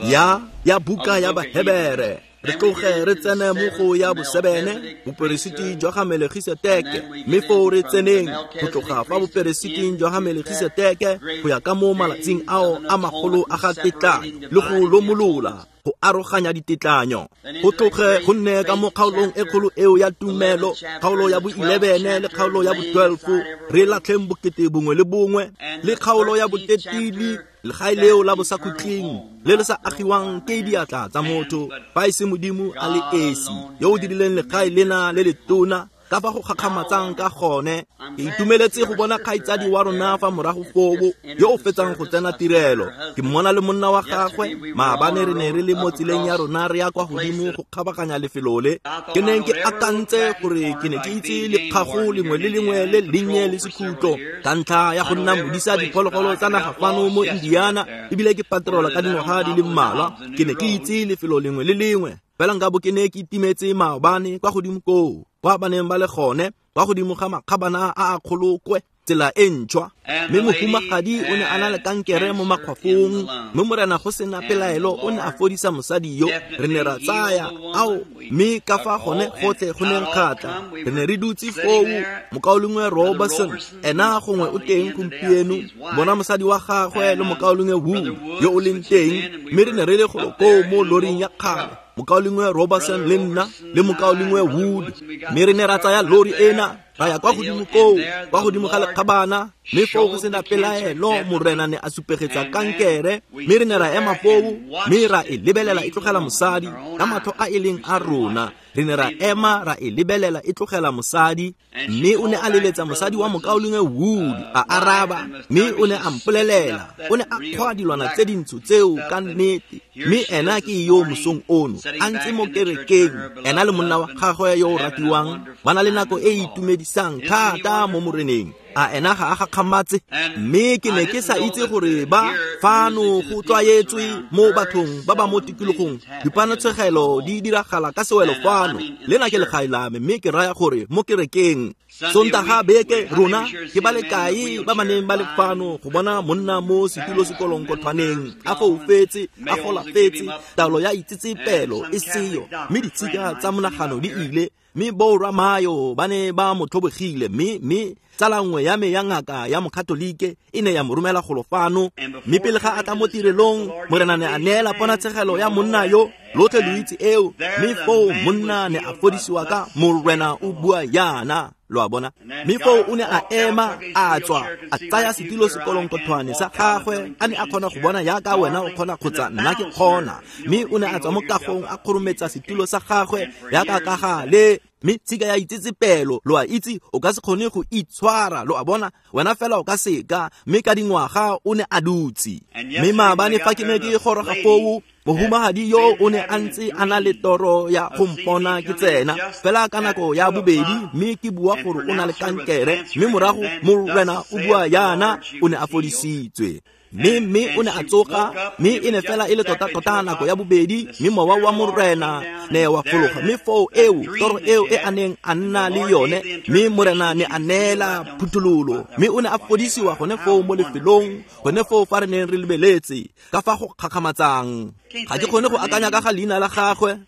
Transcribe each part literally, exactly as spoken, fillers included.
Ya ya buka ya Bahebere re tloge re tsene mo go ya bosebene boperesiti jwa ga Melkisedeke mme foo re tseneng go tloga fa boperesiting jwa ga Melkisedeke go ya ka mo malatsing ao a magolo a ga tetlanyo le go lomolola go aroganya ditetlanyo go tloge go nne ka mo kgaolong e kgolo eo ya tumelo kgaolo ya bo eleven le kgaolo ya bo twelve re latlheng bokete bongwe le bongwe le kgaolo ya bo thirteen legae leo la bosakhutleng le le sa agiwang ke diatla tsa motho fa e se Modimo a le esi yo o dirileng legae lena le letona ka fa go gakgamatsang ka gone. Ke itumeletse go bona kgaitsadi wa rona fa morago foo yo o fetsang go tsena tirelo. Ke mmona le monna wa gagwe maabane re ne re le mo tseleng ya rona re ya kwa godimo go kgabaganya lefelo le. Ke neng ke akantse gore ke ne ke itse lekgago lengwe le lengwe le lennye le sekhutlo ka ntlha ya go nna modisa diphologolo tsa naga fano mo Indiana ebile ke patrola ka dingwaga di le mmalwa. Ke ne ke itse lefelo lengwe le lengwe fela nka bo ke ne ke itimetse maobane kwa godimo koo kwa ba neng ba le gone kwa godimo ga makgabana a a kgolokwe tsela e ntšhwa. Mme mohumagadi o ne a na le kankere mo makgwafong mme Morena go sena pelaelo o ne a fodisa mosadi yo. Re ne ra tsaya ao mme ka fa gone gotlhe go neng kgatla re ne re dutse foo mokaulengwe Robertson ena gongwe o teng gompieno bona mosadi wa gagwe le mokaulengwe Wood yo o leng teng mme re ne re le golo koo mo loring ya kgale mokaulengwe Robertson le nna le mokaulengwe Wood mme re ne ra tsaya lori ena ra ya kwa godimo koo kwa godimo ga lekgabana mme foo go sena pelaelo Morena ne a supegetsa kankere mme re ne ra ema foo mme ra e lebelela e tlogela mosadi ka matlho a e leng a rona. Re ne ra ema ra e lebelela e tlogela mosadi mme o ne a leletsa mosadi wa mokaulengwe Wood a araba mme o ne a mpolelela o ne a kgwa dilwana tse dintsho tseo ka nnete mme ena ke yo mosong ono a ntse mo kerekeng ena le monna wa gagwe yo o ratiwang ba na le nako e e itumedisang thata mo Moreneng. A ena ga a gakgamatse mme ke ne ke sa itse gore ba fano go tlwaetswe mo bathong ba ba mo tikologong dipanatshegelo di diragala ka sewelo fano lena ke legae la me mme ke raya gore mo kerekeng Sontaga beke rona ke ba le kae ba ba neng ba le fano go bona monna mo setulo sekolonkothwaneng a foufetse a golafetse taolo ya itsetsepelo e seyo mme ditshika tsa monagano di ile mme borra Mayo ba ne ba mo tlhobogile mme mme tsala nngwe ya me ya ngaka ya mokatolike e ne ya mo romela golo fano mme pele ga a tla mo tirelong Morena ne a neela ponatshegelo ya monna yo lotlhe lo itse eo mme foo monna ne a fodisiwa ka Morena o bua yana lo a bona mme foo o ne a ema a tswa a tsaya setilo sekolonkothwane sa gagwe a ne a kgona go bona yaka wena o kgona kgotsa nna ke kgona mme o ne a tswa mo kagong a kgorometsa setilo sa gagwe yaka ka gale mme tshika ya itsetsepelo lo a itse o ka se kgone go itshwara lo a bona wena fela o ka seka mme ka dingwaga o ne a dutse. Mme maabane fa ke ne ke goroga foo mohumagadi yo o ne a ntse a na le toro ya go mpona ke tsena fela ka nako ya bobedi mme ke bua gore o na le kankere mme morago Morena o bua yana o ne a fodisitswe mme mme o ne a tsoga mme e ne fela e le tota-tota nako ya bobedi mme mowa wa Morena ne wa fologa mme foo eo toro eo e a neng a nna le yone mme Morena ne a neela phuthololo mme o ne a fodisiwa gone foo mo lefelong gone foo fa re neng re lebeletse ka fa go kgakgamatsang. Ga ke kgone go akanya ka ga leina la gagwe.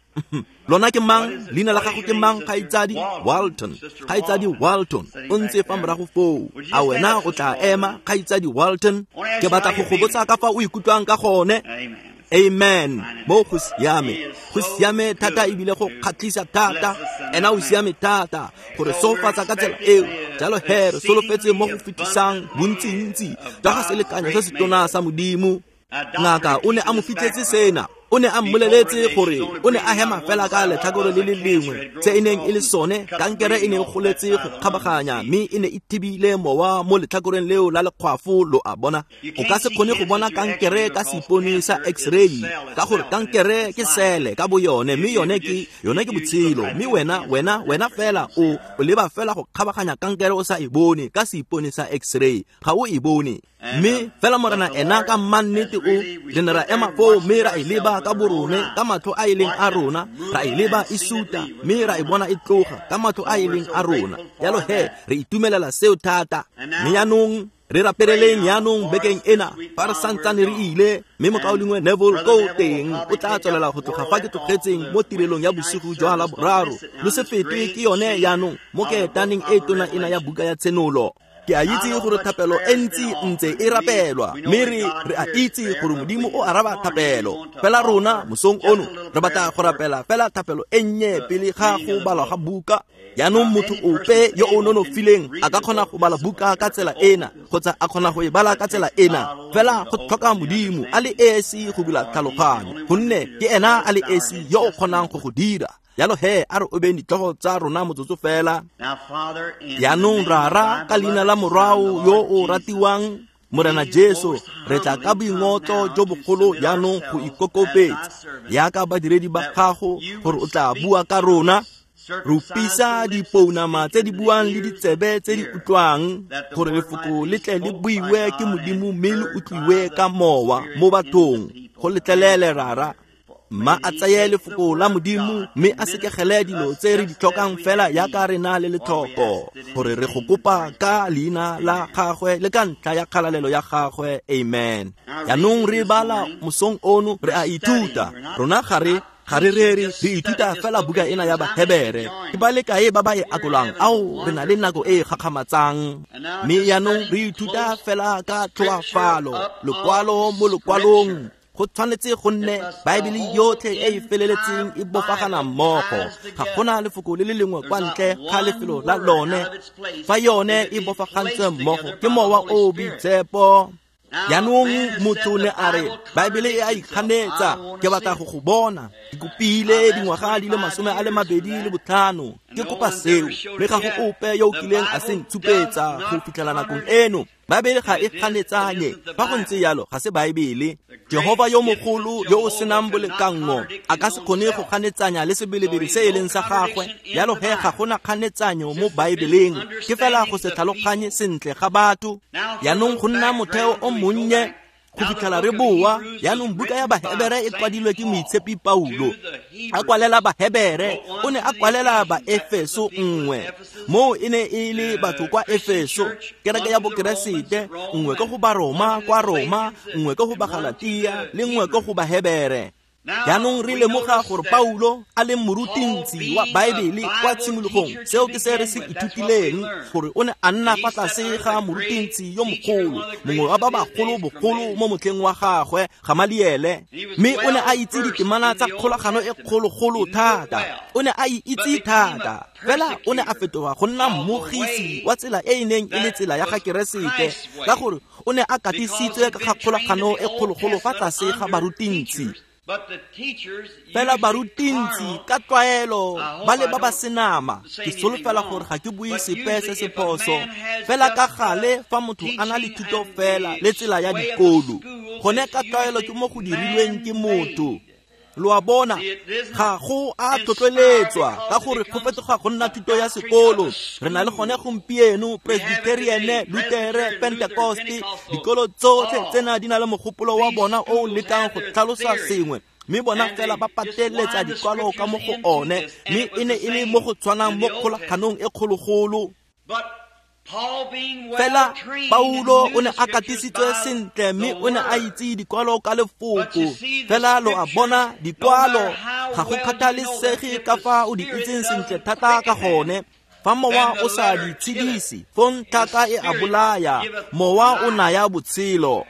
Lona ke mang? Leina la gago ke mang? Kgaitsadi Walton. Kgaitsadi Walton o ntse fa morago foo. A wena o tla ema kgaitsadi Walton? Ke batla go go botsa ka fa o ikutlwang ka gone. Amen. Mo go siame go siame thata ebile go kgatlhisa thata ena o siame thata gore sofatsa ka tsela eo jalo he re solofetse mo go fetisang bontsintsi jwa ga selekanyo se se tona sa Modimo. Ngaka o ne a mo fitlhetse sena o ne a mmoleletse gore o ne a hema fela ka letlhakore le le lengwe tse e neng e le sone kankere e ne e goletse go kgabaganya mme e ne e thibile mowa mo letlhakoreng leo la lekgwafo lo a bona. O ka se kgone go bona kankere ka seipone sa x-ray ka gore kankere ke sele ka bo yone mme yone ke yone ke botshelo mme wena wena wena fela o o leba fela go kgabaganya kankere o sa e bone ka seipone sa x-ray ga o e bone. Mme fela Morena ena ka mannete o re ne ra ema foo mme ra e leba ka borone ka matlho a e leng a rona ra e leba e suta mme ra e bona e tloga ka matlho a e leng a rona. Jalo he re itumelela seo thata. Mme jaanong Re rapeleleng jaanong bekeng ena fa re santsane re ile, mme mokaulengwe Neville ko teng o tla tswelela go tloga fa ke tlogetseng mo tirelong ya bosigo jwa Laboraro. Lo se fetwe ke yone jaanong mo ketaneng e tona ena ya buka ya Tshenolo. Ke a itse gore thapelo e ntsi ntse e rapelwa, mme re re a itse gore Modimo o araba thapelo. Fela rona mosong ono re batla go rapela fela thapelo e nnye pele ga go balwa ga buka. Jaanong motho ope yo o nonofileng a ka kgona go bala buka ka tsela ena kgotsa a kgona go e bala ka tsela ena, fela go tlhoka Modimo a le esi go bula tlhaloganyo, gonne ke ena a le esi yo o kgonang go go dira. Jalo he a re obeng ditlhogo tsa rona motsotso fela. Jaanong Rara, ka leina la Morwao yo o ratiwang Morena Jesu, re tla ka boingotlo jo bogolo jaanong go ikokobetsa jaaka badiredi ba gago gore o tla bua ka rona. Rupisa dipounama tse di buang le ditsebe tse di utlwang, gore lefoko le tle le buiwe ke Modimo mme le utlwiwe ka mowa mo bathong. Go letlelele Rara, mma a tseye lefoko la Modimo mme a sekegele dilo tse re di tlhokang fela jaaka re na le letlhoko, gore re go kopa ka leina la gagwe le ka ntlha ya kgalalelo ya gagwe. Amen. Jaanong re bala mosong ono, re a ithuta. Rona ga re ga re rere, re ithuta fela buka ena ya Bahebere. Ke ba le kae ba ba e akolang? Ao, re na le nako e e gakgamatsang. Mme jaanong re ithuta fela ka tlhoafalo, lokwalo mo lokwalong. Go tshwanetse go nne Baebele yotlhe e e feleletseng e bofagana mmogo. Ga gona lefoko le le lengwe kwa ntle ga lefelo la lone. Fa yone e bofagantswe mmogo ke Mowa o o Boitshepo. Jaanong motho ne a re Baebele e a ikganetsa, ke batla go go bona. Ke kopile dingwaga di le masome a le mabedi le botlhano, ke kopa seo, mme ga go ope yo o kileng a se ntshupetsa go fitlhela nakong eno. Baebele ga e kganetsanye. Fa go ntse jalo, ga se Baebele. Jehova yo mogolo yo o senang bolekanngo a ka se kgone go kganetsanya le sebelebele se e leng sa gagwe. Jalo he ga gona kganetsanyo mo Baebeleng, ke fela go se tlhaloganye sentle ga batho. Jaanong go nna motheo o monnye go fitlhela re boa. Jaanong buka ya Bahebere e kwadilwe ke moitshepi Paulo. A kwalela Bahebere, o ne a kwalela Baefeso nngwe. Moo e ne e le batho kwa Efeso, kereke ya Bokeresete, nngwe ke go Baroma kwa Roma, nngwe ke go Bagalatia, le nngwe ke go Bahebere. Jaanong re lemoga gore Paulo a leng morutintsi wa Baebele kwa tshimologong, seo ke se re se ithutileng, gore o ne a nna fa tlase ga morutintsi yo mogolo, mongwe wa ba bagolo bogolo mo motlheng wa gagwe, Gamaliele. Mme o ne a itse ditemana tsa kgolagano e kgologolo thata, o ne a e itse thata. Fela o ne a fetoga go nna mmogisi wa tsela e e neng e le tsela ya ga Keresete, ka gore o ne a katisitswe ka ga kgolagano e kgologolo fa tlase ga barutintsi. Fela barutintsi ka tlwaelo ba le ba ba senama. Ke solofela gore ga ke bue sepe se se phoso. Fela ka gale fa motho a na le thuto fela le tsela ya dikolo, gone ka tlwaelo ke mo go dirilweng ke motho. Lo a bona, ga go a tlhotlheletswa ka gore go fetoga go nna thuto ya sekolo. Re na le gone gompieno Presbyterian, Lutere, Pentecoste, dikolo tsotlhe tsena di na le mogopolo wa bona o o lekang go tlhalosa sengwe, mme bona fela ba pateletsa dikwalo ka mo go one, mme e ne e le mo go tshwanang mo kgolaganong e kgologolo. Fela Paulo o ne a katisitswe sentle mme o ne a itse dikwalo ka lefoko. Fela lo a bona, dikwalo ga go kgathalesege ka fa o di itseng sentle thata ka gone. Fa mowa o sa di tshedise, fong tlhaka e a bolaya, mowa o naya botshelo.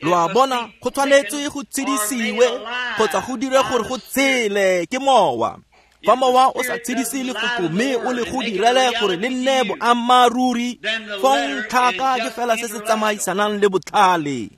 Lo a bona, go tshwanetse go tshedisiwe kgotsa go dire gore go tshele ke mowa. Fa mowa o sa tshedise lefoko mme o le go direle gore le nne boammaaruri, fong tlhaka ke fela se se tsamaisanang le botlhale.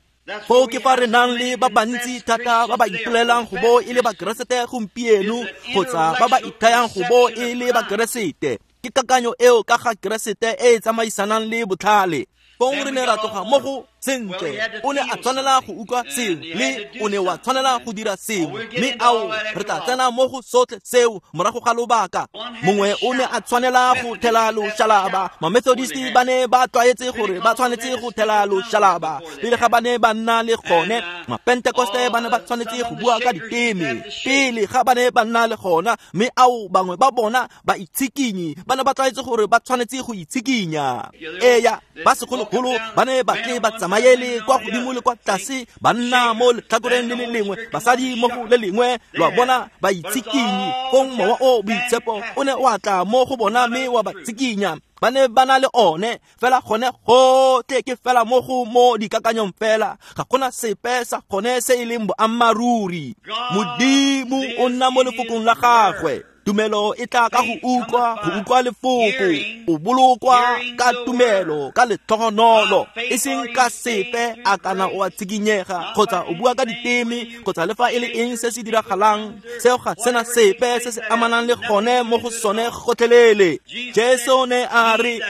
Foo ke fa re nang le ba bantsi thata ba ba ipolelang go bo e le Bakeresete gompieno, kgotsa ba ba ithayang go bo e le Bakeresete. Ke kakanyo eo ka ga Keresete e e tsamaisanang le botlhale. Fong re ne ra tloga mo go Sentle, o ne a tshwanela go utlwa sengwe, le o ne wa tshwanela go dira sengwe, mme ao re tla tsena mo go sotlhe seo morago ga lobaka. Mongwe o ne a tshwanela go thela loshalaba. Mamethodist ba ne ba tlwaetse gore ba tshwanetse go thela loshalaba pele ga ba ne ba nna le gone. Mapentekoste ba ne ba tshwanetse go bua ka diteme pele ga ba ne ba nna le gona, mme ao bangwe ba bona ba itshikinyi ba ne ba tlwaetse gore ba tshwanetse go itshikinya. Eya, ba segologolo ba ne ba tle ba tsamaele kwa godimo le kwa tlase, banna mo letlhakoreng le le lengwe, basadi mo go le lengwe, lo a bona, ba itshikinyi. Fong mowa o boitshepo o ne wa tla mo go bona mme wa ba tsikinya. Ba ne ba na le one fela gone gotlhe ke fela mo go mo dikakanyong fela, ga gona sepe sa gone se e leng boammaaruri. Modimo o nna mo lefokong la gagwe. Tumelo e tla ka go utlwa, go utlwa lefoko. O bolokwa ka tumelo, ka letlhogonolo, e seng ka sepe a kana o a tshikinyega kgotsa o bua ka diteme kgotsa le fa e le eng se se diragalang. Seo ga sena sepe se se amanang le gone mo go sone gotlhelele. Jesu ne a re,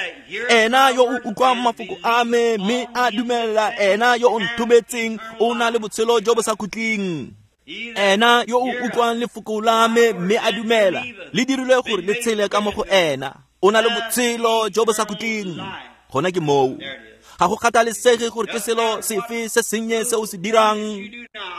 ena yo o utlwang mafoko a me mme a dumela ena yo o nthometseng o na le botshelo jo bo sa khutleng. Ena yo o utlwang lefoko la me mme a dumela, le dirilwe gore le tshele ka mo go ena, o na le botshelo jo bo sa khutleng. Gona ke moo. Ga go kgathalesege gore ke selo sefe se sennye se o se dirang.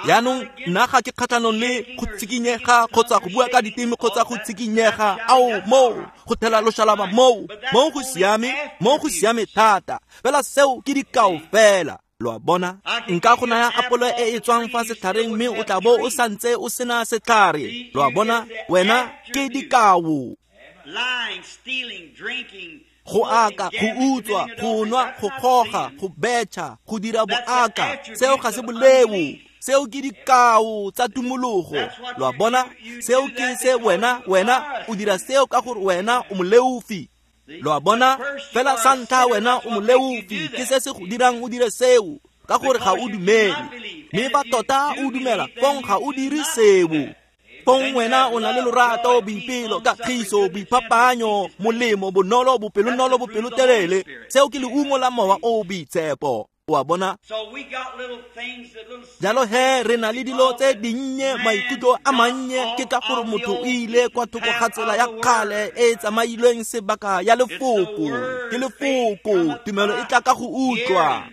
Jaanong nna ga ke kgatlhanong le go tshikinyega kgotsa go bua ka diteme kgotsa go tshikinyega. Ao, moo go thela loshalaba moo, moo go siame, moo go siame thata. Fela seo ke dikao fela. Lo a bona, nka go naya apolo e e tswang fa setlhareng mme o tla bo o santse o sena setlhare. Lo a bona, wena ke dikao. Go aka, go utswa, go nwa, go goga, go betšha, go dira boaka, seo ga se boleo. Seo ke dikao tsa tumologo. Lo a bona, seo ke se wena, wena o dira seo ka gore wena o moleofi. Lo a bona, fela sa ntlha wena o moleofi, ke se se go dirang o dire seo ka gore ga o dumele. Mme fa tota o dumela, fong ga o dire seo. Fong wena o na le lorato, boipelo, kagiso, boiphapanyo, molemo, bonolo, bopelonolo, bopelotelele. Seo ke leungo la mowa o boitshepo. O a bona? Jalo he re na le dilo tse dinnye, maikutlo a mannye, ke ka gore motho o ile kwa thoko ga tsela ya kgale e e tsamailweng sebaka ya lefoko. Ke lefoko, tumelo e tla ka go utlwa.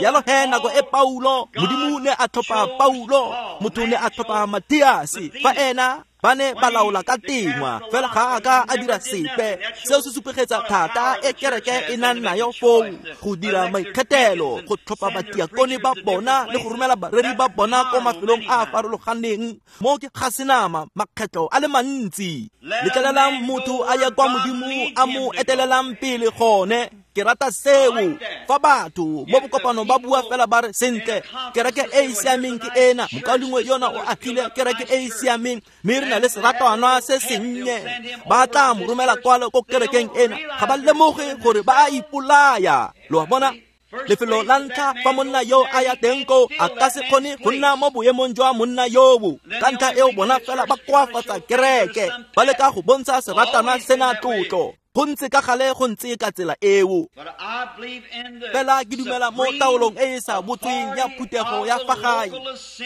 Jalo he nako e Paulo, Modimo ne a tlhopha Paulo, motho ne a tlhopha Matiase, fa ena ba ne ba laola ka tengwa, fela ga a ka a dira sepe. Seo se supegetsa thata e kereke e nang nayo foo, go dira maikgethelo, go tlhopha batiakone ba bona le go romela bareri ba bona ko mafelong a a farologaneng. Mo ke ga senama makgetlo a le mantsi. Letlelelang motho a ye kwa Modimo a mo etelelang pele gone. Ke rata seo. Fa batho mo bokopanong ba bua fela ba re, sentle, kereke e e siameng ke ena, mokaulengwe yona o agile kereke e e siameng, mme re na le seratwana se sennye, ba tla mo romela kwalo ko kerekeng ena. Ga ba lemoge gore ba a ipolaya. Lo a bona? Lefelo la ntlha fa monna yo a ya teng koo, a ka se kgone go nna mo boemong jwa monna yoo. Ka ntlha eo bona fela ba koafatsa kereke, ba leka go bontsha seratana sena tlotlo. Go ntse ka gale go ntse ka tsela eo. Fela ke dumela mo taolong e e sa botsweng ya phuthego ya fa gae.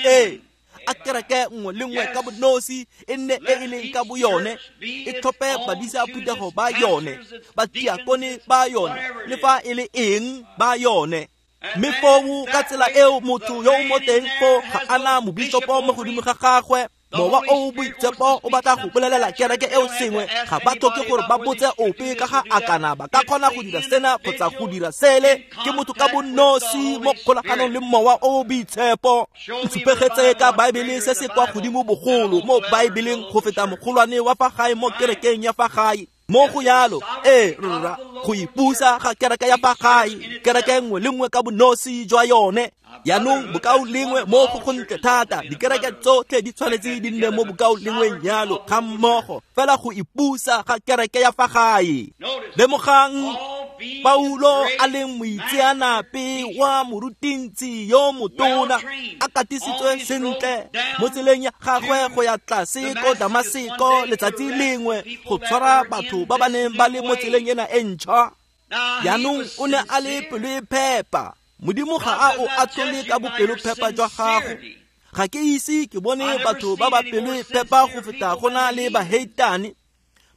Ee, a kereke nngwe le nngwe ka bonosi e nne e e leng ka boyone, e tlhophe badisa phuthego ba yone, batiakone ba yone, le fa e le eng ba yone. Mme foo ka tsela eo motho yo o mo teng foo ga ana mobishopo mo godimo ga gagwe. Mowa o boitshepo o batla go bolelela kereke eo sengwe, ga ba tlhoke gore ba botse ope ka ga a kana ba ka kgona go dira sena kgotsa go dira sele. Ke motho ka bonosi mo kgolaganong le mowa o boitshepo. Ntshupegetse ka Baebele se se kwa godimo bogolo mo Baebeleng go feta mogolwane wa fa gae mo kerekeng ya fa gae. Mo go yalo, ee rra, go ipusa ga kereke ya fa gae, kereke nngwe le nngwe ka bonosi jwa yone. Jaanong bokao lengwe mo go gontle thata, dikereke tsotlhe di tshwanetse di nne mo bokao lengweng yalo ga mmogo, fela go ipusa ga kereke ya fa gae. Lemogang Paulo a leng moitseanape wa morutintsi yo motona, a katisitswe sentle mo tseleng ya gagwe go ya tlase ko Damaseko letsatsi lengwe go tshwara batho ba ba neng ba le mo tseleng ena e ntšhwa. Jaanong o ne a le pelo e phepa, Modimo ga a o atlhole ka bopelophepa jwa gago. Ga ke ise ke bone batho ba ba pelophepa go feta go na le baheitane.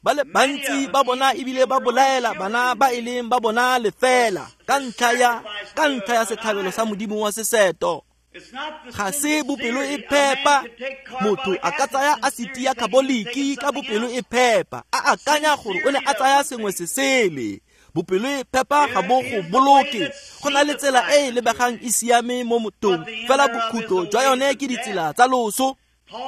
Ba le bantsi ba bona ebile ba bolaela bana ba e leng ba bona lefela ka ntlha ya ka ntlha ya setlhabelo sa Modimo wa seseto. Ga se bopelo e phepa. Motho a ka tsaya asiti ya kaboliki ka bopelo e phepa, a akanya gore o ne a tsaya sengwe se sele. Bopelo e phepa ga bo go boloke. Go na le tsela e e lebegang e siame mo mothong, fela bokhutlo jwa yone ke ditsela tsa loso.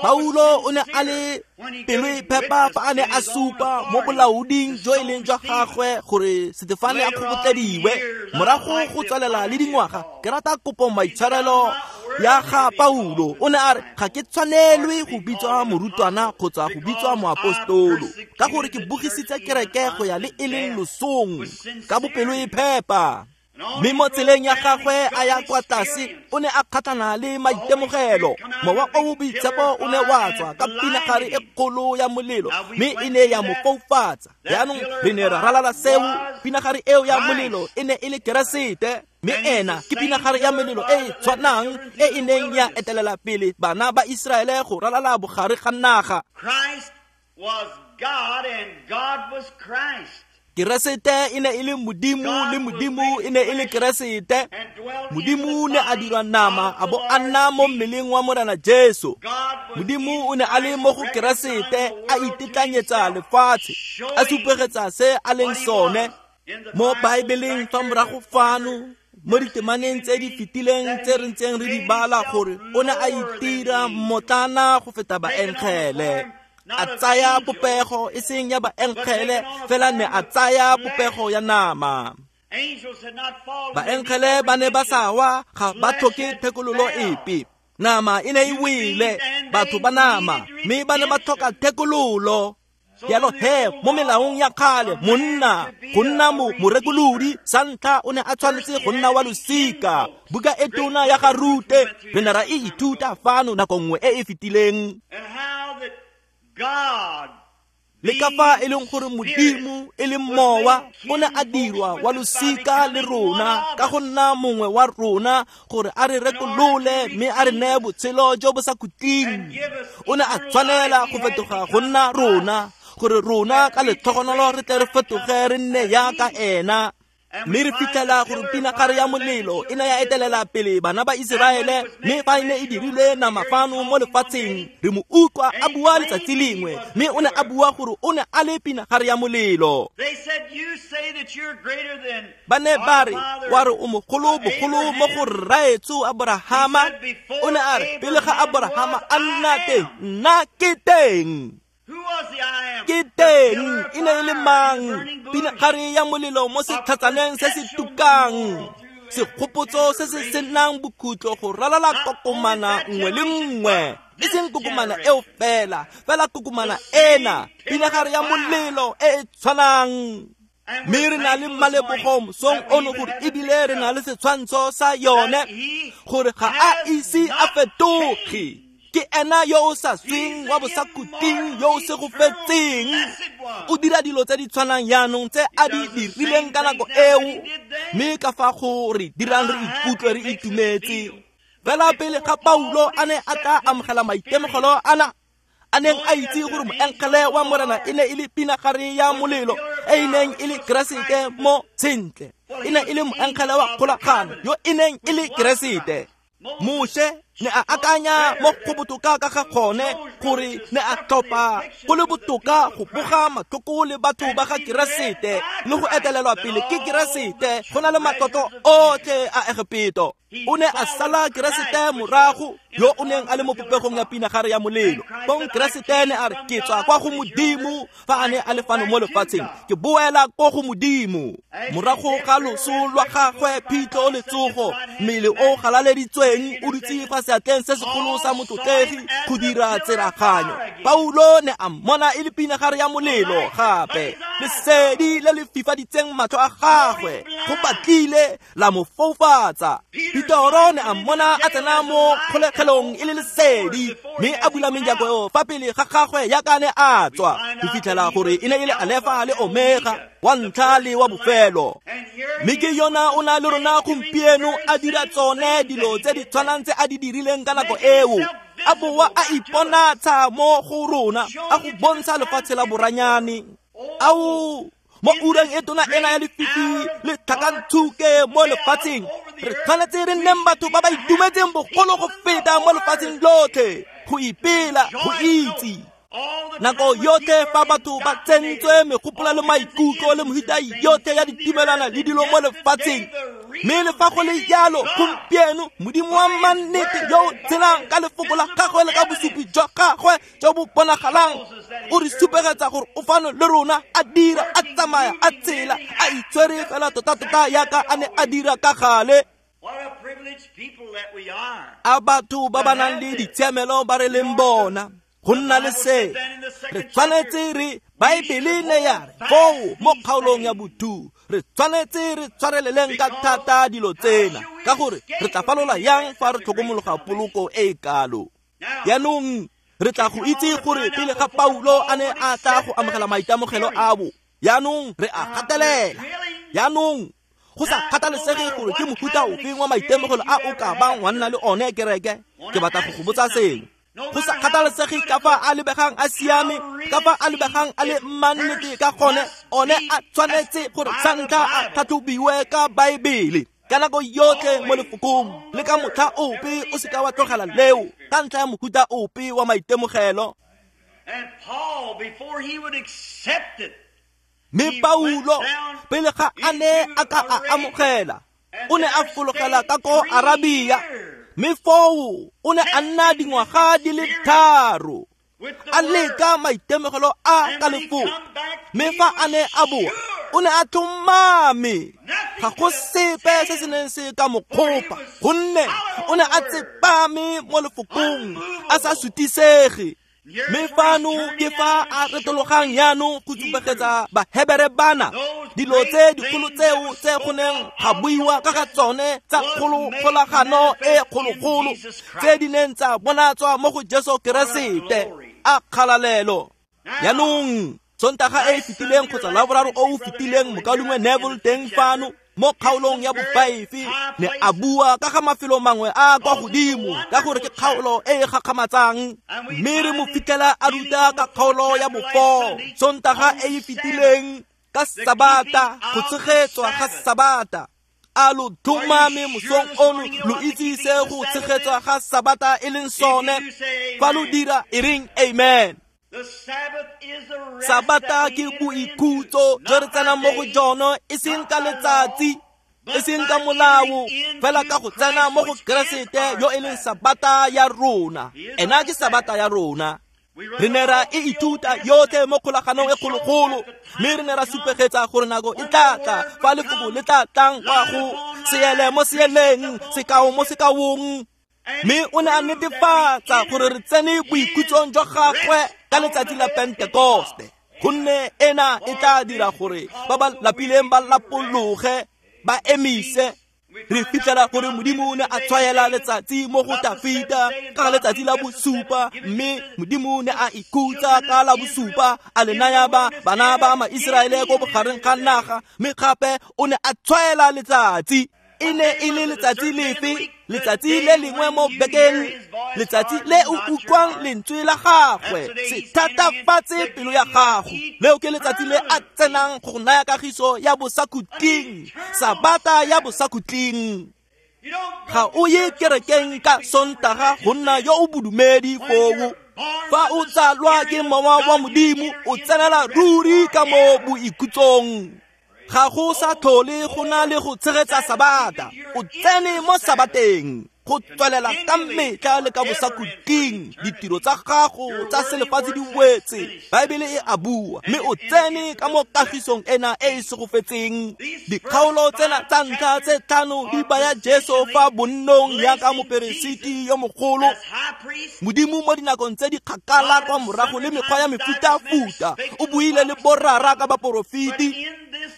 Paulo o ne a le pelo e phepa fa a ne a supa mo bolaoding jo e leng jwa gagwe gore Setefane a kgobotlediwe. Morago go tswelela le dingwaga, ke rata kopo maitshwarelo ya ga Paulo. O ne a re, ga ke tshwanelwe go bitswa morutwana kgotsa go bitswa moapostolo, ka gore ke bogisitse kereke go ya le e leng losong ka bopelo e phepa. Mme mo tseleng ya gagwe a ya kwa tlase, o ne a kgatlhana le maitemogelo. Mowa o o boitshepo o ne wa tswa ka pinagare e kgolo ya molelo, mme e ne ya mo foufatsa. Jaanong re ne ra ralala seo. Pinagare eo ya molelo e ne e le Keresete, mme ena ke pinagare ya molelo e e tshwanang e e neng ya etelela pele bana ba Iseraele go ralala bogare ga naga. Christ was God and God was Christ. Keresete e ne e le Modimo, le Modimo e ne e le Keresete. Modimo ne a dirwa nama a bo a nna mo mmeleng wa Morena Jesu. Modimo o ne a le mo go Keresete, a itetlanyetsa lefatshe, a supegetsa se a leng sone. Mo Baebeleng fa morago fano, mo ditemaneng tse di fetileng tse re ntseng re di bala, gore o ne a itira mmotlana go feta baengele. A tsaya popego e seng ya baengele, fela ne a tsaya popego ya nama. Baengele ba ne ba sa wa, ga ba tlhoke thekololo epe. Nama e ne e wele, batho ba nama, mme ba ne ba tlhoka thekololo. Jalo he, mo melaong ya kgale, monna go nna mo morekolodi sa ntlha o ne a tshwanetse go nna wa losika. Buka e tona ya ga Rute re ne ra e ithuta fano nako nngwe e e fetileng. Le ka fa e leng gore Modimo e leng mowa o ne a dirwa wa losika le rona ka go nna mongwe wa rona, gore a re rekolole mme a re neye botshelo jo bo sa khutleng. O ne a tshwanela go fetoga go nna rona, gore rona ka letlhogonolo re tle re fetoge re nne yaka ena. Mme re fitlhela gore pinagare ya molelo e ne ya etelela pele bana ba Iseraele, mme fa e ne e dirilwe nama fano mo lefatsheng, re mo utlwa a bua letsatsi lengwe, mme o ne a bua gore o ne a le pinagare ya molelo. Ba ne ba re, wa re o mogolo bogolo mo go rraetsho Aborahama. O ne a re, pele ga Aborahama a nna teng, nna ke teng. Ke teng. E ne e le mang? Pinagare ya molelo mo setlhatsaneng se se tukang, segopotso se se senang bokhutlo go ralala kokomana nngwe le nngwe. E seng kokomana eo fela, fela kokomana ena, pinagare ya molelo e e tshwanang. Mme re na le malebogo mosong ono gore ebile re na le setshwantsho sa yone, gore ga a ise a fetoge. Ke ena yo o sa sweng, wa bosakhutleng, yo o segofetseng. O dira dilo tse di tshwanang jaanong tse a di dirileng ka nako eo, mme ka fa go re dirang re ikutlwe re itumetse. Fela pele ga Paulo a ne a tla amogela maitemogelo ana, a neng a itse gore moengele wa Morena e ne e le pinagare ya molelo e e neng e le Keresete mo sentle. E ne e le moengele wa kgolagano yo e neng e le Keresete. Moshe ne a akanya mo go botoka ka ga gone, gore ne a tlhopha go le botoka go boga matlhoko le batho ba ga Keresete le go etelelwa pele ke Keresete go na le matlotlo otlhe a Egepeto. O ne a sala Keresete morago, yo o neng a le mo popegong ya pinagare ya molelo. Bong Keresete ne a re, ke tswa kwa go Modimo fa a ne a le fano mo lefatsheng, ke boela ko go Modimo. Morago ga loso lwa gagwe, phitlho le tsogo, mmele o galaleditsweng o dutse fa seatleng se segolo sa motlotlegi go dira tseraganyo. Paulo ne a mmona e le pinagare ya molelo gape, lesedi le le fifaditseng matlho a gagwe go batlile la mo foufatsa. Petoro ne a mmona a tsena mo kgolegelong e le lesedi, mme a bula menjako fa pele ga gagwe yaka ne a tswa, go fitlhela gore e ne e le Alefa le Omega, wa ntlha le wa bofelo. Mme ke yona o na le rona gompieno a dira tsone dilo tse di tshwanang tse a di dirileng ka nako eo, a boa a iponatsha mo go rona, a go bontsha lefatshe la boranyane. Ao, mo ureng e tona ena ya lefifi le tlhakanthuke mo lefatsheng, re tshwanetse re nneng batho ba ba itumetseng bogolo go feta mo lefatsheng lotlhe, go ipela, go itse. Nako yotlhe fa batho ba tsentswe megopolo le maikutlo le mehuta yotlhe ya ditumelana le dilo mo lefatsheng, mme le fa go le jalo gompieno Modimo wa mannete yo o tshelang ka lefoko la gagwe le ka bosupi jwa gagwe jo bo bonagalang o re supegetsa gore o fano le rona, a dira, a tsamaya, a tshela, a itshwere fela tota-tota yaka a ne a dira ka gale. A batho ba ba nang le ditshiamelo ba re leng bona go nna le se, re tshwanetse re Baebele ne ya re foo mo kgaolong ya bothu, re tshwanetse re tshwareleleng ka thata dilo tsena, ka gore re tla falola yang fa re tlhokomologa poloko e e kalo. Jaanong re tla go itse gore pele ga Paulo a ne a tla go amogela maitemogelo abo, jaanong re a gatelela. Jaanong go sa kgathalesege gore ke mofuta ofeng wa maitemogelo a o ka bang wa nna le one kereke, ke batla go go botsa sengwe. Go sa kgathalesege ka fa a lebegang a siame, ka fa a lebegang a le mannete ka gone, one a tshwanetse gore sa ntlha a tlhatlhobiwe ka Baebele ka nako yotlhe mo lefokong, le ka motlha ope o seka wa tlogela leo ka ntlha ya mohuta ope wa maitemogelo. Mme Paulo pele ga a ne a ka a amogela, o ne a fologela ka ko Arabia, mme foo o ne a nna dingwaga di le tharo a leka maitemogelo a ka lefoko. Mme fa a ne a boa, o ne a tlhomame, ga go sepe se se neng se ka mo kgopa, gonne o ne a tsepame mo lefokong, a sa sutisege. Mme fano ke fa a retologang jaanong go supegetsa Bahebere bana dilo tse dikgolo tseo tse go neng ga buiwa ka ga tsone tsa kgolagano e kgologolo, tse di neng tsa bonatswa mo go Jesu Keresete. A kgalalelo. Jaanong Sontaga e e fetileng kgotsa Laboraro o o fetileng, mokaulengwe Neville teng fano mo kgaolong ya bofive ne a bua ka ga mafelo mangwe a kwa godimo, ka gore ke kgaolo e e gakgamatsang, mme re mo fitlhela a ruta ka kgaolo ya bofo Sontaga e e fetileng ka Sabata, go tshegetswa ga Sabata. A lo tlhomame mosong ono lo itse se go tshegetswa ga Sabata e leng sone. Fa lo dira, e reng amen. Sabata ke boikhutso jo re tsenang mo go jone, e seng ka letsatsi, e seng ka molao, fela ka go tsena mo go Keresete yo e leng Sabata ya rona. Ena ke Sabata ya rona. Re ne ra e ithuta yotlhe mo kgolaganong e kgologolo, mme re ne ra supegetsa gore nako e tla tla fa lefoko le tla tlang kwa go seele mo seeleng, sekao mo sekaong. Mme o ne a netefatsa gore re tsene boikhutsong jwa gagwe ka letsatsi la Pentekoste, gonne ena e tla dira gore ba ba lapileng ba lapologe, ba emise. Re fitlhela gore Modimo o ne a tshwaela letsatsi mo go Tafita ka letsatsi la bosupa, mme Modimo ne a ikhutsa ka la bosupa, a le naya ba bana ba ma-Iseraele ko bogareng ga naga, mme gape o ne a tshwaela letsatsi. E ne e le letsatsi lefe? Letsatsi le lengwe mo bekeng, letsatsi le o utlwang lentswe la gagwe se thatafatse pelo ya gago. Leo ke letsatsi le a tsenang go naya kagiso ya bosakhutleng, Sabata ya bosakhutleng. Ga o ye kerekeng ka Sontaga go nna yo o bodumedi foo. Fa o tsalwa ke mowa wa Modimo, o tsenela ruri ka mo boikhutsong. Ga go sa tlhole go na le go tshegetsa Sabata, o tsene mo Sabateng. Go tswelela ka metlha le ka bosakhutleng ditiro tsa gago tsa selefatshe di wetse. Baebele e a bua, mme o tsene ka mo kagisong ena e e segofetseng. Dikgaolo tsena tsa ntlha tse tlhano di baya Jesu fa bonnong yaka moperesiti yo mogolo. Modimo mo dinakong tse di kgakala kwa morago le mekgwa ya mefutafuta o buile le borara ka baporofeti,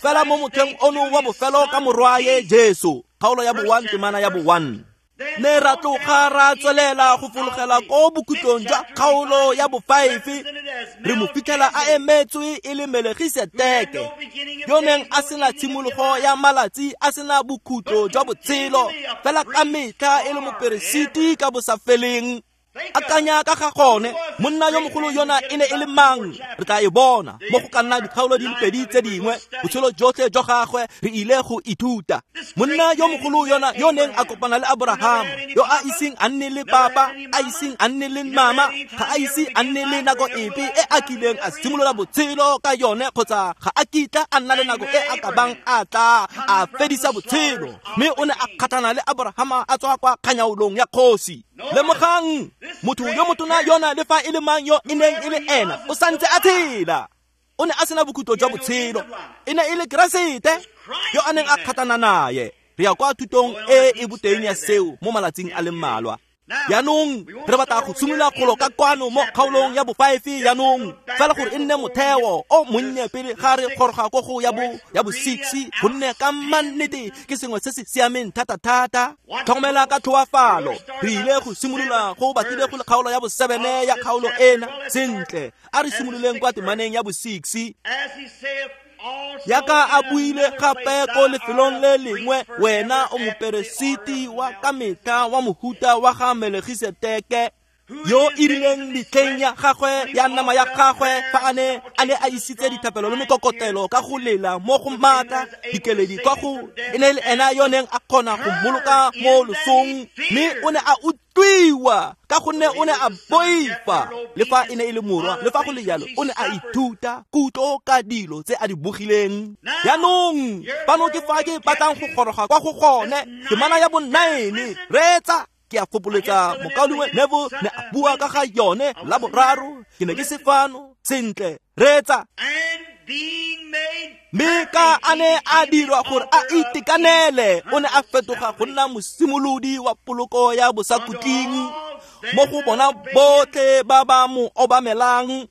fela mo motlheng ono wa bofelo ka morwaye Jesu. Kgaolo ya bo one temana ya bo one. Ne ra tloga ra tswelela go fologela ko bokhutlong jwa kgaolo ya bo five, re mo fitlhela a emetswe e le Melegiseteke, yo neng a sena tshimologo ya malatsi, a sena bokhutlo jwa botshelo, fela ka metlha e le moperesiti ka bosafeleng. Akanya ka ga gone, monna yo mogolo yona e ne e le mang? Re tla e bona mo go ka nna dikgaolo di le pedi tse dingwe. Botshelo jotlhe jwa gagwe re ile go ithuta. Monna yo mogolo yona yo neng a kopana le Abraham, yo a iseng a nne le papa, a iseng a nne le mama, ga a ise a nne le nako epe e a kileng a simolola botshelo ka yone, kgotsa ga a kitla a nna le nako e a ka bang a tla a fedisa botshelo. Mme o ne a kgatlhana le Abraham a tswa kwa kganyaolong ya kgosi. Lemogang, motho yo motona yona le fa e le mang yo e neng e le ena, o santse a tshela. O ne a sena bokhutlo jwa botshelo. E ne e le Keresete yo a neng a kgatlhana naye. Re ya kwa thutong e e boteng ya seo mo malatsing a le mmalwa. Jaanong re batla go simolola kgolo ka kwano mo kgaolong ya bo five jaanong, fela gore e nne motheo o monnye pele ga re goroga ko go ya bo ya bo six, gonne ka mannete ke sengwe se se siameng thata-thata. Tlhokomela ka tlhoafalo, re ile go simolola go batlile go le kgaolo ya bo seven ya kgaolo ena. Sentle, a re simololeng kwa temaneng ya bo six. Yaka a buile gape ko lefelong le lengwe, wena o moperesiti wa ka metlha wa mohuta wa ga Melegiseteke, yo e rileng metlheng ya gagwe ya nama ya gagwe fa a ne a ne a isitse dithapelo le mekokotelo ka go lela mo go maatla dikeledi kwa go e ne le ena yo neng a kgona go mmoloka mo losong, mme o ne a utlwiwa ka gonne o ne a boifa. Le fa e ne e le morwa, le fa go le jalo, o ne a ithuta kutlo ka dilo tse a di bogileng. Jaanong fano ke fa ke batlang go goroga kwa go gone, temana ya bo nine. Reetsa, ke a fopoletsa mokaulengwe Neville ne a bua ka ga yone la boraro, ke ne ke se fano. Sentle, reetsa. Mme ka a ne a dirwa gore a itekanele, o ne a fetoga go nna mosimolodi wa poloko ya bosakhutleng mo go bona botlhe ba ba mo obamelang.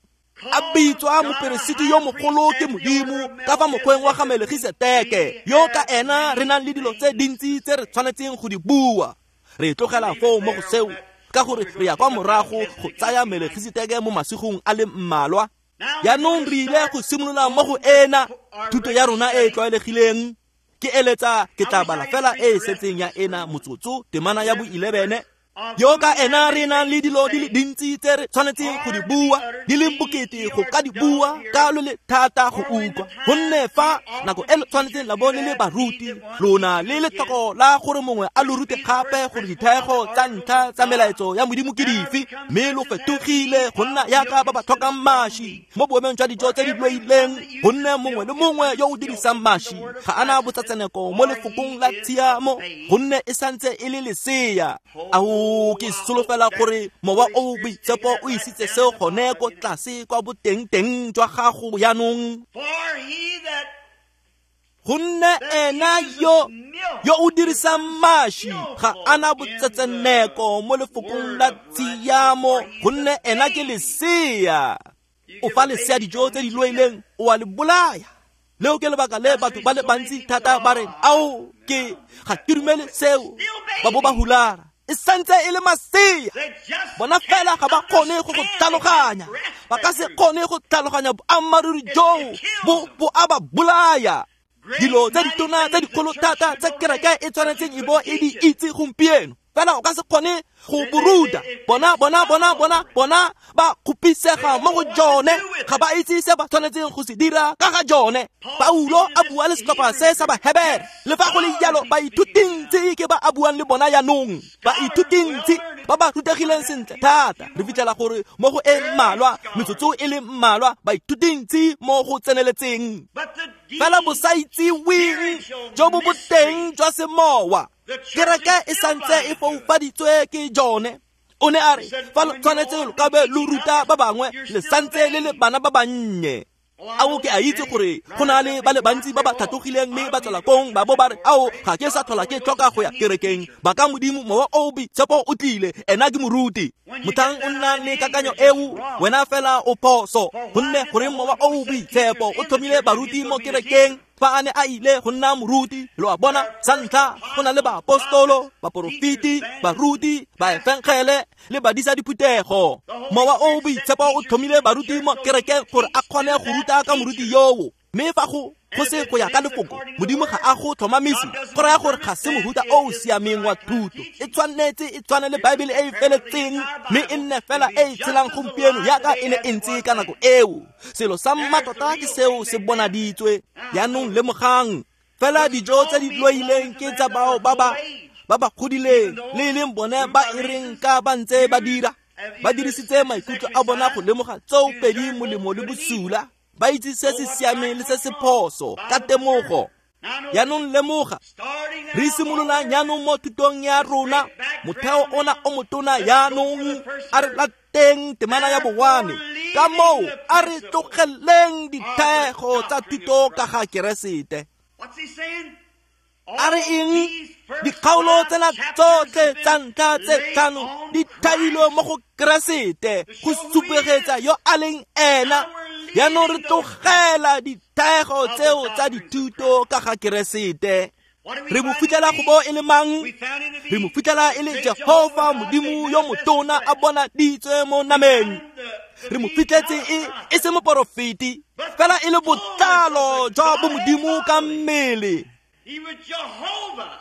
A bitswa moperesiti yo mogolo ke Modimo ka fa mokgweng wa ga Melegiseteke, yo ka ena re nang le dilo tse dintsi tse re tshwanetseng go di bua. Re tlogela foo mo go seo ka gore re ya kwa morago go tsaya Melegiseteke mo masigong a le mmalwa. Jaanong re ile go simolola mo go ena thuto ya rona e e tlwaelegileng. Ke eletsa ke tla bala fela e e setseng ya ena motsotso, temana ya bo eleven. Yo ka ena re nang le dilo di le dintsi tse re tshwanetseng go di bua, di leng bokete go ka di bua, ka lo le thata go utlwa. Gonne fa nako e le tshwanetseng la bo le le baruti, lona le letlhoko la gore mongwe a lo rute gape gore dithego tsa ntlha tsa melaetso ya Modimo ke dife, mme lo fetogile go nna yaka ba ba tlhokang mashi mo boemong jwa dijo tse di loileng. Gonne mongwe le mongwe yo o dirisang mashi ga ana botsatseneko mo lefokong la tshiamo, gonne e santse e le lesea. Ao, ke solofela gore mowa o boitshepo o isitse seo gone ko tlase kwa boteng-teng jwa gago jaanong. Gonne ena yo yo o dirisang mashi ga ana botsetseneko mo lefokong la tshiamo, gonne ena ke lesea. O fa lesea dijo tse di loileng, o a le bolaya. Leo ke lebaka le batho ba le bantsi thata ba reng, ao, ke ga ke dumele seo, ba bo ba hulara. E santse e le masea. Bona fela ga ba kgone go go tlhaloganya. Ba ka se kgone go tlhaloganya boammaaruri joo bo bo a ba bolaya. Dilo tse ditona tse dikgolo thata tse kereke e tshwanetseng e bo e di itse gompieno, fela o ka se kgone go boruta. Bona bona bona bona bona ba kgopisega mo go jone, ga ba itse se ba tshwanetseng go se dira ka ga jone. Paulo a bua le setlhopha se sa Bahebere, le fa go le jalo baithutintsi ke ba a buang le bona jaanong, baithutintsi ba ba rutegileng sentle thata. Re fitlhela gore mo go e mmalwa, metsotso e le mmalwa, baithutintsi mo go tseneletseng, fela bosaitsiweng jo bo boteng jwa semowa Kereke e santse e foufaditswe ke jone. O ne a re fa lo tshwanetse lo ka be lo ruta ba bangwe le santse le le bana ba bannye. Ao ke a itse gore go na le ba le bantsi ba ba tlhatlogileng mme ba tswela kong ba bo ba re ao ga ke sa tlhola ke tlhoka go ya kerekeng, ba ka Modimo mowa o boitshepo o tlile, ena ke moruti. Motlhang o nna le kakanyo eo wena fela o phoso, gonne goreng mowa o boitshepo o tlhomile baruti mo kerekeng fa a ne a ile go nna moruti. Lo a bona, sa ntlha go na le baapostolo, baporofeti, baruti, baefengele le badisa diphuthego. Mowa o boitshepo o tlhomile baruti mo kerekeng gore a kgone go ruta ka moruti yoo. Mme fa go go se go ya ka lefoko, Modimo ga a go tlhomamise, go raya gore ga se mohuta o o siameng wa thuto. E tshwanetse e tshwane le Baebele e e feletseng, mme e nne fela e e tshelang gompieno yaka e ne e ntse ka nako eo. Selo sa mmatota ke seo se bonaditswe. Jaanong lemogang fela dijo tse di loileng ke tsa bao ba ba ba ba godileng, le e leng bone ba e reng ka ba ntse ba dira, ba dirisitse maikutlo a bona go lemoga tseo pedi molemo le bosula, ba itse se se siameng le se se phoso ka temogo. Jaanong lemoga, re simolola jaanong mo thutong ya rona, motheo ona o motona. Jaanong a re lateng temana ya bowane, ka moo a re tlogeleng dithego tsa thuto ka ga Keresete. A re eng? Dikgaolo tsena tsotlhe tsa ntlha tse tlhano di thailwe mo go Keresete go supegetsa yo a leng ena. Jaanong re tlogela dithego tseo tsa dithuto ka ga Keresete. Re mo fitlhela go bo e le mang? Re mo fitlhela e le Jehofa Modimo yo motona a bonaditswe mo nameng. Re mo fitlhetse e e se moporofeti, fela e le botlalo jwa bomodimo ka mmele. He was Jehovah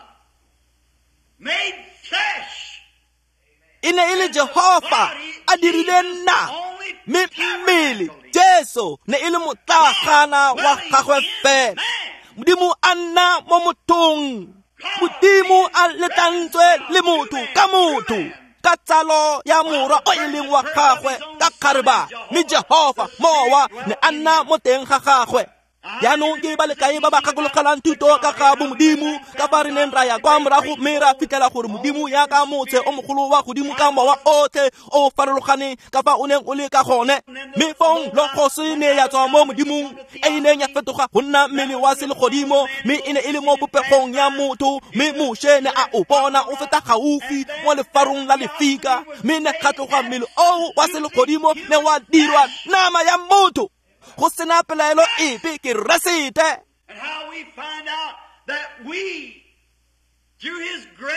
made flesh. E ne e le Jehofa a dirile nna, mme mmele Jesu ne e le motlagana wa gagwe fela. Modimo a nna mo mothong, Modimo a letlantswe le motho ka motho, ka tsalo ya morwa o e leng wa gagwe ka kgareba, mme Jehofa mowa ne a nna mo teng ga gagwe. Jaanong ke ba le kae ba ba gakologelang thuto ka ga bomodimo, ka fa re neng ra ya kwa morago mme ra fitlhela gore Modimo yaka motse o mogolo wa godimo ka mowa otlhe o farologaneng ka fa o neng o le ka gone. Mme fong logos ne ya tswa mo Modimong e e neng ya fetoga go nna mmele wa selegodimo, mme e ne e le mo popegong ya motho, mme Moshe ne a o bona o feta gaufi mo lefarong la lefika, mme ne ga tloga mmele oo wa selegodimo ne wa dirwa nama ya motho. Go sena pelaelo epe ke Keresete.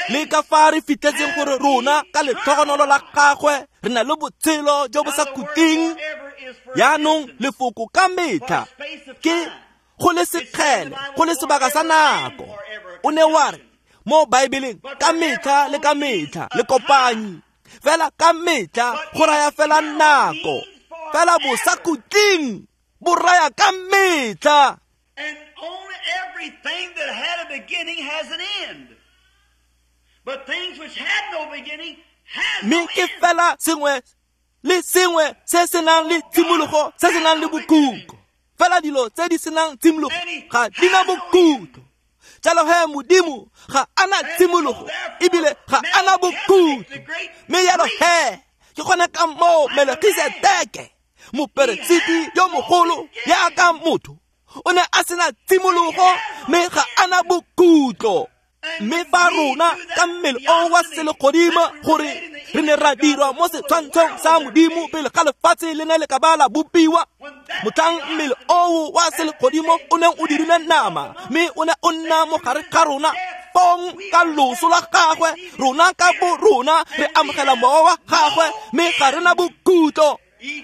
Le ka fa re fitlhetseng gore rona ka letlhogonolo la gagwe re na le botshelo jo bo sa khutleng. Jaanong lefoko ka metlha ke go le sekgele, go le sebaka sa nako. O ne wa re mo Baebeleng ka metlha le ka metlha le kopanyi, fela ka metlha go raya fela nako, fela bosakhutleng bo raya ka metlha. And only everything that had a beginning has an end. But things which had no beginning has no Mme end. ke fela sengwe le sengwe se se nang le tshimologo, se se nang le bokhutlo. Fela dilo tse di senang tshimologo ga di na bokhutlo. Jalo he Modimo ga a na tshimologo ebile ga a na bokhutlo. Mme jalo he ke gone ka moo Melkisedeke moperesiti yo mogolo yaka motho o ne a sena tshimologo mme ga a na bokhutlo. Mme fa rona ka mmele o wa selegodimo gore re ne ra dirwa mo setshwantshong sa Modimo pele ga lefatshe le ne le ka ba la bopiwa, motlhang mmele oo wa selegodimo o neng o dirile nama mme o ne o nna mo gare ga rona, fong ka loso la gagwe rona ka bo rona re amogela mowa wa gagwe mme ga re na bokhutlo.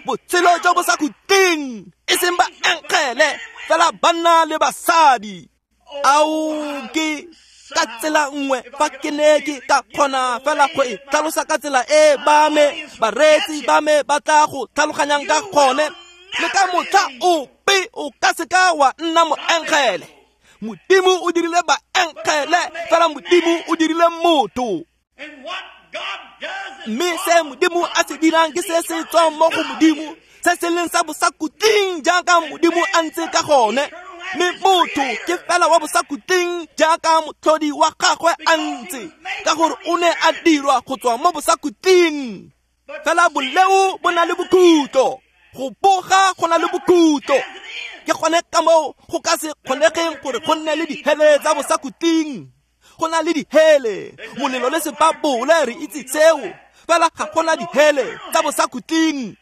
Botshelo jo bo sa khutleng, e seng baengele fela banna le basadi. Ao ke ka tsela nngwe fa ke ne ke ka kgona fela go e tlhalosa ka tsela e ba me bareetsi ba me ba tla go tlhaloganyang ka gone, le ka motlha ope o ka se ka wa nna moengele. Modimo o dirile baengele, fela Modimo o dirile motho. Mme se Modimo a se dirang ke se se tswang mo go Modimo, se se leng sa bosakhutleng jaaka Modimo a ntse ka gone. Mme motho ke fela wa bosakhutleng jaaka motlhodi wa gagwe a ntse, ka gore o ne a dirwa go tswa mo bosakhutleng. Fela boleo bo na le bokhutlo, go boga go na le bokhutlo. Ke gone ka moo go ka se kgonegeng gore go nne le dihele tsa bosakhutleng. Go na le dihele, molelo le sebabole, re itse seo. Fela ga go na dihele tsa bosakhutleng.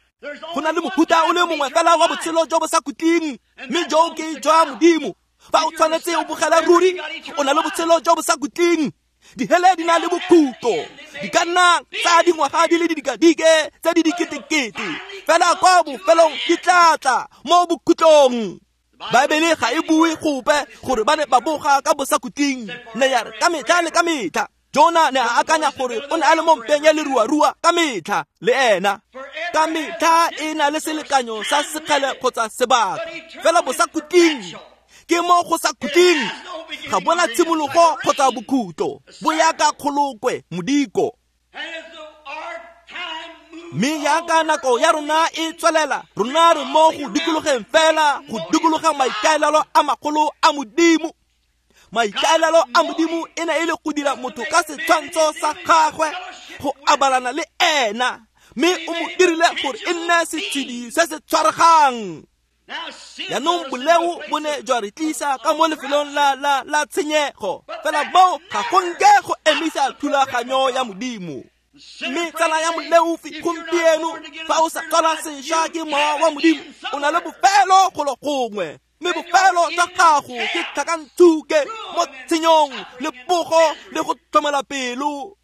Go na le mohuta o le mongwe fela wa botshelo jo bosakhutleng, mme jo ke jwa Modimo. Fa o tshwanetse o bogela ruri, o na le botshelo jo bosakhutleng. Dihele di na le bokhutlo, di ka nna tsa dingwaga di le didikadike tse di diketekete, fela kwa bofelong di tla tla mo bokhutlong. Baebele ga e bue gope gore ba ne ba boga ka bosakhutleng, ne ya re ka metlha le ka metlha. Jona ne a akanya gore o ne a le mo mpeng ya leruarua ka metlha le ena. Ka metlha e na le selekanyo sa sekgele kgotsa sebaka, fela bosakhutleng ke mo go sa khutleng, ga bona tshimologo kgotsa bokhutlo, bo ya ka kgolokwe modiko. Mme jaaka nako ya rona e tswelela, rona re mo go dikologeng fela, go dikologa maikaelelo a magolo a Modimo. Maikaelelo a Modimo e ne e le go dira motho ka setshwantsho sa gagwe, go abalana le ena, mme o mo dirile gore e nne setshedi se se tshwaregang. Jaanong boleo bo ne jwa re tlisa ka mo lefelong la la la tshenyego, fela moo ga go nke go emisa thulaganyo ya Modimo. Mme tsala ya moleofi gompieno, fa o sa tswala sešwa ke mowa wa Modimo, o na le bofelo golo gongwe, mme bofelo jwa gago ke tlhakantsuke mo tshenyong le pogo le go tlhomela pelo.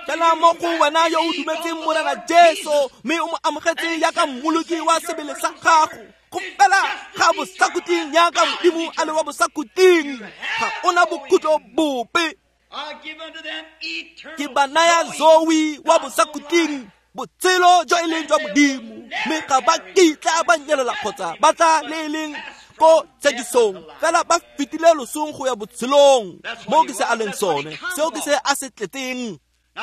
Fela mo go wena yo o dumetseng Morena Jesu, mme o mo amogetse jaaka mmoloki wa sebele sa gago, go fela ga bosakhutleng jaaka Modimo a le wa bosakhutleng, ga ona bokhutlo bope. Ke ba naya Zoe wa bosakhutleng, botshelo jo e leng jwa Modimo, mme ga ba kitla ba nyelela kgotsa ba tla le e leng ko tshekisong, fela ba fetile losong go ya botshelong. Mo ke se a leng sone, seo ke se a se tletseng.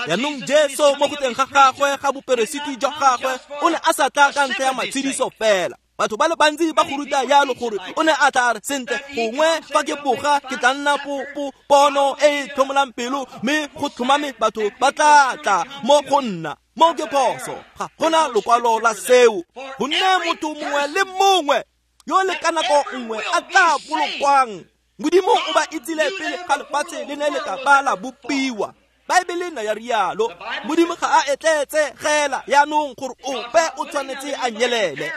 Jaanong Jesu mo go teng ga gagwe ga boperesiti jwa gagwe, o ne a sa tla ka ntlha ya matshediso fela. Batho ba le bantsi ba go ruta jalo gore o ne a tla re sentle, gongwe fa ke boga ke tla nna po po pono e e tlhomolang pelo, mme go tlhomame batho ba tla tla mo go nna. Mo ke phoso, ga gona lokwalo la seo. Gonne motho mongwe le mongwe yo le ka nako nngwe a tla bolokwang, Modimo o ba itsile pele ga lefatshe le ne le ka ba la bopiwa. Baebele ne ya rialo. Modimo ga a etletse gela jaanong gore ope o tshwanetse a nyelele.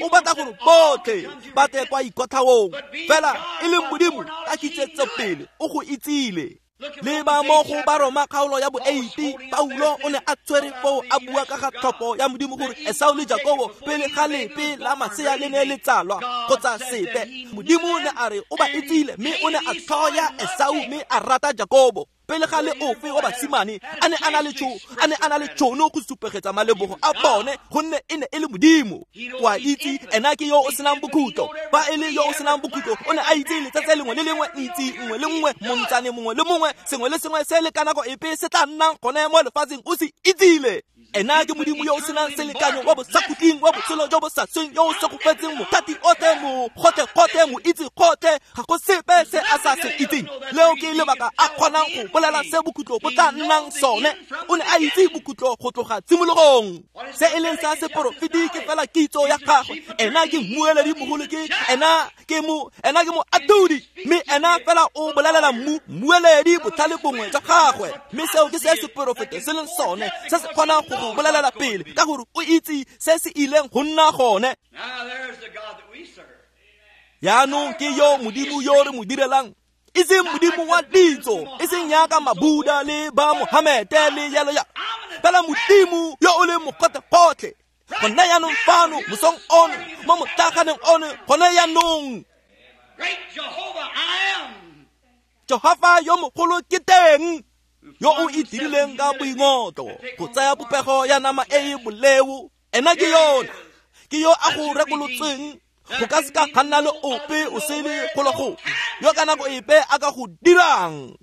O batla gore botlhe ba tle kwa ikotlhaong, fela e leng Modimo ka kitsetso pele o go itsile. Le ba mo go Baroma kgaolo ya bo eighty, Paulo o ne a tshwere foo a bua ka ga tlhopho ya Modimo gore Esau le Jakobo pele ga lepe la masea le ne le tsalwa kgotsa sepe. Modimo ne a re o ba itsile, mme o ne a tlhoya Esau mme a rata Jakobo. Pele ga le ofe wa basimane a ne a na le tšho, a ne a na le tšhono go supegetsa malebogo a bone, gonne e ne e le Modimo. O a itse ena ke yo o senang bokhutlo. Fa e le yo o senang bokhutlo, o ne a itse letsatsi lengwe le lengwe, ntsi nngwe le nngwe, montsane mongwe le mongwe, sengwe le sengwe se le ka nako epe se tla nnang gone mo lefatsheng, o se itsile. Ena ke Modimo yo o senang selekanyo, wa bosakhutleng, wa botshelo jo bo sa sweng, yo o segofetseng mothati otlhe, mogotlhe-gotlhe, moitse gotlhe, ga go sepe se a sa se itseng. Leo ke lebaka a kgonang go bolela se bokhutlo bo tla nnang sone. O ne a itse bokhutlo go tloga tshimologong. Se e leng sa seporofeti ke fela kitso ya gagwe. Ena ke mmueledi mogolo, ke ena ke mo ena ke moatlhodi, mme ena fela o bolelela mmu mmueledi botlhale bongwe jwa gagwe. Mme seo ke se seporofeti se leng sone, se se kgonang go go bolelela pele, ka gore o itse se se ileng go nna gone. Jaanong ke yo Modimo yo re mo direlang, e seng Modimo wa ditso, e seng jaaka Mabuda le ba Mohamete le jalo jalo, fela Modimo yo o leng mogotlhe-gotlhe. Gone jaanong fano mosong ono, mo motlaganeng ono, gone jaanong Jehofa yo mogolo ke teng, yo o itirileng ka boingotlo go tsaya popego ya nama e e boleo. Ena ke yona, ke yo a go rekolotseng. Go ka seka ga nna le ope o sele golo go yo ka nako epe a ka go dirang.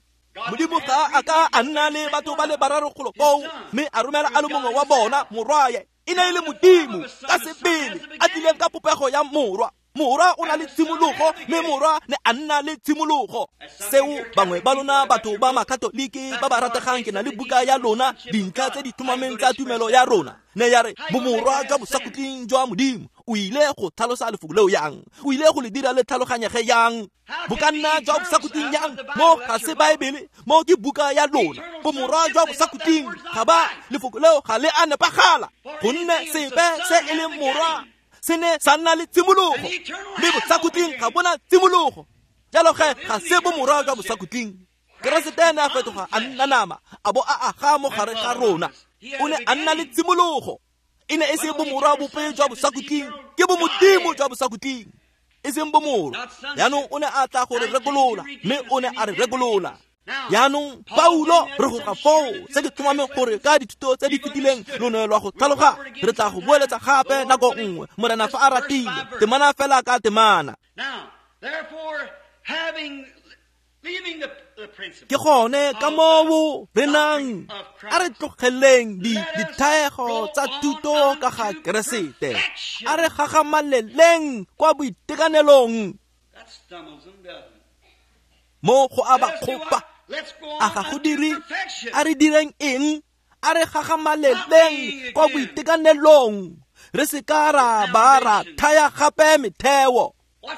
Modimo ga a ka a nna le batho ba le bararo golo koo, mme a romela a le mongwe wa bona morwaye. E ne e le Modimo ka sebele a tlileng ka popego ya morwa. Morwa o na le tshimologo, mme morwa ne a nna le tshimologo. Seo bangwe ba lona batho ba makatoliki ba ba rategang, ke na le buka ya lona, dintlha tse di tlhomameng tsa tumelo ya rona. Ne ya re bomorwa jwa bosakhutleng jwa Modimo. O ile go tlhalosa lefoko leo yang? O ile go le dira le tlhaloganyege yang? Bo ka nna jwa bosakhutleng yang? Mo ga se Baebele, mo ke buka ya lona. Bomorwa jwa bosakhutleng ga ba, lefoko leo ga le a nepagala, gonne sepe se e leng morwa se ne sa nna le tshimologo, mme bosakhutleng ga bona tshimologo. Jalo ge ga se bomorwa jwa bosakhutleng. Keresete ne a fetoga a nna nama, a bo a aga mo gare ga rona. O ne a nna le tshimologo. E ne e se bomorwa bope jwa bosakhutleng, ke bomodimo jwa bosakhutleng, e seng bomorwa. Jaanong o ne a tla go re rekolola, mme o ne a re rekolola. Jaanong Paulo re go ga foo, se ke tlhomameng gore ka dithuto tse di fetileng lo ne lwa go tlhaloga. Re tla go boeletsa gape nako nngwe, Morena fa a ratile, temana fela ka temana. Ke gone ka moo re nang a re tlogeleng dithaego tsa thuto ka ga Keresete, a re gagamaleleng kwa boitekanelong. Mo go a ba kgopa, a ga go dire? A re direng eng? A re gagamaleleng kwa boitekanelong, re se ka ra ba ra thaya gape metheo.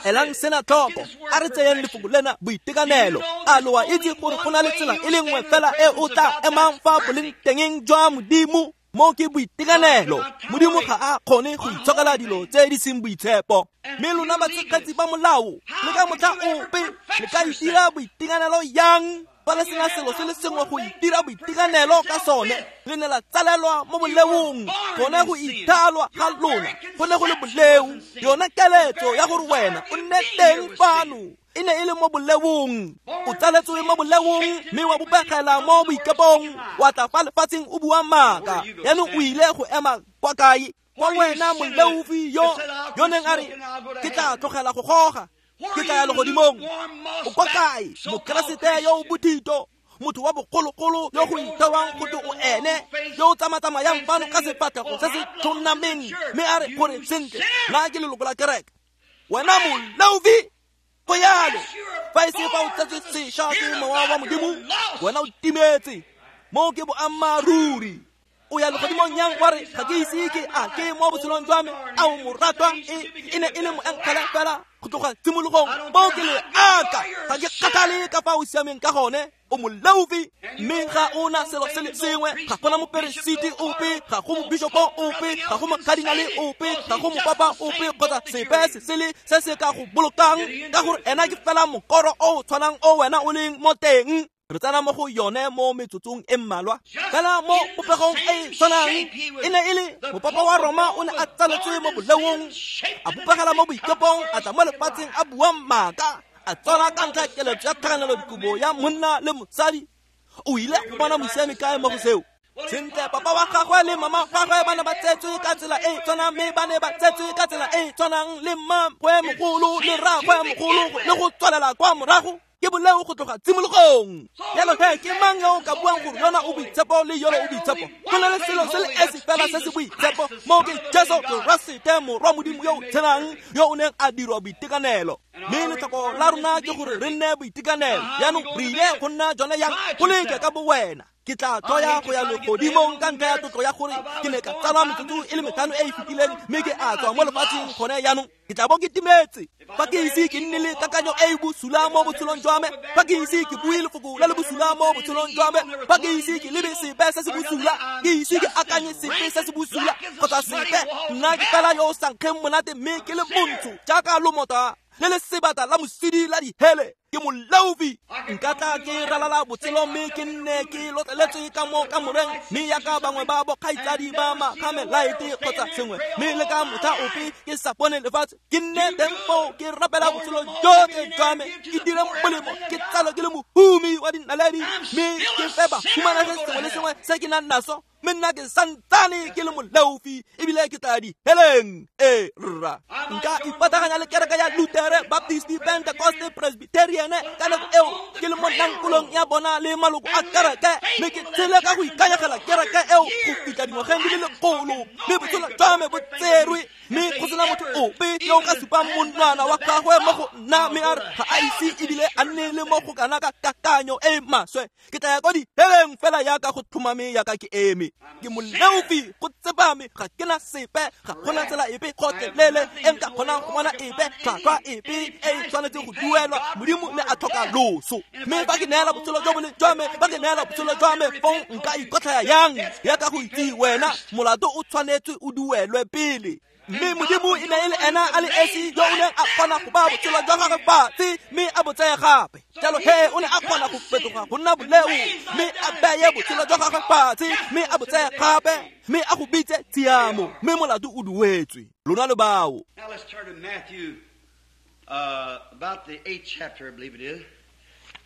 Elang sena tlhoko, a re tseyeng lefoko lena boitekanelo. A lo a itse gore go na le tsela e le nngwe fela e o tla emang fa boleng tengeng jwa Modimo? Mo ke boitekanelo. Modimo ga a kgone go itshokela dilo tse di seng boitshepo. Mme lona batshegetsi ba molao, le ka motlha ope le ka itira boitekanelo yang? Fa le sena selo se le sengwe go itira boitekanelo ka sone, le ne la tsalelwa mo boleong. Gone go ithalwa ga lona go ne go le boleo. Yona keletso ya gore wena o nne teng fano e ne e le mo boleong. O tsaletswe mo boleong, mme wa bopegela mo boikepong, wa tla fa lefatsheng o bua maaka. Jaanong o ile go ema kwa kae? Kwa wena moleofi yo yo neng a re, ke tla tlogela go goga, ke tla ya legodimong. O kwa kae? Mokeresete yo o bothito, motho wa bogologolo yo go ithewang gote o ene, yo o tsamatsamayang fano ka sefatlhego se se tlhonameng, mme a re gore sentle nna ke leloko la kereke. Wena moleofi, go yalo. Fa e se fa o tsetswe sešwa ke mowa wa Modimo, wena o timetse. Mo ke boammaaruri. O ya legodimong yang wa re ga ke ise ke a ke mo botshelong jwa me? A o moratwa? E e ne e le moengele fela go tloga tshimologong. Mo ke le aka, ga ke kgathale ka fa o siameng ka gone. O moleofi, mme ga o na selo se le sengwe. Ga gona moperesiti ope, ga go mobishopo ope, ga go mokadinale ope, ga go mopapa ope kgotsa sepe se sele se se ka go bolokang, ka gore ena ke fela mokoro o o tshwanang o wena o leng mo teng. Re tsena mo go yone mo metsotsong e mmalwa. Fela mo popegong e tshwanang e ne e le mopapa wa Roma o ne a tsaletswe mo boleong, a bopegela mo boikepong, a tla mo lefatsheng a bua maaka, a tswala ka ntlha keletso ya tlhakanelo dikobo ya monna le mosadi. O ile go bona mosiami kae mo go seo? Sentle, papa wa gagwe le mama gagwe ba ne ba tsetswe ka tsela e tshwanang, mme ba ne ba tsetswe ka tsela e tshwanang le mmagwe mogolo le rragwe mogolo, le go tswalela kwa morago. Ke boleo go tloga tshimologong. Jalo he, ke mang yo o ka buang gore yona o boitshepo le yona o boitshepo? Go na le selo se le esi fela se se boitshepo, mo ke Jesu Keresete, morwa Modimo yo o tshelang, yo o neng a dirwa boitekanelo. Mme letlhoko la rona ke gore re nne boitekanelo. Jaanong re ile go nna jone yang? Go leke ka bo wena. Ke tla tloya go ya legodimong ka ntlha ya tlotlo ya gore ke ne ka tsalwa metsotso e le metlhano e e fetileng, mme ke a tswa mo lefatsheng gone jaanong. Ke tla bo ke timetse fa ke ise ke nne le kakanyo e e bosula mo botshelong jwa me, fa ke ise ke bue lefoko le le bosula mo botshelong jwa me, fa ke ise ke lebe sepe se se bosula, ke ise ke akanye sepe se se bosula kgotsa sepe. Nna ke fela yo o sa nkgeng monate, mme ke le montsho jaaka lomota le le sebata la mosidi la dihele. Ke moleofi. Nka tla ke ralala botshelo mme ke nne ke lotleletswe ka mo kamoreng, mme yaka bangwe ba bokgaitsadi ba makhamelaete kgotsa sengwe, mme le ka motlha ope ke sa bone lefatshe, ke nne teng foo ke rapela botshelo jotlhe jwa me, ke dire molemo, ke tsalwa ke le mohumi wa dinaledi, mme ke fe bahumanegi sengwe le sengwe se ke nang naso, mme nna ke santsane ke le moleofi ebile ke tla diheleng. Ee rra, nka ipataganya le kereke ya Lutere, Baptist, Pentecost, Presbyterian ka nako eo ke le mo nankolong ya bona le maloko a kereke, mme ke tshele ka go ikanyegela kereke eo go fitlha dingwageng di le lekgolo, mme botshelo jwa me bo tserwe, mme go sena motho ope yo o ka supang monwana wa gagwe mo go nna mme a re ga a ise ebile a nne le mo go kana ka kakanyo e maswe, ke tla ya kwa diheleng fela yaka go tlhomame yaka ke eme. Ke moleofi go tsepame, ga ke na sepe, ga gona tsela epe gotlhelele e nka kgonang go bona epe tlhwatlhwa epe e e tshwanetseng go duelwa. Modimo ne a tlhoka loso, mme fa ke neela botshelo jo bo leng jwa me, fa ke neela botshelo jwa me fong nka ikotlhaya yang yaka go itse wena molato o tshwanetswe o duelwe pele. Mme Modimo e ne e le ena a le esi yo o neng a kgona go baya botshelo jwa gagwe fatshe mme a bo tseye gape. Jalo he o ne a kgona go fetoga go nna boleo mme a beye botshelo jwa gagwe fatshe mme a bo tseye gape mme a go bitse tshiamo, mme molato o duetswe. Lona le bao. Now let's turn to Matthew, uh, about the eighth chapter, I believe it is.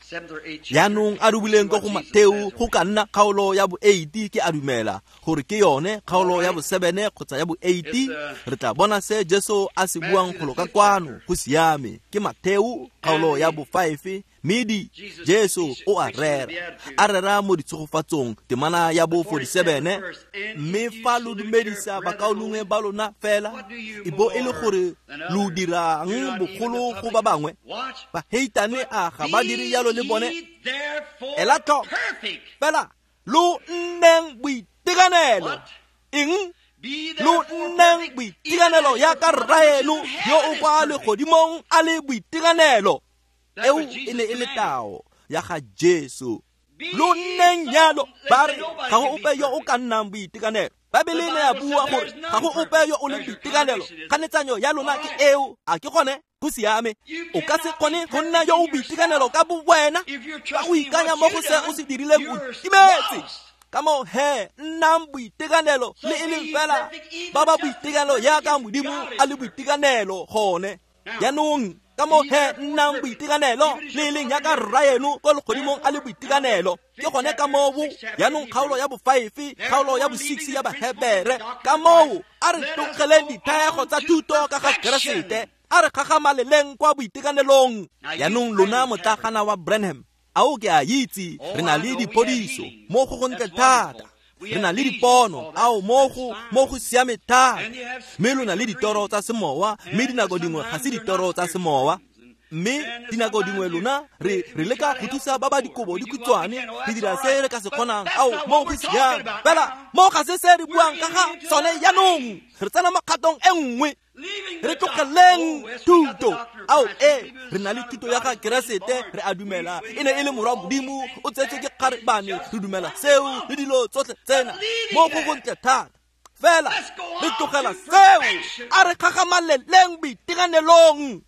Jaanong a dubileng ko go Mateo go ka nna kgaolo ya bo eight, ke a dumela gore ke yone kgaolo ya bo seven kgotsa ya bo eight. Re tla bona se Jesu a se buang golo ka kwano. Go siame, ke Mateo kgaolo ya bo five, mme Jesu o a rera, a rera mo ditshegofatsong, temana ya bo forty-seven. Mme fa lo dumedisa bakaulengwe ba lona fela, e bo e le gore lo dirang bogolo go ba bangwe, baheitane a ga ba dire jalo le bone? Ela tlhoko fela, lo nneng boitekanelo. Eng? Lo nneng boitekanelo yaka rraeno yo o kwa legodimong a le boitekanelo. Eo e ne e le tao ya ga Jesu. Lo nneng jalo, ba re ga go ope yo o ka nnang boitekanelo. Baebele ne ya bua gore ga go ope yo o leng boitekanelo. Kganetsanyo ya lona ke eo, a ke gone? Go siame. O ka se kgone go nna yo o boitekanelo ka bo wena ka go ikanya mo go se o se dirileng, o timetse. Ka moo he, nnang boitekanelo le e leng fela ba ba boitekanelo yaka Modimo a le boitekanelo gone. Jaanong ka moo he, nnang boitekanelo le e leng yaka rraeno ko legodimong a le boitekanelo. Ke gone ka moo. Jaanong kgaolo ya bo five, kgaolo ya bo six ya Bahebere, ka moo a re tlogeleng dithaego tsa thuto ka ga Keresete, a re gagamaleleng kwa boitekanelong. Jaanong lona motlagana wa Branham, ao ke a itse re na le diphodiso mo go gontle thata, re na le dipono, ao mo go mo go siame thata, mme lo na le ditoro tsa semowa, mme dinako dingwe ga se ditoro tsa semowa. Mme dinako dingwe lona re re leka go thusa ba ba dikobo dikhutshwane, re dira se re ka se kgonang, ao mo go siame fela mo ga se se re buang ka ga sone. Jaanong re tsena mo kgatong e nngwe, re tlogeleng thuto. Ao e, re na le thuto ya ga Keresete, re a dumela e ne e le morwa Modimo, o tsetswe ke kgarebane, re dumela seo le dilo tsotlhe tsena mo go gontle thata. Fela re tlogela seo, a re gagamaleleng boitekanelong.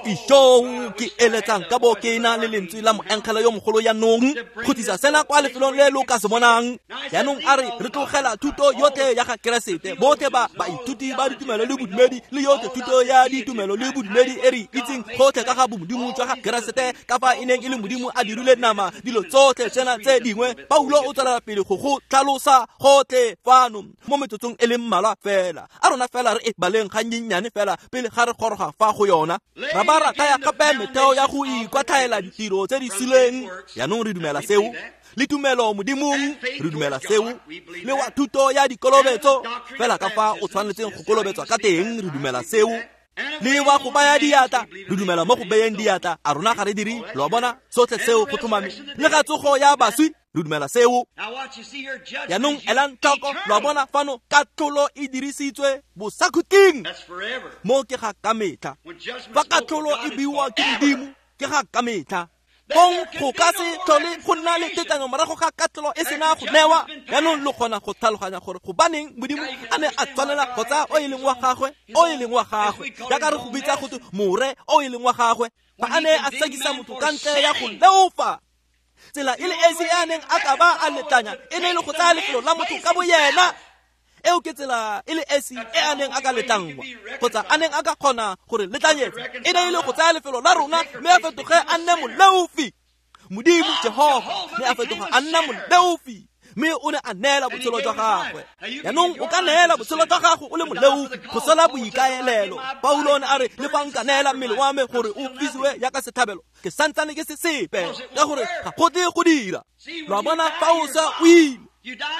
Ijoo, ke eletsang ka bo ke na le lentswe la moengele yo mogolo jaanong go tlisa sena kwa lefelong le lo ka se bonang. Jaanong a re re tlogela thuto yotlhe ya ga Keresete, botlhe ba baithuti ba ditumelo le bodumedi le yotlhe thuto ya ditumelo le bodumedi e re itseng gotlhe ka ga bomodimo jwa ga Keresete, ka fa e neng e le Modimo a dirile nama, dilo tsotlhe tsena tse dingwe. Paulo o tswelela pele go go tlhalosa gotlhe fano mo metsotsong e le mmalwa fela. A rona fela re e baleng gannyenyane fela pele ga re goroga fa go yona. Ra ba ra thaya gape metheo ya go ikwatlhaela ditiro tse di suleng. Jaanong re dumela seo, le tumelo Modimong re dumela seo, le wa thuto ya dikolobetso fela ka fa o tshwanetseng go kolobetswa ka teng re dumela seo, le wa go baya diatla re dumela mo go beyeng diatla. A rona ga re dire? Lo a bona, sotlhe seo go tlhomame. Le ga tsogo ya baswi re dumela seo. Jaanong elang tlhoko, lo a bona fano katlholo e dirisitswe bosakhutleng, mo ke ga ka metlha. Fa katlholo e buiwa ke Modimo ke ga ka metlha. Fong go ka se tlhole go nna le tetlanyo morago ga katlholo e sena go newa. Jaanong lo kgona go tlhaloganya gore gobaneng Modimo a ne a tshwanela go tsaya o e leng wa gagwe, o e leng wa gagwe, jaaka re go bitsa go twe more o e leng wa gagwe, fa a ne a sekisa motho ka ntle ya go leofa. Tsela e le esi e a neng a ka ba a letlanya e ne e le go tsaya lefelo la motho ka boyena. Eo ke tsela e le esi e a neng a ka letlangwa kgotsa a neng a ka kgona gore letlanyetsa, e ne e le go tsaya lefelo la rona mme a fetoge a nne moleofi. Modimo Jehova ne a fetoga a nna moleofi, mme o ne a neela botshelo jwa gagwe. Jaanong o ka neela botshelo jwa gago o le moleofi go sola boikaelelo. Paulo o ne a re, le fa nka neela mmele wa me gore o fisiwe yaka setlhabelo, ke santsane ke se sepe, ka gore ga go tle go dira. Lo a bona, fa o sa o ile,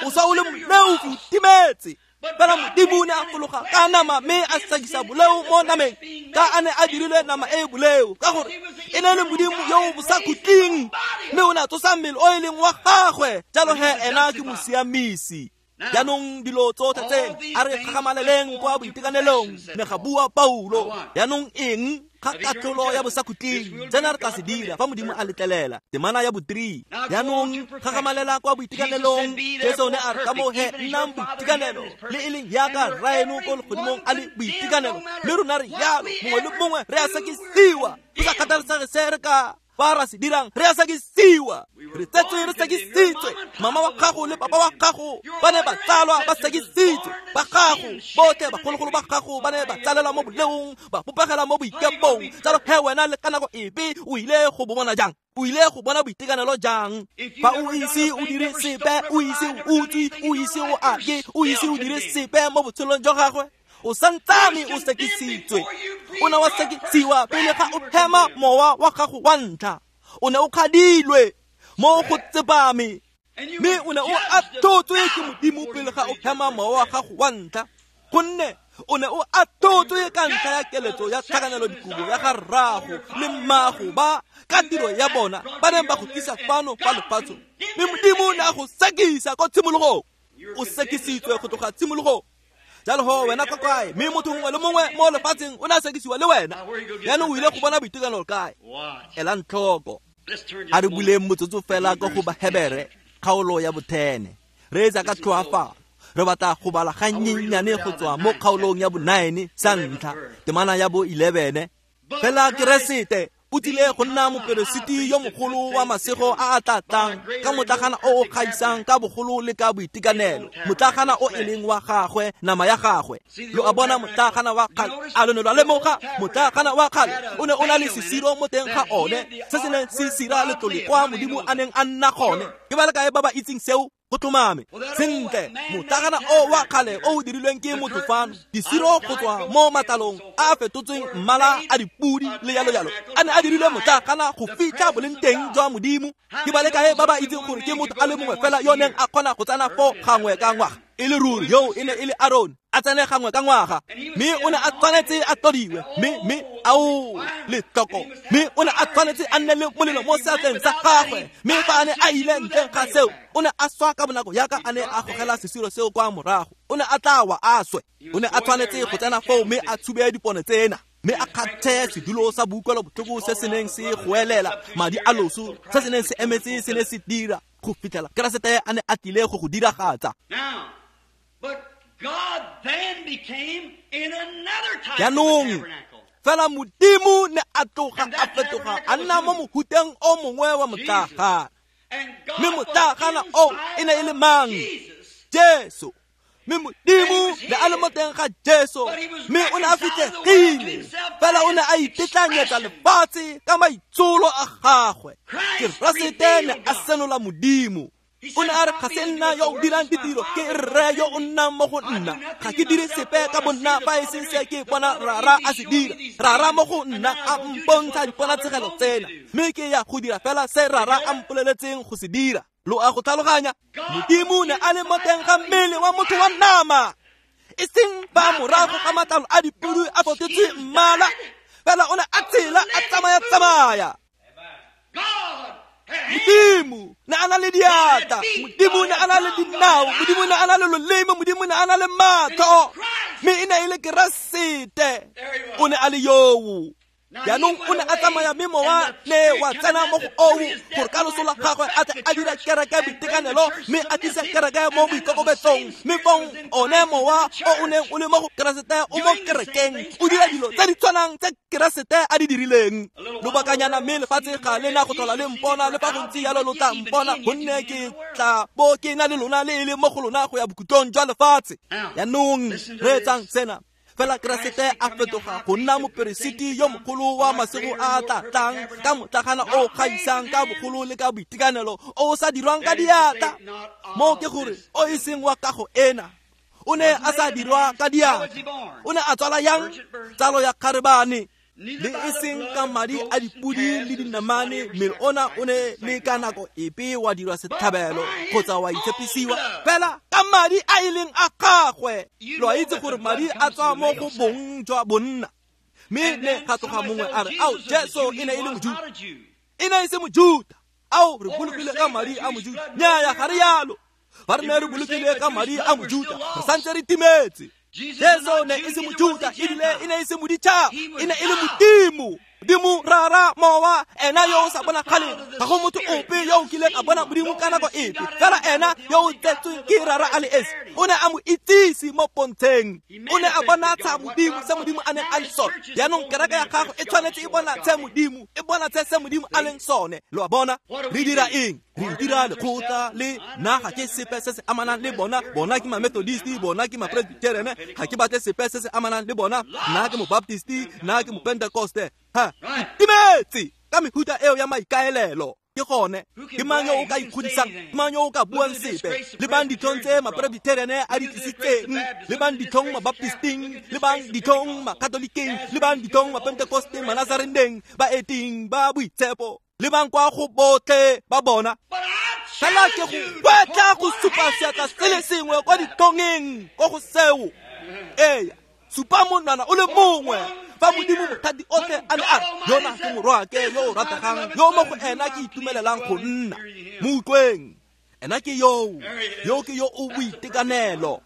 o sa o le moleofi, o timetse. Fela Modimo ne a fologa ka nama mme a sekisa boleo mo nameng, ka a ne a dirilwe nama e e boleo, ka gore e ne le Modimo yo o bosakhutleng, mme o ne a tsosa mmele o e leng wa gagwe. Jalo he ena ke mosiamisi. Jaanong dilo tsotlhe tse a re gagamaleleng kwa boitekanelong, ne ga bua Paulo. Jaanong eng ga katlholo ya bosakhutleng? Tsena re tla se dira fa Modimo a letlelela. Temana ya bo three. Jaanong gagamalela kwa boitekanelong. Jesu ne a re ka moo he nnang boitekanelo, le e leng yaka rraeno ko legodimong a le boitekanelo. Mme rona re yalo, mongwe le mongwe re a sekisiwa, go sa kgathalesege se re ka ba ra se dirang, re a sekisiwa. Re tsetswe re sekisitswe. Mama wa gago le papa wa gago ba ne ba tsalwa ba sekisitswe. Ba gago botlhe bagologolo ba gago ba ne ba tsalelwa mo boleong, ba bopegela mo boikepong. Jalo he wena le ka nako epe o ile go bo bona jang? O ile go bona boitekanelo jang fa o ise o dire sepe, o ise o utswe, o ise o ake, o ise o dire sepe mo botshelong jwa gagwe? O santsane o sekisitswe. O ne wa sekisiwa pele ga o hema mowa wa gago wa ntlha. O ne o kgadilwe mo go tsepame, mme o ne o athotswe ke Modimo pele ga o hema mowa wa gago wa ntlha, gonne o ne o athotswe ka ntlha ya keletso ya tlhakanelo dikobo ya ga rrago le mmago ba ka tiro ya bona ba neng ba go tlisa fano fa lefatsheng. Mme Modimo o ne a go sekisa ko tshimologong. O sekisitswe go tloga tshimologong. Jalo ho wena kwa kae? Mme motho mongwe le mongwe mo lefatsheng o ne a sekisiwa le wena. Jaanong o ile go bona boitekanelo kae? Elang tlhoko. A re buleng motsotso fela ko go Bahebere kgaolo ya bothene. Re etsa ka tlhoafalo. Re batla go bala gannyenyane go tswa mo kgaolong ya bo nine sa ntlha, temana ya bo eleven. Fela Keresete o tlile go nna moperesiti yo mogolo wa masego a a tla tlang ka motlagana o o gaisang ka bogolo le ka boitekanelo, motlagana o e leng wa gagwe, nama ya gagwe. Lo a bona motlagana wa kgale? A lo ne lwa lemoga motlagana wa kgale o ne o na le sesiro mo teng ga one se se neng se sira letlole kwa Modimo a neng a nna gone? Ke ba le kae ba ba itseng seo? Go tlhomame sentle. Motlagana o wa kgale o o dirilweng ke motho fano, disiro go tswa mo matlalong a a fetotsweng mmala a dipudi le jalo jalo, a ne a dirilwe motlagana go fitlha boleng teng jwa Modimo. Ke ba le kae ba ba itseng gore ke motho a le mongwe fela yo neng a kgona go tsena fo gangwe ka ngwaga? E le ruri, yo e ne e le Aaron, a tsene gangwe ka ngwaga, mme o ne a tshwanetse a tlodiwe, mme mme ao letlhoko, mme o ne a tshwanetse a nne le molelo mo seatleng sa gagwe. Mme fa a ne a ile ntleng ga seo, o ne a swa ka bonako yaka a ne a gogela sesiro seo kwa morago. O ne a tla wa a swe. O ne a tshwanetse go tsena foo mme a tshube dipone tsena, mme a kgathe sedulo sa boutlwelo botlhoko se se neng se goelela madi a loso, se se neng se emetse se ne se dira go fitlhela Keresete a ne a tlile go go diragatsa. Now, but God then became in another type of a Jaanong tabernacle. fela Modimo ne a tloga a fetoga a nna mo mohuteng o mongwe wa motlagana. And God Mme was motlagana o e ne e le mang? Jesus. Jesu. Mme Modimo ne a le mo teng ga Jesu, mme o ne a fitlhegile, fela o ne a itetlanyetsa lefatshe ka maitsholo a gagwe. Keresete ne a senola Modimo. O ne a re, ga se nna yo o dirang ditiro, ke rre yo o nnang mo go nna. Ga ke dire sepe ka bonna fa e seng se ke bona Rara a se dira. Rara mo go nna a mpontsha diponatshegelo tsena, mme ke ya go dira fela se Rara a mpoleletseng go se dira. Lo a go tlhaloganya? Modimo ne a le mo teng ga mmele wa motho wa nama, e seng ba morago ga matlalo a dipudi a fetotswe mmala, fela o ne a tshela a tsamaya-tsamaya. God had hands. Modimo ne a na le diatla, Modimo ne a na le dinao, Modimo ne a na le loleme, Modimo ne a na le matlho, mme e ne e le Keresete. O ne a le yoo. Jaanong o ne a tsamaya, mme mowa ne wa tsena mo go oo gore ka loso la gagwe a tle a dira kereke boitekanelo, mme a tlise kereke mo boikokobetsong. Mme fong one mowa o o neng o le mo go Keresete o mo kerekeng, o dira dilo tse di tshwanang tse Keresete a di dirileng. Lobakanyana mme lefatshe ga le na go tlhola le mpona, le fa go ntse jalo lo tla mpona, gonne ke tla bo ke na le lona le e le mo go lona go ya bokhutlong jwa lefatshe. Jaanong reetsang sena. Fela Keresete a fetoga go nna moperesiti yo mogolo wa masego a a tla tlang ka motlagana o o gaisang ka bogolo le ka boitekanelo, o o sa dirwang ka diatla, mo ke gore o e seng wa kago ena. O ne a sa dirwa ka diatla. O ne a tswala yang? Tsalo ya kgarebane. Le e seng ka madi a dipodi le dinamane, mme ona o ne le ka nako epe wa dirwa setlhabelo kgotsa wa itshepisiwa, fela ka madi a e leng a gagwe. Lo a itse gore madi a tswa mo go bong jwa bonna. Mme ne ga tloga mongwe a re, ao, Jesu e ne e le Mojuta. E ne e se Mojuta. Ao, re bolokile ka madi a Mojuta. Nnyaya, ga re yalo. Fa re ne re bolokile ka madi a Mojuta, re santse re timetse. Jesu ne e se Mojuta, ebile e ne e se moditšhaba, e ne e le Modimo. Modimo Rara Mowa, ena yo o sa bonagaleng. Ga go motho ope yo o kileng a bona Modimo ka nako epe, fela ena yo o tsetsweng ke Rara a le esi o ne a mo itsise mo pontsheng. O ne a bonatsha Modimo se Modimo a neng a le sone. Jaanong kereke ya gago e tshwanetse e bonatshe Modimo, e bonatshe se Modimo a leng sone. Lo a bona? Re dira eng? Re dira lekgotla le nna ga ke sepe se se amanang le bona. Bona ke ma-Methodist, bona ke ma-Presbyterian, ga ke batle sepe se se amanang le bona. Nna ke mo-Baptist, nna ke mo-Pentecoste. Ha, timetse ka mehuta eo ya maikaelelo. Ke gone ke mang yo o ka ikgodisang, ke mang yo o ka buang sepe? Lebang ditlhong tse ma-Presbyterian a di tlisitseng, lebang ditlhong ma-Baptisting, lebang ditlhong ma-Catholiceng, lebang ditlhong ma-Pentecosteng, ma-Nazareneng, baeting ba boitshepo, lebang kwa go botlhe ba bona. Fela ke go batla go supa seatla se le sengwe kwa ditlhongeng ko go seo. Ee, supa monwana o le mongwe. Fa Modimo mothati otlhe a ne a re, yona ke morwaake yo o rategang, yo mo go ena ke itumelelang go nna. Mo utlweng, ena ke yoo, yo ke yo o boitekanelo.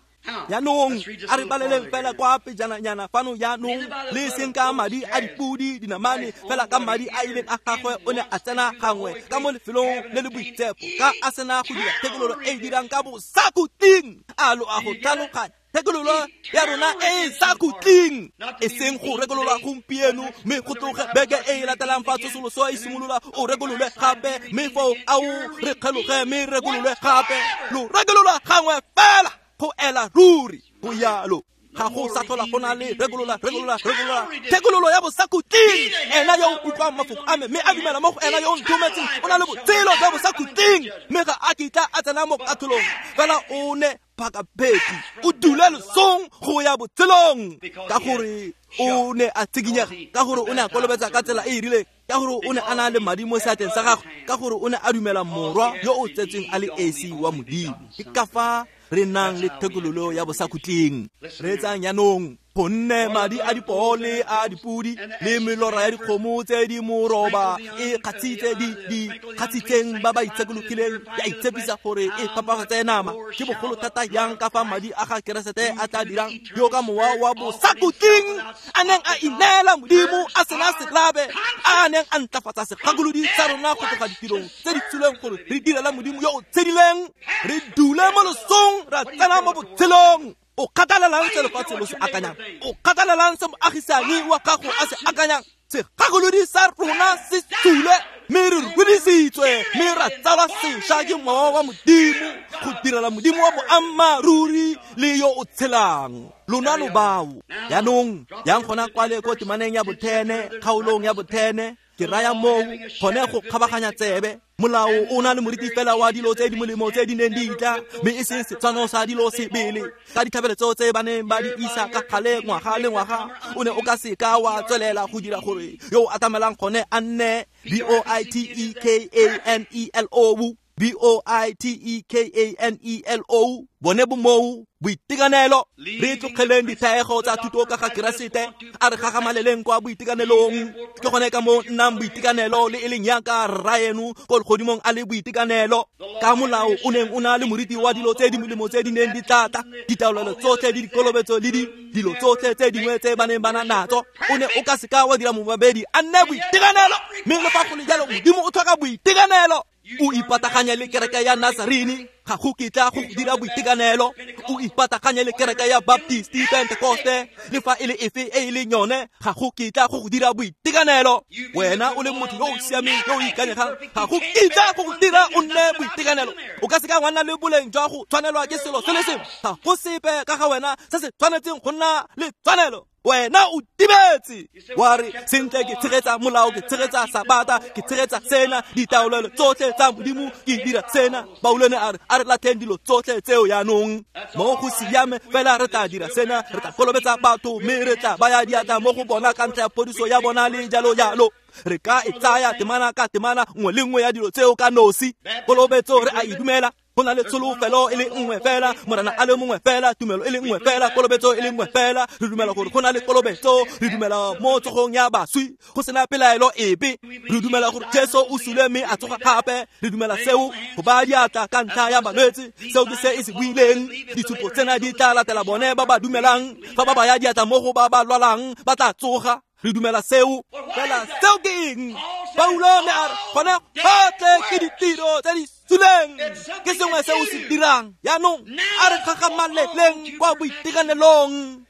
Jaanong a re baleleng fela kwa pejananyana fano jaanong, le seng ka madi a dipodi dinamane, fela ka madi a ileng a gagwe o ne a tsena gangwe ka mo lefelong le le boitshepo, ka a sena go dira thekololo e e dirang ka bosakhutleng. A lo a go tlhaloganya? Thekololo ya rona e e sa khutleng, e seng go rekololwa gompieno mme go tloge beke e e latelang fa tsosoloso e simolola o rekololwe gape, mme foo ao re kgeloge mme rekololwe gape. Lo rekololwa gangwe fela go ela ruri, go yalo. Ga go sa tlhola go na le rekolola, rekolola, rekolola. Thekololo ya bosakhutleng. Ena yo o utlwang mafoko a me mme a dumela mo go ena yo o nthometseng o na le botshelo jwa bosakhutleng, mme ga a kitla a tsena mo katlholong, fela o ne phakapheti o dule losong go ya botshelong. Ka gore o ne a tshikinyega, ka gore o ne a kolobetsa ka tsela e e rileng, ka gore o ne a na le madi mo seatleng sa gagwe, ka gore o ne a dumela morwa yo o tsetsweng a le esi wa Modimo. Ke ka fa re nang le thekololo ya bosakhutleng. Reetsang jaanong, gonne madi a dipoo le a dipodi le melora ya dikgomo tse di moroba e kgatshitse di di kgatshitseng ba ba itshekologileng ya itshepisa gore e phapafatse nama, ke bogolo thata yang ka fa madi a ga Keresete a tla dirang, yo ka mowa wa bosakhutleng a neng a ineela Modimo a sena selabe, a neng a ntlafatsa segakolodi sa rona go tloga ditirong tse di tswileng gore re direla Modimo yo o tshedileng, re dule mo losong ra tsena mo botshelong. O kgathalelang se lefatshe lo se akanyang, o kgathalelang se moagisani wa gago a se akanyang. Segakolodi sa rona se sule, mme re rudisitswe, mme ra tsalwa sešwa ke mowa wa Modimo go direla Modimo wa boammaaruri le yo o tshelang. Lona lo bao. Jaanong yang gona kwale ko temaneng ya bothene, kgaolong ya bothene, ke raya moo gone go kgabaganya tsebe. Molao o na le moriti fela wa dilo tse di molemo tse di neng di tla, mme e seng setshwano sa dilo sebele. Ka ditlhabelo tseo tse ba neng ba di isa ka kgale ngwaga le ngwaga, o ne o ka seka wa tswelela go dira gore yo o atamelang gone a nne B O I T E K A N E L O, B O I T E K A N E L O, bone bo moo boitekanelo. Re tlogeleng dithaego tsa thuto ka ga Keresete, a re gagamaleleng kwa boitekanelong. Ke gone ka moo nnang boitekanelo le e leng yaka rraeno ko legodimong a le boitekanelo. Ka molao o neng o na le moriti wa dilo tse di molemo tse di neng di tla tla, ditaolelo tsotlhe le dikolobetso le di dilo tsotlhe tse dingwe tse ba neng ba na natso, o ne o ka seka wa dira mobabedi a nne boitekanelo. Mme le fa go le jalo Modimo o tlhoka boitekanelo. O ipataganya le kereke ya Nazarene, ga go kitla go dira boitekanelo. O ipataganya le kereke ya Baptist, Pentecoste, le fa e le efe e e leng yone, ga go kitla go dira boitekanelo. Wena o le motho yo o siameng, yo o ikanyegang, ga go kitla go dira o nne boitekanelo. O ka seka wa nna le boleng jwa go tshwanelwa ke selo se le sengwe. Ga go sepe ka ga wena se se tshwanetseng go nna le tshwanelo. Wena o timetse. Wa re sentle ke tshegetsa molao, ke tshegetsa sabata, ke tshegetsa sena, ditaolelo tsotlhe tsa Modimo, ke dira sena. Paulo ne a re a re latlheng dilo tsotlhe tseo jaanong. Mo go siame fela re tla dira sena, re tla kolobetsa batho mme re tla baya diatla mo go bona ka ntlha ya phodiso ya bona le jalo jalo. Re ka e tsaya temana ka temana nngwe le nngwe ya dilo tseo ka nosi. Kolobetso re a e dumela. Go na le tsholofelo e le nngwe fela, Morena a le mongwe fela, tumelo e le nngwe fela, kolobetso e le nngwe fela. Re dumela gore go na le kolobetso, re dumela mo tsogong ya baswi, go sena pelaelo epe. Re dumela gore Jesu o sule mme a tsoga gape. Re dumela seo, go baya diatla ka ntlha ya balwetse, seo ke se e se buileng. Ditshupo tsena di tla latela bone ba ba dumelang, fa ba baya diatla mo go ba ba lwalang, ba tla tsoga. Re dumela seo. Fela seo ke eng? Paulo ne a re gone gotlhe ke ditiro tse di suleng, ke sengwe se o se dirang. Jaanong a re gagamaleleng kwa boitekanelong.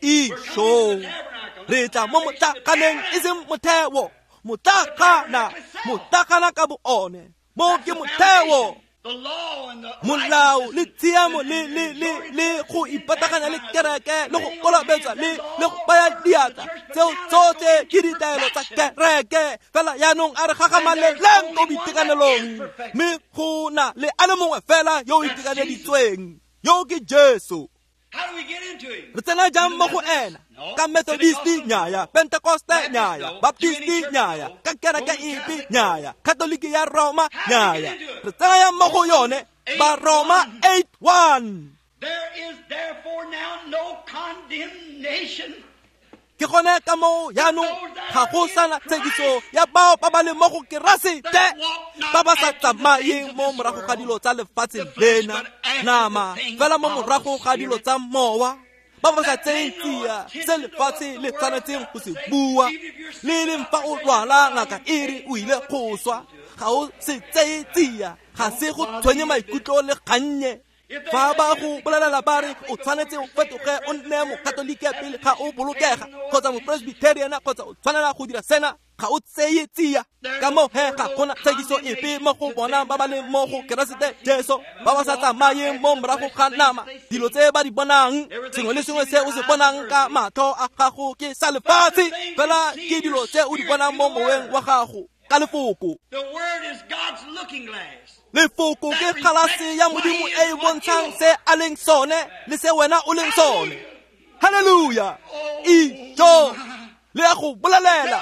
Isho, re tla mo motlaganeng e seng motheo, motlagana, motlagana ka bo one. Mo ke motheo. Molao le tshiamo le le le le go ipataganya le kereke le go kolobetsa le le go baya diatla, tseo tsotlhe ke ditaelo tsa kereke. Fela jaanong a re gagamaleleng ko boitekanelong, mme go na le a le mongwe fela yo o itekaneditsweng, yo ke Jesu. Re tsena jang mo go ena? Ka Methodisti nyaya, Pentecoste nyaya, Baptisti nyaya, ka kereke epe nyaya, Katoliki ya Roma nyaya. Re tsena yang mo go yone? Ba Roma eight one. There is therefore now no condemnation. Ke gone ka moo jaanong ga go sana tshekiso ya bao ba ba leng mo go Keresete, ba ba sa tsamayeng mo morago ga dilo tsa lefatshe lena nama, fela mo morago ga dilo tsa mowa, ba ba sa tseyeng tsia se lefatshe le tshwanetseng go se bua. Le leng fa o lwala ngaka e re o ile go swa, ga o se tseye tsia, ga se go tshwenye maikutlo le kgannye. Fa ba go bolelela ba re o tshwanetse o fetoge o nne mokatolike pele ga o bolokega, kgotsa mopresbyteriana, kgotsa o tshwanela go dira sena, ga o tseye tsia. Ka moo he ga gona tshekiso epe mo go bona ba ba leng mo go Keresete Jesu, ba ba sa tsamayeng mo morago ga nama. Dilo tse ba di bonang, sengwe le sengwe se o se bonang ka matlho a gago ke sa lefatshe, fela ke dilo tse o di bonang mo moweng wa gago ka lefoko. Lefoko ke galase ya Modimo e e bontshang se a leng sone le se wena o leng sone. Hallelujah. Ijo le ya go bolelela.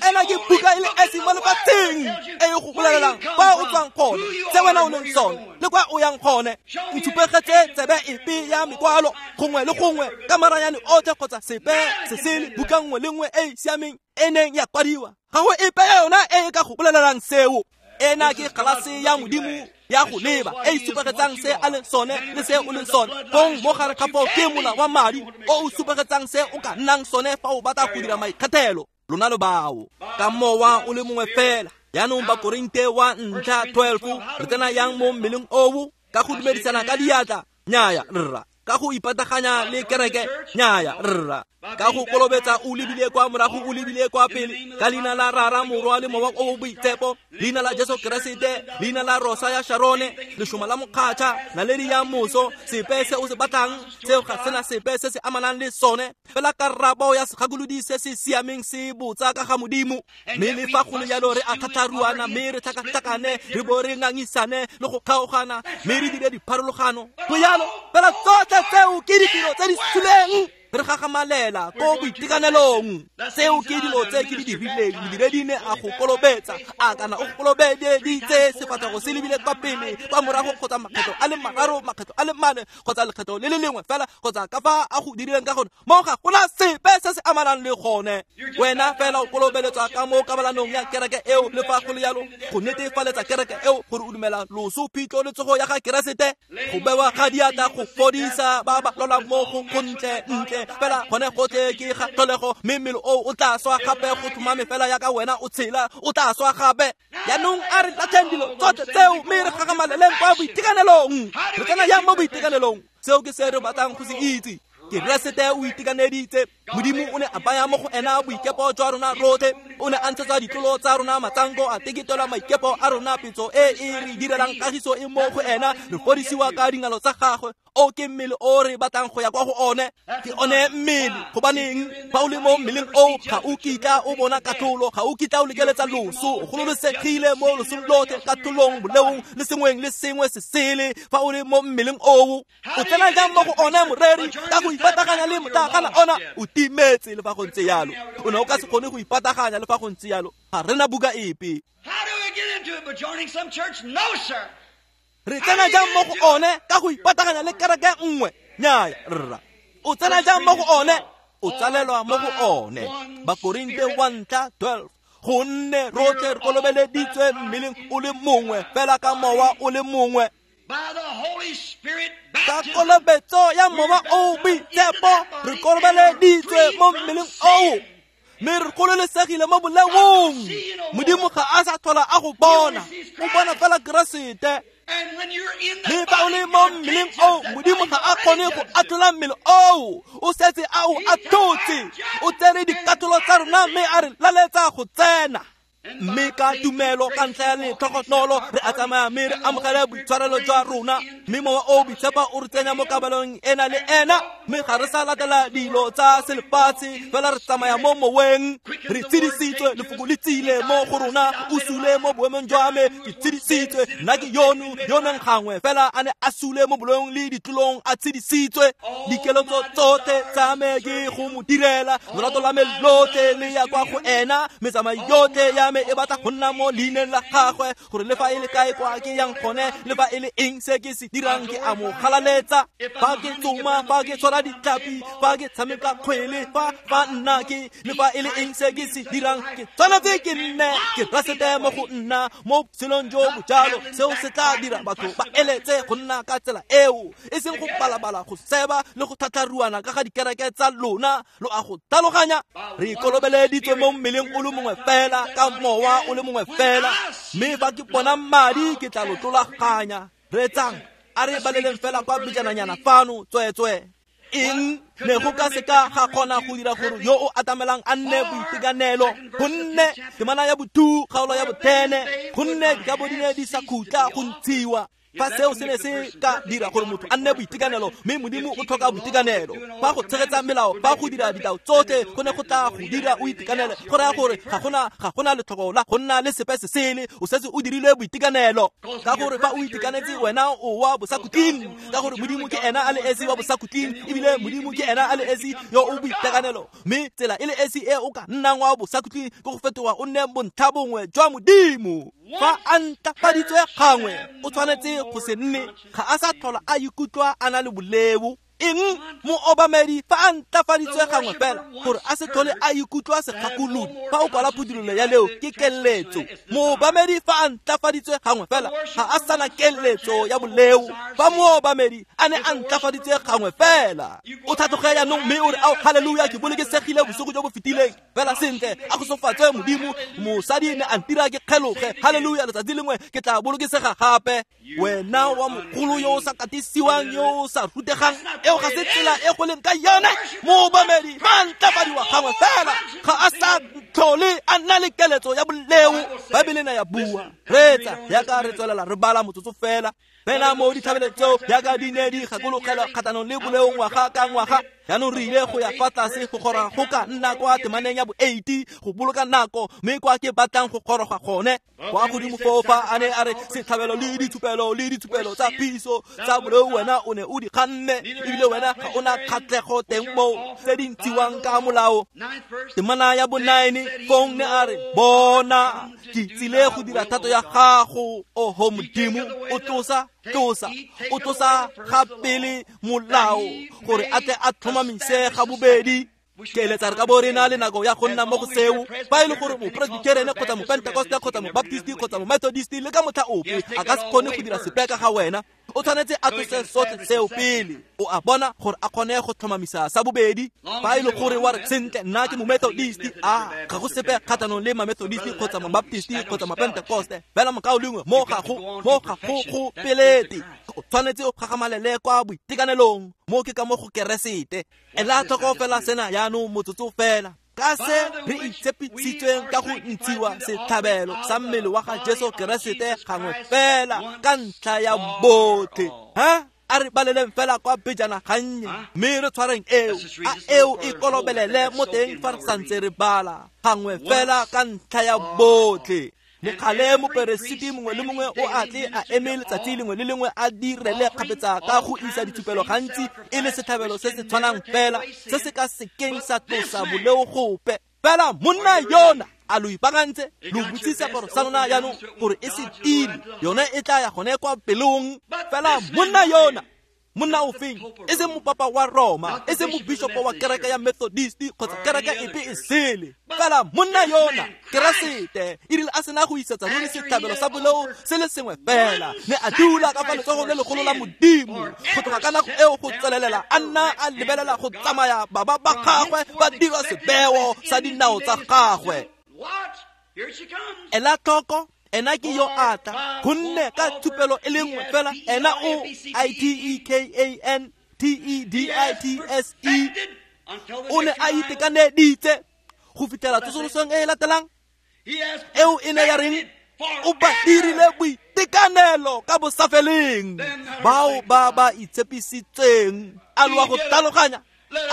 Ena ke buka e le esi mo lefatsheng e e go bolelelang kwa o tswang gone, se wena o leng sone le kwa o yang gone. Ntshupegetse tsebe epe ya mekwalo gongwe le gongwe ka maranyane otlhe kgotsa sepe se sele, buka nngwe le nngwe e e siameng e neng ya kwadiwa, ga go epe ya yona e e ka go bolelelang seo. Ena ke galase ya Modimo ya go leba e e supegetsang se a leng sone le se o leng sone. Fong mo gare ga foo ke mola wa madi o o supegetsang se o ka nnang sone fa o batla go dira maikgethelo. Lona lo bao ka mowa o le mongwe fela. Jaanong Bakorinte wa ntlha twelve, re tsena yang mo mmeleng oo? Ka go dumedisana ka diatla? Nyaya rra. Ka go ipataganya le kereke? Nyaya rra. Ka go kolobetsa o lebile kwa morago o lebile kwa pele, ka leina la Rara, Morwa le Mowa o o Boitshepo, leina la Jesu Keresete, leina la Rosa ya Sharone, lešoma la mokgatšha, naledi ya moso, sepe se o se batlang seo ga sena sepe se se amanang le sone. Fela karabo ya segakolodi se se siameng se botsa ka ga Modimo. Mme le fa go le jalo re a tlhatlharuana, mme re tlhakatlhakane, re bo re ngangisane le go kgaogana, mme re dire dipharologano. Go jalo fela tsotlhe tseo ke ditiro tse di suleng. Re gagamalela ko boitekanelong. Seo ke dilo tse ke di dirileng. Modiredi ne a go kolobetsa, a kana o go kolobeditse sefatlhego se lebile kwa pele, kwa morago, kgotsa makgetho a le mararo, makgetho a le mane, kgotsa lekgetho le le lengwe fela, kgotsa ka fa a go dirileng ka gone. Mo ga gona sepe se se amanang le gone. Wena fela o kolobeletswa ka mo kabalanong ya kereke eo, le fa go le jalo go netefaletsa kereke eo gore o dumela loso, phitlho le tsogo ya ga Keresete. Go bewa ga diatla go fodisa ba ba lwalang mo go gontle ntle fela gone gotlhe ke ga tlholego, mme mmele oo o tla swa gape. Go tlhomame fela yaka wena o tshela, o tla swa gape. Jaanong a re latlheng dilo tsotlhe tseo mme re gagamaleleng kwa boitekanelong. Re tsena yang mo boitekanelong? Seo ke se re batlang go se itse. Keresete o itekaneditse. Modimo o ne a baya mo go ena boikepo jwa rona rotlhe, o ne a ntshetsa ditlolo tsa rona matsanko, a teketela maikepo a rona petso e e re direlang kagiso e mo go ena, re fodisiwa ka dingalo tsa gagwe. O ke mmele o re batlang go ya kwa go one, ke one mmele. Gobaneng fa o le mo mmeleng o, ga o kitla o bona katlholo, ga o kitla o lekeletsa loso, o gololosegile mo losong lotlhe, katlholong, boleong le sengweng le sengwe se sele. Fa o le mo mmeleng oo, o tsena jang mo go one moreri ka go ipataganya le motlakana ona? O timetse le fa go ntse yalo. O ne o ka se kgone go ipataganya le fa go ntse yalo. Ga rena buka epe. How do we get into it? By joining some church? No, sir. Re tsena jang mo go one ka go ipataganya le kereke nngwe? Nnyaya, rra. O tsena jang mo go one? O tsalelwa mo go one. Bakorinte wa ntlha twelve. Gonne rotlhe re kolobeleditswe mmeleng o le mongwe fela ka mowa o le mongwe. By the Holy Spirit Ka baptism, kolobetso ya mowa o boitshepo re kolobeleditswe mo mmeleng oo, mme re gololesegile mo boleong. Modimo ga a sa tlhola a go bona, o bona fela Keresete. And when you're in Mme the fa o body, le mo God mmeleng can't oo, judge that Modimo body. ga a kgone go atlhola mmele oo, o setse a o atlhotse. O tsere dikatlholo tsa rona mme a re laletsa go tsena. Mme ka tumelo ka ntlha ya letlhogonolo re a tsamaya mme re amogele boitshwarelo jwa rona, mme mowa o boitshepo o re tsenya mo kabelong ena le ena, mme ga re sa latela dilo tsa selefatshe, fela re tsamaya mo moweng. Re tshedisitswe, lefoko le tsile mo go rona, o sule mo boemong jwa me, ke tshedisitswe. Nna ke yono yo neng gangwe fela a ne a sule mo boleong le ditlolong, a tshedisitswe. Dikeletso tsotlhe tsa me ke go mo direla, lorato la me lotlhe le ya kwa go ena, metsamao yotlhe ya me e batla go nna mo leineng la gagwe, gore le fa e le kae kwa ke yang gone, le fa e le eng se ke se dirang, ke a mo galaletsa. Fa ke tsoma, fa ke tshwara ditlhapi, fa ke tshameka kgwele, fa fa nna ke, le fa e le eng se ke se dirang, ke tshwanetse ke nne ke rasete mo go nna mo botshelong jo bo jalo. Seo se tla dira batho ba eletse go nna ka tsela eo, e seng go balabala, go seba le go tlhatlharuana ka ga dikereke tsa lona. Lo a go tlhaloganya? Re ikolobeleditswe mo mmeleng o le mongwe fela, ka mowa o le mongwe fela, mme fa ke bona madi ke tla lo tlolaganya. Reetsang, a re baleleng fela kwa bijananyana fano, tsweetswe. Eng ne go ka seka ga kgona go dira gore yo o atamelang a nne boitekanelo? Gonne temana ya bothu, kgaolo ya botene, gonne dikabo di ne di sa khutla go ntshiwa. Fa seo se ne se ka dira gore motho a nne boitekanelo, mme Modimo o tlhoka boitekanelo. Fa go tshegetsa melao, fa go dira ditao tsotlhe go ne go tla go dira o itekanele, go raya gore ga gona ga gona letlhoko la go nna le sepe se sele, o setse o dirile boitekanelo. Ka gore fa o itekanetse wena o wa bosakhutleng, ka gore Modimo ke ena a le esi wa bosakhutleng, ebile Modimo ke ena a le esi yo o boitekanelo. Mme tsela e le esi e o ka nnang wa bosakhutleng ke go fetoga o nne bontlha bongwe jwa Modimo. Fa a ntlafaditswe gangwe, o tshwanetse go se nne, ga a sa tlhola a ikutlwa a na le boleo. Eng moobamedi fa a ntlafaditswe gangwe fela, gore a se tlhole a ikutlwa segakolodi. Fa o kwala phuthololo ya leo ke keletso. Moobamedi fa a ntlafaditswe gangwe fela, ga a sana keletso ya boleo. Fa moobamedi a ne a ntlafaditswe gangwe fela, o tlhatloge jaanong mme o re, ao haleluya, ke bolokesegile bosigo jo bo fetileng. Fela sentle, a go sofatswe Modimo, mosadi ne a ntira ke kgeloge. Haleluya, letsatsi lengwe ke tla bolokesega gape. Wena wa mogolo yo o sa katisiwang, yo o sa rutegang, eo ga se tsela e go leng ka yone. Moobamedi ba ntlafadiwa gangwe fela, ga a sa tlhole a nna le keletso ya boleo. Baebele na ya bua. Reetsa, yaka re tswelela re bala motsotso fela. Fela mo ditlhabelo tseo yaka di ne di gakologelwa kgatlhanong le boleo ngwaga ka ngwaga. Jaanong re ile go ya fa tlase go goroga go ka nna kwa temaneng ya bo eighty go boloka nako, mme kwa ke batlang go goroga gone. Kwa godimo foo fa a ne a re setlhabelo le ditshupelo le ditshupelo tsa phiso tsa boleo wena o ne o di kganne, ebile wena ga o na kgatlhego teng moo tse di ntshiwang ka molao. Temana ya bo nine fong ne a re, bona ke tsile go dira thato ya gago, oho Modimo. O tlosa tlosa o tlosa ga pele molao gore a tle a tlhomamise ga bobedi. Ke eletsa re ka bo re na le nako ya go nna mo go seo. Fa e le gore mopresbiterene kgotsa mopentekoste kgotsa mobaptisti kgotsa momethodist le ka motlha ope a ka se kgone go dira sepe ka ga wena. O tshwanetse a tlose sotlhe seo pele. O a bona gore a kgone go tlhomamisa sa bobedi. Fa e le gore wa re sentle nna ke momethodist, a ga go sepe kgatlhanong le mamethodist kgotsa mabaptist kgotsa mapentekoste, fela mokaulengwe mo ga go mo ga go go pelete. O tshwanetse o gagamalele kwa boitekanelong, mo ke ka mo go Keresete. Ela tlhoko fela sena jaanong motsotso fela. Ka se re itshepisitsweng ka go ntshiwa setlhabelo sa mmele wa ga Jesu Keresete gangwe fela ka ntlha ya botlhe. Ha? A re baleleng fela kwa pejana gannye, mme re tshwareng eo, a eo e kolobelele mo teng fa re santse re bala gangwe fela ka ntlha ya botlhe. Lekgale moperesiti mongwe le mongwe o a tle a eme letsatsi lengwe le lengwe a direle kgapetsa ka go isa ditshupelo gantsi e le setlhabelo se se tshwanang fela se se ka sekeng sa tlosa boleo gope. Fela monna yona a lo ipaakantse, lo butse seaparo sa lona jaanong gore e se tile, yone e tla ya gone kwa pelong. Fela monna yona, monna ofeng, e seng mopapa wa Roma, e seng mobishopo wa kereke ya Methodist kgotsa kereke epe e sele, fela monna yona Keresete e rile a sena go isetsa ruri setlhabelo sa boleo se le sengwe fela, ne a dula ka fa letsogong le legolo la Modimo. Go tloga ka nako eo go tswelelela a nna a lebelela go tsamaya baba ba gagwe ba dira sebeo sa dinao tsa gagwe. Ela tlhoko, ena ke yo a tla, gonne ka tshupelo e le nngwe fela ena o I T E K A N T E D I T S E o ne a itekaneditse go fitlhela tsosolosong e e latelang. Eo e ne ya reng? O ba dirile boitekanelo ka bosafeleng bao ba ba itshepisitseng. A lo a go tlhaloganya?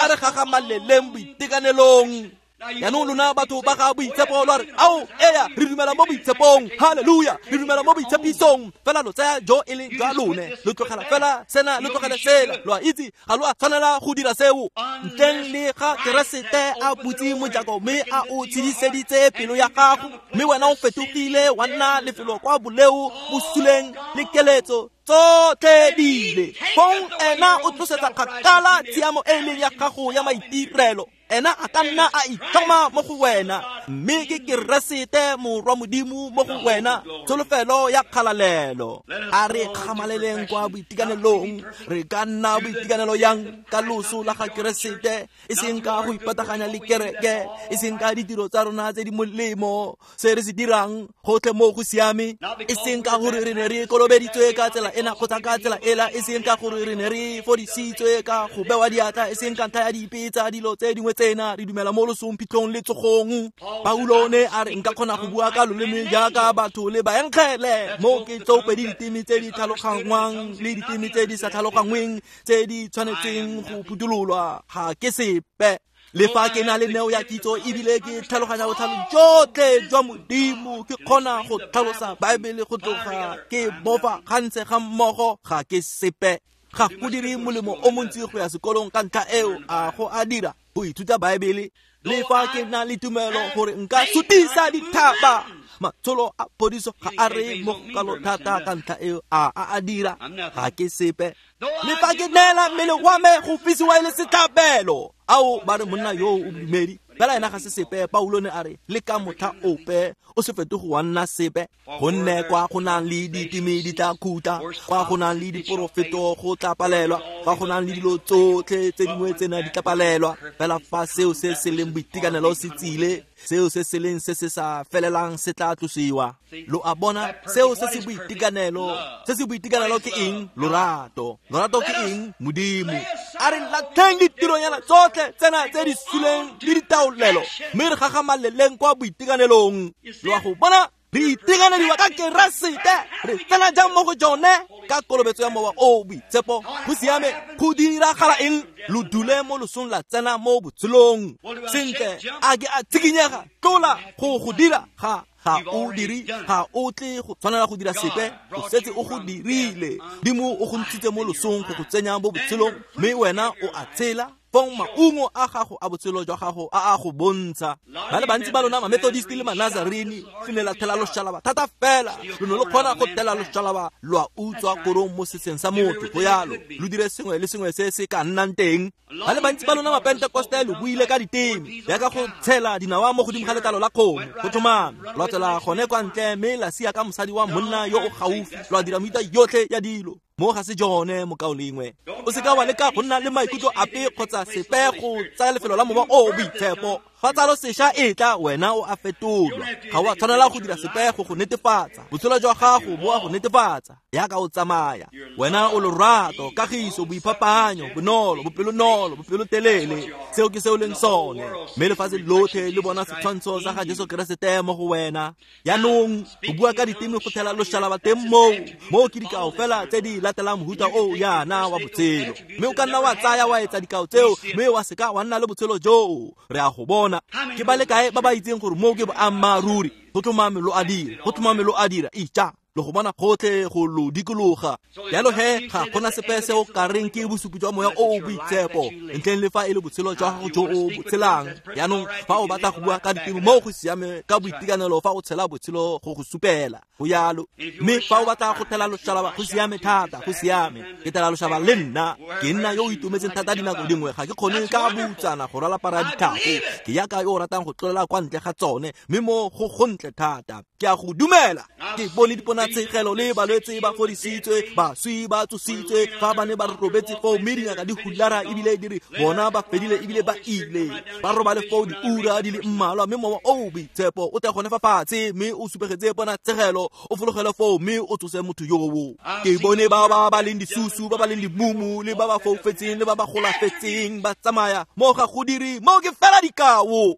A re gagamaleleng boitekanelong. Jaanong lona batho ba ga boitshepo lo re, ao eya, re dumela mo boitshepong, halleluja, re dumela mo boitshepisong. Fela lo tsaya jo e leng jwa lone, lo tlogela fela sena, lo tlogele sela. Lo a itse ga lo a tshwanela go dira seo ntleng le ga Keresete a butse mojako mme a o tshediseditse pelo ya gago, mme wena o fetogile wa nna lefelo kwa boleo bosuleng le keletso tsotlhe di ile. Fong ena o tlosetsa kgakala tshiamo e leng ya gago ya maitirelo. Ena a ka nna a itlhoma mo go wena, mme ke Keresete morwa Modimo mo go wena, tsholofelo ya kgalalelo. A re kgamaleleng kwa boitekanelong. Re ka nna boitekanelo yang ka loso la ga Keresete, e seng ka go ipataganya le kereke, e seng ka ditiro tsa rona tse di molemo, se re se dirang gotlhe mo go siame, e seng ka gore re ne re kolobeditswe ka tsela ena kgotsa ka tsela ela, e seng ka gore re ne re fodisitswe ka go bewa diatla, e seng ka ntlha ya dipe tsa dilo tse dingwe tsena. Re dumela mo losong, phitlhong le tsogong. Paulo ne a re nka kgona go bua ka loleme jaaka batho le baenkgele, mo ke tsopedi diteme tse di tlhaloganngwang le diteme tse di sa tlhaloganngweng tse di tshwanetseng go phuthololwa, ga ke sepe. Le fa ke na le neo ya kitso ebile ke tlhaloganya botlhale jotlhe jwa Modimo, ke kgona go tlhalosa Baebele go tloga ke bofa gantse ga mmogo, ga ke sepe. Ga go dire molemo o montsi go ya sekolong ka ntlha eo, a go a dira go ithuta Baebele. Le fa ke na le tumelo gore nka sutisa dithaba, matsholo a phodiso ga a re mo kalo thata ka ntlha eo, a a a dira, ga ke sepe. Le fa ke neela mmele wa me go fisiwa e le setlhabelo, ao ba re monna yo o bodumedi, fela ena ga se sepe. Paulo ne a re le ka motlha ope o se fetoge wa nna sepe, gonne kwa go nang le diteme di tla khutla, kwa go nang le diporofeto go tla palelwa, kwa go nang le dilo tsotlhe tse dingwe tsena di tla palelwa. Fela fa seo se se leng boitekanelo se tsile, seo se se leng se se sa felelang se tla tlosiwa. Lo a bona, seo se se boitekanelo, se se boitekanelo ke eng? Lorato. Lorato ke eng? Modimo. A re latlheng ditironyana tsotlhe tsena tse di suleng le ditaolelo, mme re gagamaleleng kwa boitekanelong. Lo a go bona, re itekanediwa ka Keresete, re tsena jang mo go jone? Ka kolobetso ya Mowa o Boitshepo. Go siame, go diragala eng? Lo dule mo losong la tsena mo botshelong. Sentle, a ke a tshikinyega, tlola go go dira, ga ga o dire, ga o tle go tshwanela go dira sepe, o setse o go dirile. Modimo o go ntshitse mo losong go go tsenya mo botshelong, mme wena o a tshela. Fong maungo a gago a botshelo jwa gago a a go bontsha. Ba le bantsi ba lona Mamethodist le Manazarene le ne la thela loshalaba thata fela, lo ne lo kgona go thela loshalaba lwa utswa korong mo setsheng sa motho, go yalo lo dire sengwe le sengwe se se ka nnang teng. Ba le bantsi ba lona Mapentekoste lo buile ka diteme jaaka go tshela dinawa mo godimo ga letlalo la kgomo, go tlhomame lwa tswela gone kwa ntle mme la sia ka mosadi wa monna yo o gaufi, lwa dira mefuta yotlhe ya dilo. Mo ga se jone mokaulengwe. O seka wa leka go nna le maikutlo ape kgotsa sepe go tsaya lefelo la Mowa o o Boitshepo. Fa tsalo sešwa e tla, wena o a fetolwa. Ga o a tshwanela go dira sepe go go netefatsa. Botshelo jwa gago bo a go netefatsa yaka o tsamaya. Wena o lorato, kagiso, boiphapanyo, bonolo, bopelonolo, bopelotelele. Seo ke se o leng sone. Mme lefatshe lotlhe le bona setshwantsho sa ga Jesu Keresete mo go wena. Jaanong go bua ka diteme go thela loshalaba teng moo. Moo ke dikao fela tse di latelang mohuta o yana wa botshelo. Mme o ka nna wa tsaya wa etsa dikao tseo, mme wa seka wa nna le botshelo joo. Re a go bona. Ke ba le kae ba ba itseng gore moo ke boammaaruri? Go tlhomame lo a dira, go tlhomame lo a dira. Ija, lo go bona gotlhe go lo dikologa. Jalo he, ga gona sepe se o ka reng ke bosupi jwa Moya o o Boitshepo ntleng le fa e le botshelo jwa gago jo o bo tshelang. Jaanong fa o batla go bua ka diteme, moo go siame ka boitekanelo fa o tshela botshelo go go supela. Go yalo. Mme fa o batla go thela loshalaba, go siame thata, go siame. Ke thela loshaba le nna. Ke nna yo o itumetseng thata dinako dingwe, ga ke kgone ka boutsana go rwala para ditlhako. Ke yaka yo o ratang go tlolela kwa ntle ga tsone, mme mo go gontle thata. Ke a go dumela. Ke bone diponatshegelo le balwetse ba fodisitswe, baswi ba tsositswe, fa ba ne ba robetse foo, mme dingaka di hulara ebile di re bona ba fedile ebile ba ile. Ba robale foo diura di le mmalwa, mme Mowa o o Boitshepo o tle gone fa fatshe, mme o supegetse ponatshegelo, o fologele foo, mme o tsose motho yoo. Ke bone ba ba ba leng disusu, ba ba leng dimumu, le ba ba foufetseng, le ba ba golafetseng ba tsamaya. Mo ga go dire, mo ke fela dikao.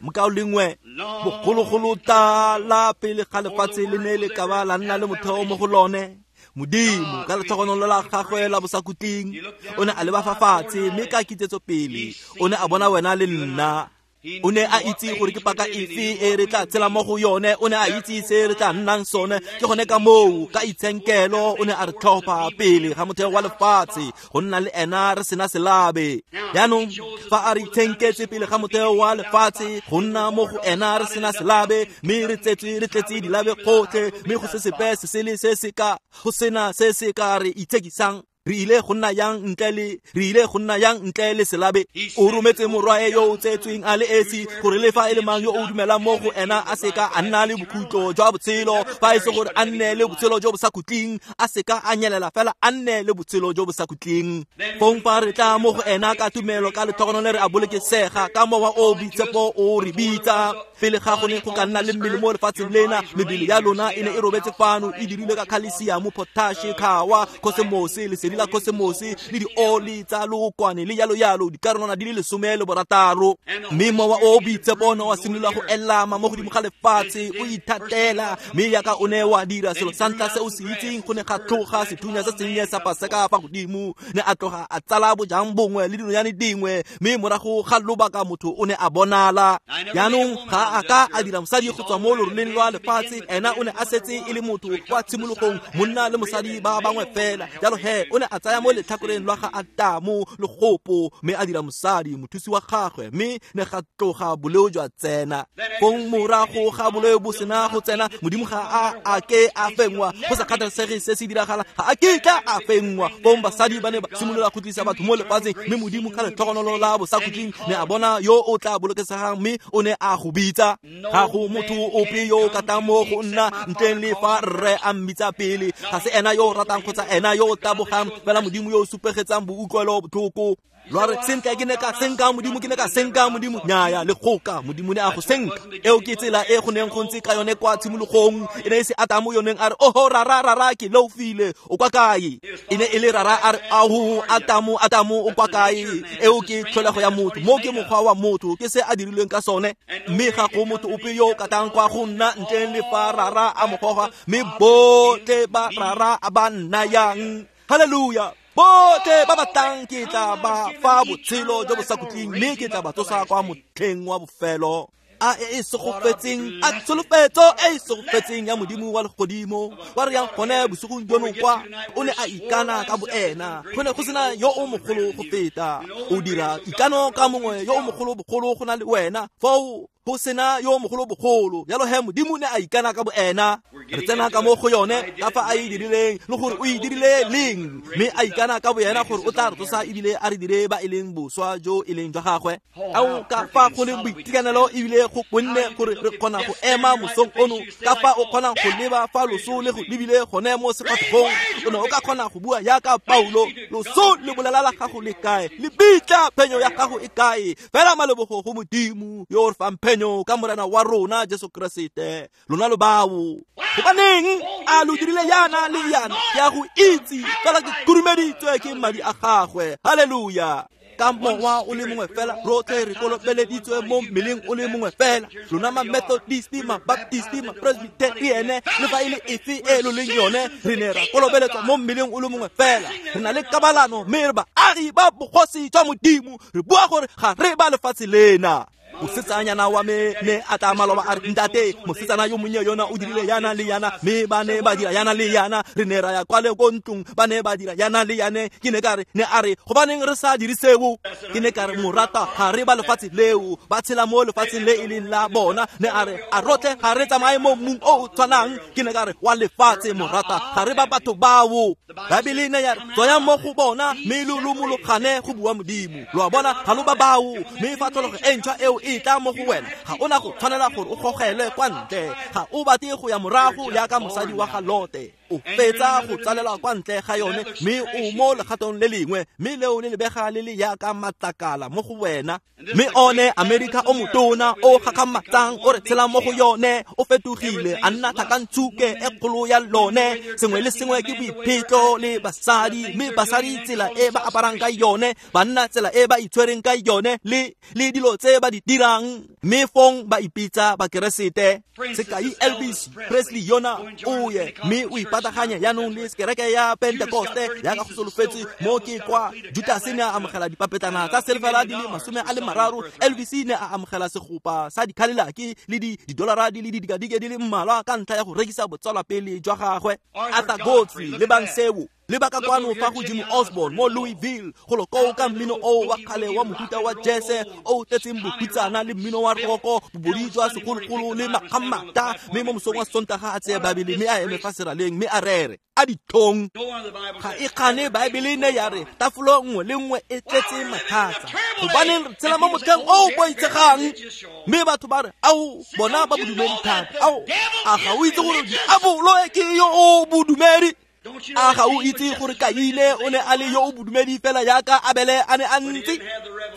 Mokaulengwe, bogologolo tala pele ga lefatshe le ne le ka ba la nna le motheo mo go lone, Modimo ka letlhogonolo la gagwe la bosakhutleng o ne a leba fa fatshe, mme ka kitsetso pele o ne a bona wena le nna. O ne a itse gore ke paka efe e re tla tshela mo go yone. O ne a itse se re tla nnang sone. Ke gone ka moo ka itshenkelo o ne a re tlhopha pele ga motheo wa lefatshe go nna le ena re sena selabe. Jaanong fa a re itshenketse pele ga motheo wa lefatshe go nna mo go ena re sena selabe, mme re tsetswe re tletse dilabe gotlhe, mme go se sepe se sele se se ka go sena se se ka re itshekisang. Re ile go nna yang ntle le re ile go nna yang ntle le selabe. O rometse morwae yo o tsetsweng a le esi, gore le fa e le mang yo o dumelang mo go ena a seka a nna le bokhutlo jwa botshelo, fa e se gore a nne le botshelo jo bo sa khutleng, a seka a nyelela fela a nne le botshelo jo bo sa khutleng. Fong fa re tla mo go ena ka tumelo, ka letlhogonolo re a bolokesega ka Mowa o Boitshepo o re bitsa. Pele ga go ne go ka nna le mmele mo lefatsheng lena, mebele ya lona e ne e robetse fano, e dirilwe ka khalesiamo, potashe, khawa, kosemose, lesedi la kosemose, le dioli tsa lookwane, le yalo yalo, dikarolwana di le lesome le borataro. Mme Mowa o Boitshepo ne wa simolola go elama mo godimo ga lefatshe, o ithatela. Mme yaka o ne wa dira selo sa ntlha se o se itseng, go ne ga tloga sethunya se sennye sa paseka fa godimo. Ne a tloga a tsala bojang bongwe le dinonyane dingwe, mme morago ga lobaka motho o ne a bonala. Jaanong ga a ka a dira mosadi go tswa mo loroleng lwa lefatshe, ena o ne a setse e le motho kwa tshimologong, monna le mosadi ba bangwe fela. Jalo he o ne a tsaya mo letlhakoreng lwa ga Atamo legopo, mme a dira mosadi mothusi wa gagwe, mme ne ga tloga boleo jwa tsena. Fong morago ga boleo bo sena go tsena, Modimo ga a a ke a fenngwa. Go sa kgathalesege se se diragala, ga a kitla a fenngwa. Fong basadi ba ne ba simolola go tlisa batho mo lefatsheng, mme Modimo ka letlhogonolo la bosakhutleng ne a bona yo o tla bolokesegang, mme o ne a go bitsa. Ga go motho ope yo o ka tlang mo go nna ntleng le fa rre a mmitsa pele. Ga se ena yo o ratang kgotsa ena yo o tabogang, fela Modimo yo o supegetsang boutlwelo botlhoko. Lwa re, sentle ke ne ka senka Modimo, ke ne ka senka Modimo. Nnyaya, le goka Modimo ne a go senka. Eo ke tsela e go neng go ntse ka yone kwa tshimologong. E ne e se Atamo yo neng a re, oho rara rara ke leofile, o kwa kae? E ne e le rara a re, aho Atamo Atamo o kwa kae? Eo ke tlholego ya motho, mo ke mokgwa wa motho, ke se a dirilweng ka sone. Mme ga go motho ope yo o ka tlang kwa go nna ntleng le fa rara a mo goga, mme botlhe ba rara a ba nnayang. Haleluya! Botlhe ba ba tlang ke tla ba fa botshelo jo bo sa khutleng, mme ke tla ba tsosa kwa motlheng wa bofelo. A e e segofetseng, a tsholofetso e e segofetseng ya Modimo wa legodimo. Wa re yang gone bosigong jono kwa, o ne a ikana ka boena. Go ne go sena yo o mogolo go feta. O dira ikano ka mongwe yo o mogolo bogolo go na le wena. Foo Go sena yo mogolo bogolo jalo he Modimo ne a ikana ka boena. Re tsena ka mo go yone ka fa a e dirileng le gore o e dirile leng, mme a ikana ka boena gore o tla re tsosa ebile a re dire ba e leng boswa jo e leng jwa gagwe. Ao ka fa go leng boitekanelo ebile go konne gore re kgona go ema mosong ono, ka fa o kgonang go leba fa loso le go lebile gone mo sefatlhegong, o ne o ka kgona go bua yaka Paulo, loso le bolela la gago le kae, le bitla phenyo ya gago e kae? Fela malebogo go Modimo yo o re fang phenyo ka Morena wa rona Jesu Keresete. Lona lo bao gobaneng a lo dirile yana le yana, ke a go itse fela ke khurumeditswe ke madi a gagwe. Halleluja. Ka mowa o le mongwe fela rotlhe re kolobeleditswe mo mmeleng o le mongwe fela. Lona ma-Methodist, ma-Baptist, ma-Presbyterian, le fa e le efe e lo leng yone, re ne ra kolobeletswa mo mmeleng o le mongwe fela. Re na le kabalano mme re baagi ba bogosi jwa Modimo. Re bua gore ga re ba lefatshe lena. Mosetsanyana wa me ne a tla maloba a re, ntate, mosetsana yo monnye yona o dirile yana le yana, mme ba ne ba dira yana le yana. Re ne ra ya kwa le ko ntlong, ba ne ba dira yana le yane. Ke ne ka re, ne a re, gobaneng re sa dire seo? Ke ne ka re, morata, ga re ba lefatshe leo, ba tshela mo lefatsheng le e leng la bona. Ne a re, a rotlhe ga re tsamaye mo mmung o o tshwanang. Ke ne ka re, wa lefatshe, morata, ga re ba batho bao. Baebele ne ya re, tswayang mo go bona mme lo lomologane, go bua Modimo. Lo a bona, ga lo ba bao. Mme fa tlholego e ntšhwa eo e tla mo go wena, ga ona go tshwanela gore o gogelwe kwa ntle. Ga o batle go ya morago yaka mosadi wa ga Lote. O fetsa go tsalelwa kwa ntle ga yone, mme o mo legatong le lengwe, mme leo le lebega le le yaka matlakala mo go wena. Mme one Amerika o motona o gakgamatsang o re tshela mo go yone o fetogile a nna tlhakantshuke e kgolo ya lone. Sengwe le sengwe ke boiphetlo le basadi, mme basadi tsela e ba aparang ka yone, banna tsela e ba itshwereng ka yone, le le dilo tse ba di dirang, mme fong ba ipitsa bakeresete. Sekai Elvis Presley yona o ye mme o ipataganya jaanong le kereke ya Pentecoste yaka go solofetse mo ke kwa Judas ne a amogela dipapetlana tsa silvera di le masome a le mararo, Elvis ne a amogela segopa sa dikhalelaki le di didolara di le didikadike di le mmalwa ka ntlha ya go rekisa botsalwapele jwa gagwe. Arthur Godfrey le bang seo le baka kwano fa go Jimmy Osborne mo Louisville, go lo koo ka mmino o wa kgale wa mohuta wa jazz o tletseng bohutsana le mmino wa roko, bobodi jwa segologolo le makgammata. Mme mo mosong wa Sontaga a tseye Baebele mme a eme fa seraleng mme a rere a ditlhong. Ga e kgane Baebele ne ya re tafolo nngwe le nngwe e tletse mathata. Gobaneng re tshela mo motlheng o o boitshegang, mme batho ba re, ao bona ba bodumedi thata. Ao, a ga o itse gore diabolo ke yo o bodumedi? A ga o itse gore Kaine o ne a le yo o bodumedi fela yaka Abele a ne a ntse?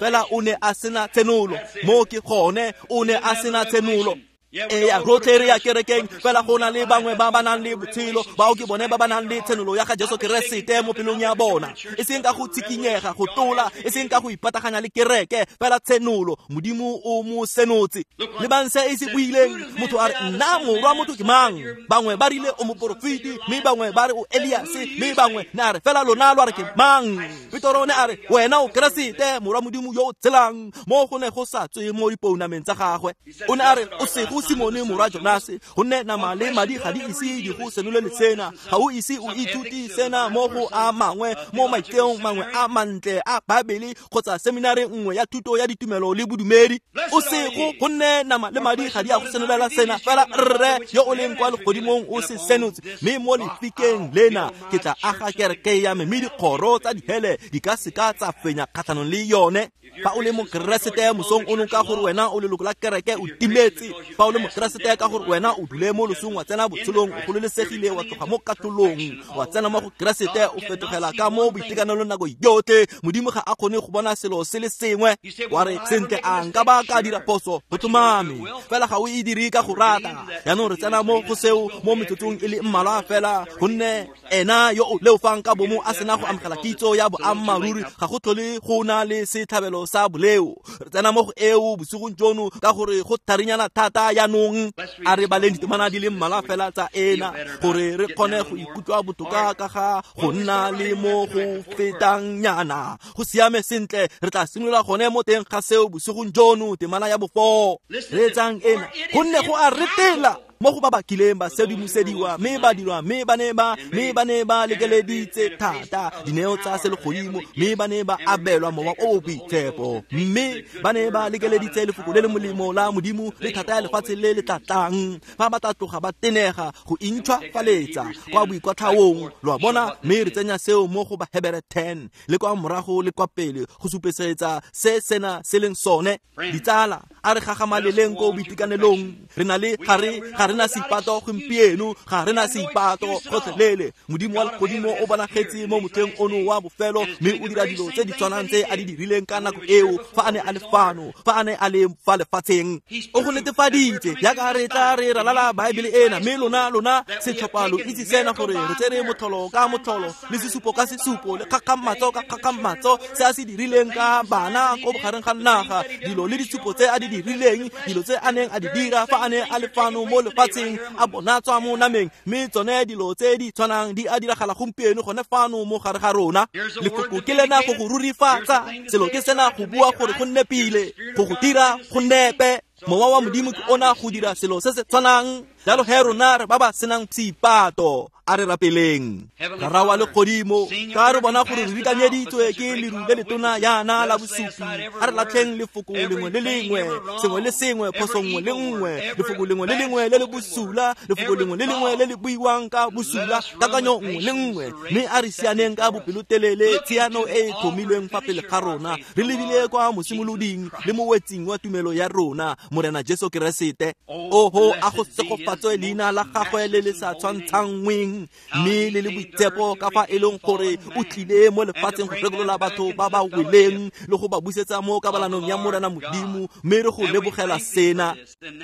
Fela o ne a sena tshenolo. Mo ke gone, o ne a sena tshenolo. Eya, rotlhe re ya kerekeng, fela go na le bangwe ba ba nang le botshelo, bao ke bone ba ba nang le tshenolo ya ga Jesu Keresete mo pelong ya bona. E seng ka go tshikinyega, go tola, e seng ka go ipataganya le kereke, fela tshenolo Modimo o mo senotse. Le bang se e se buileng, motho a re, nna morwa motho ke mang? Bangwe ba rile o moporofeti, mme bangwe ba re o Eliase, mme bangwe ne a re, fela lona lo a re ke mang? Petoro ne a re, wena o Keresete, morwa Modimo yo o tshelang. Mo go ne go sa tswe mo dipounameng tsa gagwe. O ne a re, o sego Simone morwa Jonase, gonne nama le madi ga di ise di go senolele sena. Ga o ise o ithute sena mo go a mangwe, mo maiteong mangwe a mantle a Baebele kgotsa seminari nngwe ya thuto ya ditumelo le bodumedi. O sego, gonne nama le madi ga di a go senolela sena, fela Rre yo o leng kwa legodimong o se senotse. Mme mo lefikeng lena ke tla aga kereke ya me, mme dikgoro tsa dihele di ka seka tsa fenya kgatlhanong le yone. Fa o le mokeresete mosong ono ka gore wena o leloko la kereke o timetse. Fa o le mokeresete ka gore wena o dule mo losong wa tsena botshelong, o gololesegile wa tloga mo katlholong wa tsena mo go Keresete, o fetogela ka mo boitekanelong nako yotlhe. Modimo ga a kgone go bona selo se le sengwe. Wa re, sentle, a nka ba ka dira phoso? Go tlhomame, fela ga o e dire ka go rata. Jaanong re tsena mo go seo mo metsotsong e le mmalwa fela, gonne ena yo o leofang ka bomo a sena go amogela kitso ya boammaaruri, ga go tlhole go na le setlhabelo sa boleo. Re tsena mo go eo bosigong jono ka gore go tharinyana thata jaanong. A re baleng ditemana di le mmalwa fela tsa ena gore re kgone go ikutlwa botoka ka ga go nna le mo go fetang nyana. Go siame sentle, re tla simolola gone mo teng ga seo bosigong jono, temana ya bofo. Reetsang ena, gonne go a retela Mo go ba ba kileng ba sedimosediwa mme ba dirwa mme ba ne ba mme ba ne ba lekeleditse thata dineo tsa selegodimo mme ba ne ba abelwa mowa o o boitshepo mme ba ne ba lekeleditse lefoko le le molemo la Modimo le thata ya lefatshe le le tlatlang fa ba tla tloga ba tenega go intšhwafaletsa kwa boikwatlhaong lo a bona mme re tsenya seo mo go Bahebere ten le kwa morago le kwa pele go supesetsa se sena se leng sone. Ditsala a re gagamaleleng ko boitekanelong re na le ga re ga re na seipato gompieno ga re na seipato gotlhelele. Modimo wa legodimo o bonagetse mo motlheng ono wa bofelo mme o dira dilo tse di tshwanang tse a di dirileng ka nako eo fa a ne a le fano fa a ne a le fa lefatsheng. O go netefaditse jaaka re tla re ralala Baebele ena mme lona lona setlhopha lo itse sena gore re tsere motlholo ka motlholo le sesupo ka sesupo le kgakgamatso ka kgakgamatso se a se dirileng ka bana ko bogareng ga naga dilo le ditshupo tse a di dirileng dilo tse a neng a di dira fa a ne a le fano mo lefatsheng a bonatswa mo nameng mme tsone dilo tse di tshwanang di a diragala gompieno gone fano mo gare ga rona. Lefoko ke lena go go rurifatsa selo ke sena go bua gore go nne pile go go dira go nepe. Mowa wa Modimo ke ona go dira selo se se tshwanang. Jalo he rona re ba ba senang seipato a re rapeleng. Rara wa legodimo ka re bona gore re rikanyeditswe ke leru le letona yana la bosupi a re latlheng lefoko lengwe le lengwe sengwe le sengwe phoso nngwe le nngwe lefoko lengwe le lengwe le le bosula lefoko lengwe le lengwe le le buiwang ka bosula kakanyo nngwe le nngwe mme a re sianeng ka bopelotelele tshiano e e tlhomilweng fa pele ga rona re lebile kwa mosimoloding le mowetsing wa tumelo ya rona Morena Jesu Keresete. Oho a go segofatswe leina la gagwe le le sa tshwantshangweng mme le le boitshepo ka fa e leng gore o tlile mo lefatsheng go rekolola batho ba ba weleng le go ba busetsa mo kabalanong ya Morena Modimo mme re go lebogela sena.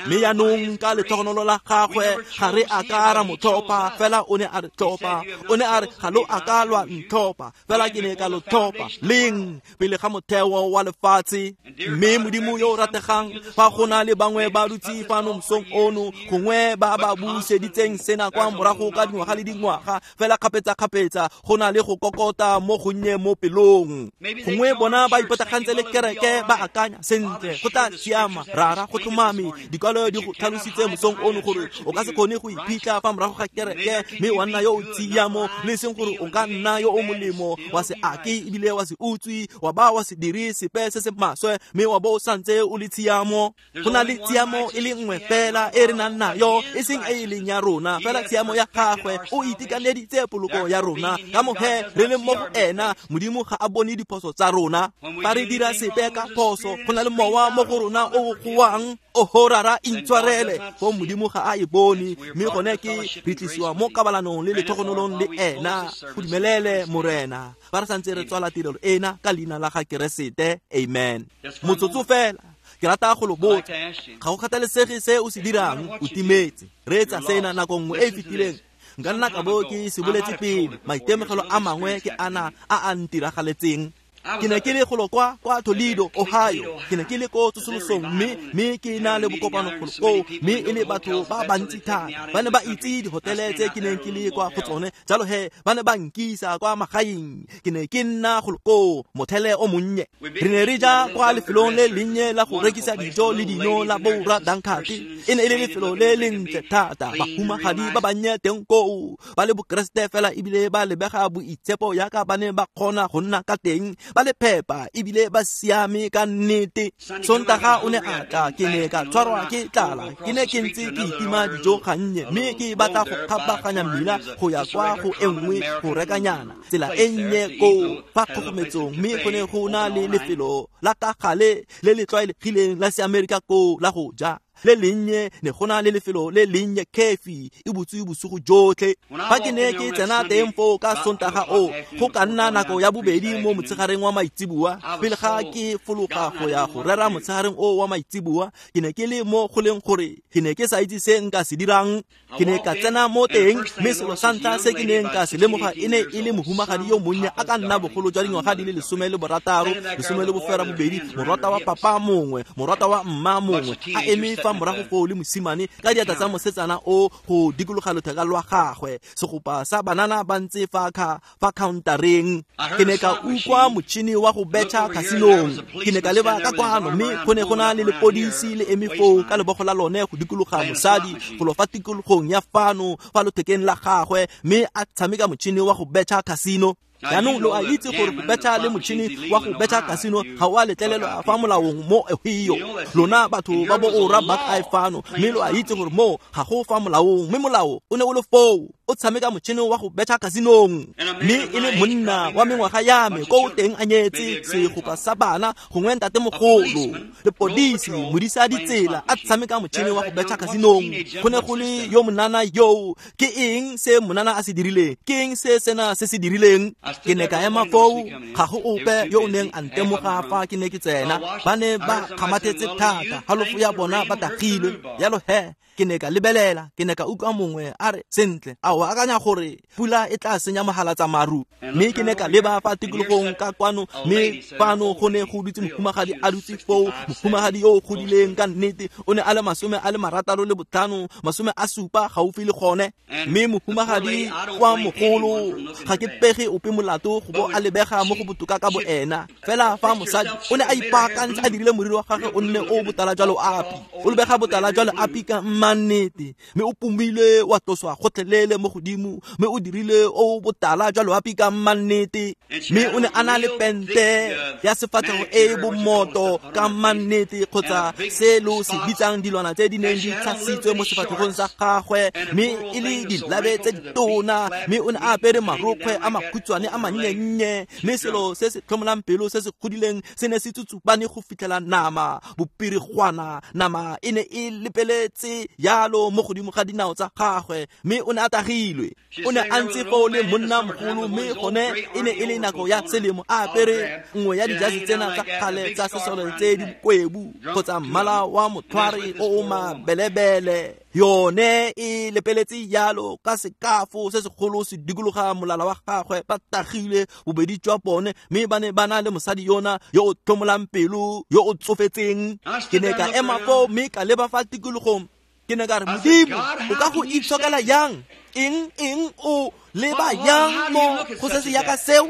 Mme jaanong ka letlhogonolo la gagwe ga re a ka ra mo tlhopha fela o ne a re tlhopha o ne a re ga lo a ka lwa ntlhopha fela ke ne ka lo tlhopha leng pele ga motheo wa lefatshe. Mme Modimo yo o rategang fa go na le bangwe ba dutse fano mosong ono gongwe ba ba buseditseng sena kwa morago ka dingwaga le dingwaga fela kgapetsa-kgapetsa go na le go kokota mo gonnye mo pelong gongwe bona ba ipatagantse le kereke ba akanya sentle go tla siama rara go tlhomame dikwalo di go tlhalositse mosong ono gore o ka se kgone go iphitlha fa morago ga kereke mme wa nna yo o tshiamo le seng gore o ka nna yo o molemo wa se ake ebile wa se utswe wa ba wa se dire sepe se se maswe mme wa bo o santse o le tshiamo. Go na le tshiamo e le nngwe fela e re nang nayo e seng e e leng ya rona fela tshiamo ya gagwe o itekaneditse poloko ya rona ka mohe re le mo go ena. Modimo ga a bone diphoso tsa rona fa re dira sepe ka phoso go na le mowa mo go rona o goang oho rara intshwarele fo Modimo ga a e bone mme gone ke re tlisiwa mo kabalanong le letlhogonolong le ena. Go dumelele Morena fa re santse re tswala tirelo ena ka leina la ga Keresete. Amen. Motsotso fela ke rata go lo botsa ga go kgathalesege se o se dirang o timetse reetsa sena nako nngwe e e fetileng nka nna ka bo ke se boletse pele maitemogelo a mangwe ke ana a a ntiragaletseng. Ke ne ke le golo kwa kwa Toledo, Ohio. Ke ne ke le ko tsosolosong mme mme ke na le bokopano golo koo mme e le batho ba bantsi thata ba ne ba itse dihotele tse ke neng ke le kwa go tsone jalo he ba ne ba nkisa kwa magaeng. Ke ne ke nna golo koo mothele o monnye. Re ne re ja kwa lefelong le lennye la go rekisa dijo le dino la Boora Dankate. E ne e le lefelo le lentle thata bahumagadi ba bannye teng koo ba le bokeresete fela ebile ba lebega boitshepo yaka ba ne ba kgona go nna ka teng ba le phepa ebile ba siame ka nnete. Sontaga o ne a tla ke ne ka tshwarwa ke tlala ke ne ke ntse ke itima dijo gannye mme ke batla go kgabaganya mmila go ya kwa go e nngwe go rekanyana tsela e nnye koo fa kgogometsong mme go ne go na le lefelo la ka gale le le tlwaelegileng la seamerika koo la go ja le lennye ne go na le lefelo le lennye kefi e butswe bosigo jotlhe. Fa ke ne ke tsena teng foo ka Sontaga o go ka nna nako ya bobedi mo motshegareng wa maitseboa pele ga ke fologa go ya go rera motshegareng o wa maitseboa ke ne ke le mo go leng gore ke ne ke sa itse se nka se dirang. Ke ne ka tsena mo teng mme selo sa ntlha se ke neng ka se lemoga e ne e le mohumagadi yo monnye a ka nna bogolo jwa dingwaga di le lesome le borataro lesome le bofera bobedi morata wa papa mongwe morata wa mma mongwe a eme fa morago foo le mosimane ka diatla tsa mosetsana o go dikologa lotheka lwa gagwe, segopa sa banana ba ntse fa kha fa countereng. Ke ne ka utlwa motšhini wa go betšha casinong. Ke ne ka leba ka kwano mme go ne go na le lepodisi le eme foo ka lebogo la lone go dikologa mosadi go lo fa tikologong ya fano fa lothekeng la gagwe, mme a tshameka motšhini wa go betšha casino. Jaanong lo a itse gore go betšha le motšhini wa go betšha casino ga o a letlelelwa fa molaong mo Ohio. Lona batho ba bo ora Buckeye fano, mme lo a itse gore mo ga go fa molaong, mme molao o ne o le foo o tshameka motšhini wa go betšha casinong. Mme e le monna wa mengwaga ya me ko o teng a nyetse segopa sa bana gongwe ntatemogolo, lepodisi modisa ditsela a tshameka motšhini wa go betšha casinong. Go ne go le yo monana yo. Ke eng se monana a se dirileng? Ke eng se sena se se dirileng? Ke ne ka ema foo, ga go ope yo o neng a ntemoga fa ke ne ke tsena. Ba ne ba kgamathetse thata, halofo ya bona ba tagilwe. Jalo he, ke ne ka lebelela, ke ne ka utlwa mongwe a re, sentle, a o akanya gore pula e tla senya mogala tsa maru? Mme ke ne ka leba fa tikologong ka kwano, mme fano go ne go dutse mohumagadi a dutse foo, mohumagadi yo o godileng ka nnete, o ne a le masome a le marataro le botlhano, masome a supa gaufi le gone. Mme mohumagadi wa mogolo, ga ke pege ope molato go bo a lebega mo go botoka ka boena. Fela fa mosadi o ne a ipaakantse a dirile moriri wa gagwe o nne o botala jwa loapi, o lebega botala jwa loapi ka mannete, mme o pomile wa tloswa gotlhelele mo godimo, mme o dirile o botala jwa loapi ka mannete. Mme o ne a na le pente ya sefatlhego e e bomoto ka mannete, kgotsa se lo se bitsang dilwana tse di neng di tshasitswe mo sefatlhegong sa gagwe, mme e le dilabe tse ditona. Mme o ne a apere marokgwe a makhutshwane a mannye-nnye, mme selo se se tlhomolang pelo se se godileng se ne se tsutsubane go fitlhela nama bopirigwana, nama e ne e lepeletse yalo mo godimo ga dinao tsa gagwe, mme o ne a tagilwe. O ne a ntse foo le monna mogolo, mme gone e ne e le nako ya selemo, a apere nngwe ya dijase tsena tsa kgale tsa sesole tse di kwebu kgotsa mmala wa motlhware o o mabelebele. Yone e lepeletse yalo ka sekafo se segolo se dikologa molala wa gagwe. Ba tagile bobedi jwa bone, mme ba ne ba na le mosadi yona yo o tlhomolang pelo yo o tsofetseng. Ke ne ka ema foo mme ka leba fa tikologong. Ke ne ka re, Modimo, o ka go itshokela yang? Eng eng o leba yang mo go se se yaka seo?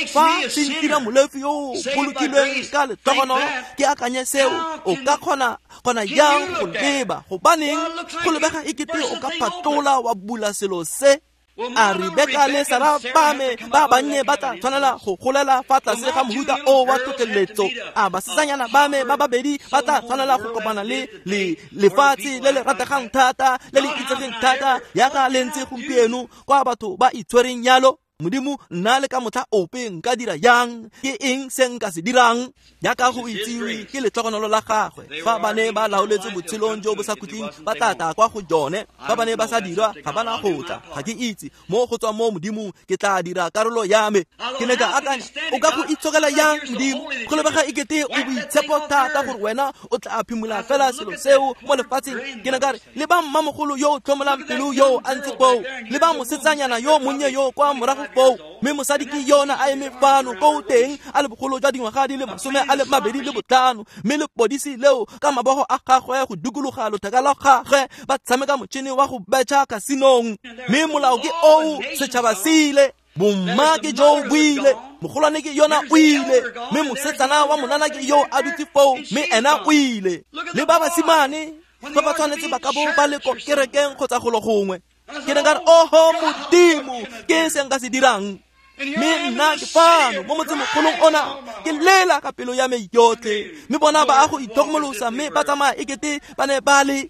Fa se ntira molefi yo o bolokilweng ka lehlogonolo, ke akanye seo, o ka kgona kgona yang go leba? Gobaneng go lebega ekete o ka phatola wa bula selo se? A Rebeka le Sara ba me ba bannye ba tla tshwanela go golela fa tlase ga mohuta o wa tlhotlheletso? A basetsanyana ba me ba babedi ba tla tshwanela go kopana le le lefatshe le le rategang thata, le le itsegeng thata yaka le ntse gompieno, kwa batho ba itshwereng yalo? Modimo, nna le ka motlha ope nka dira yang? Ke eng se nka se dirang? Jaaka go itsiwe ke letlhogonolo la gagwe, fa ba ne ba laoletse botshelong jo bo sa khutleng, ba tla tla kwa go jone. Fa ba ne ba sa dirwa, ga ba na go tla. Ga ke itse mo go tswa mo Modimong, ke tla dira karolo ya me. Ke ne ka akanya, o ka go itshokela yang Modimo? Go lebega ekete o boitshepo thata gore wena o tla phimola fela selo seo mo lefatsheng. Ke ne ka re, leba mmamogolo yo o tlhomolang pelo yo a ntse foo, leba mosetsanyana yo monnye yo kwa morago foo, mme mosadi ke yona a eme fano ko teng a le bogolo jwa dingwaga di le masome a le mabedi le botlhano, mme lepodisi leo ka mabogo a gagwe go dikologa lotheka la gagwe ba tshameka motšhini wa go betšha casinong. Mme molao ke oo, setšhaba se ile, bomma ke jo bo ile, mogolwane ke yona o ile, mme mosetsana wa monana ke yo a dutse foo, mme ena o ile. Le ba basimane ba ba tshwanetse ba ka bo ba le ko kerekeng kgotsa golo gongwe. Ke ne ka re, oho Modimo, ke se nka se dirang? Mme nna ke fano mo motsemogolong ona, ke lela ka pelo ya me yotlhe, mme bona ba a go itlhokomolosa, mme ba tsamaya ekete ba ne ba le.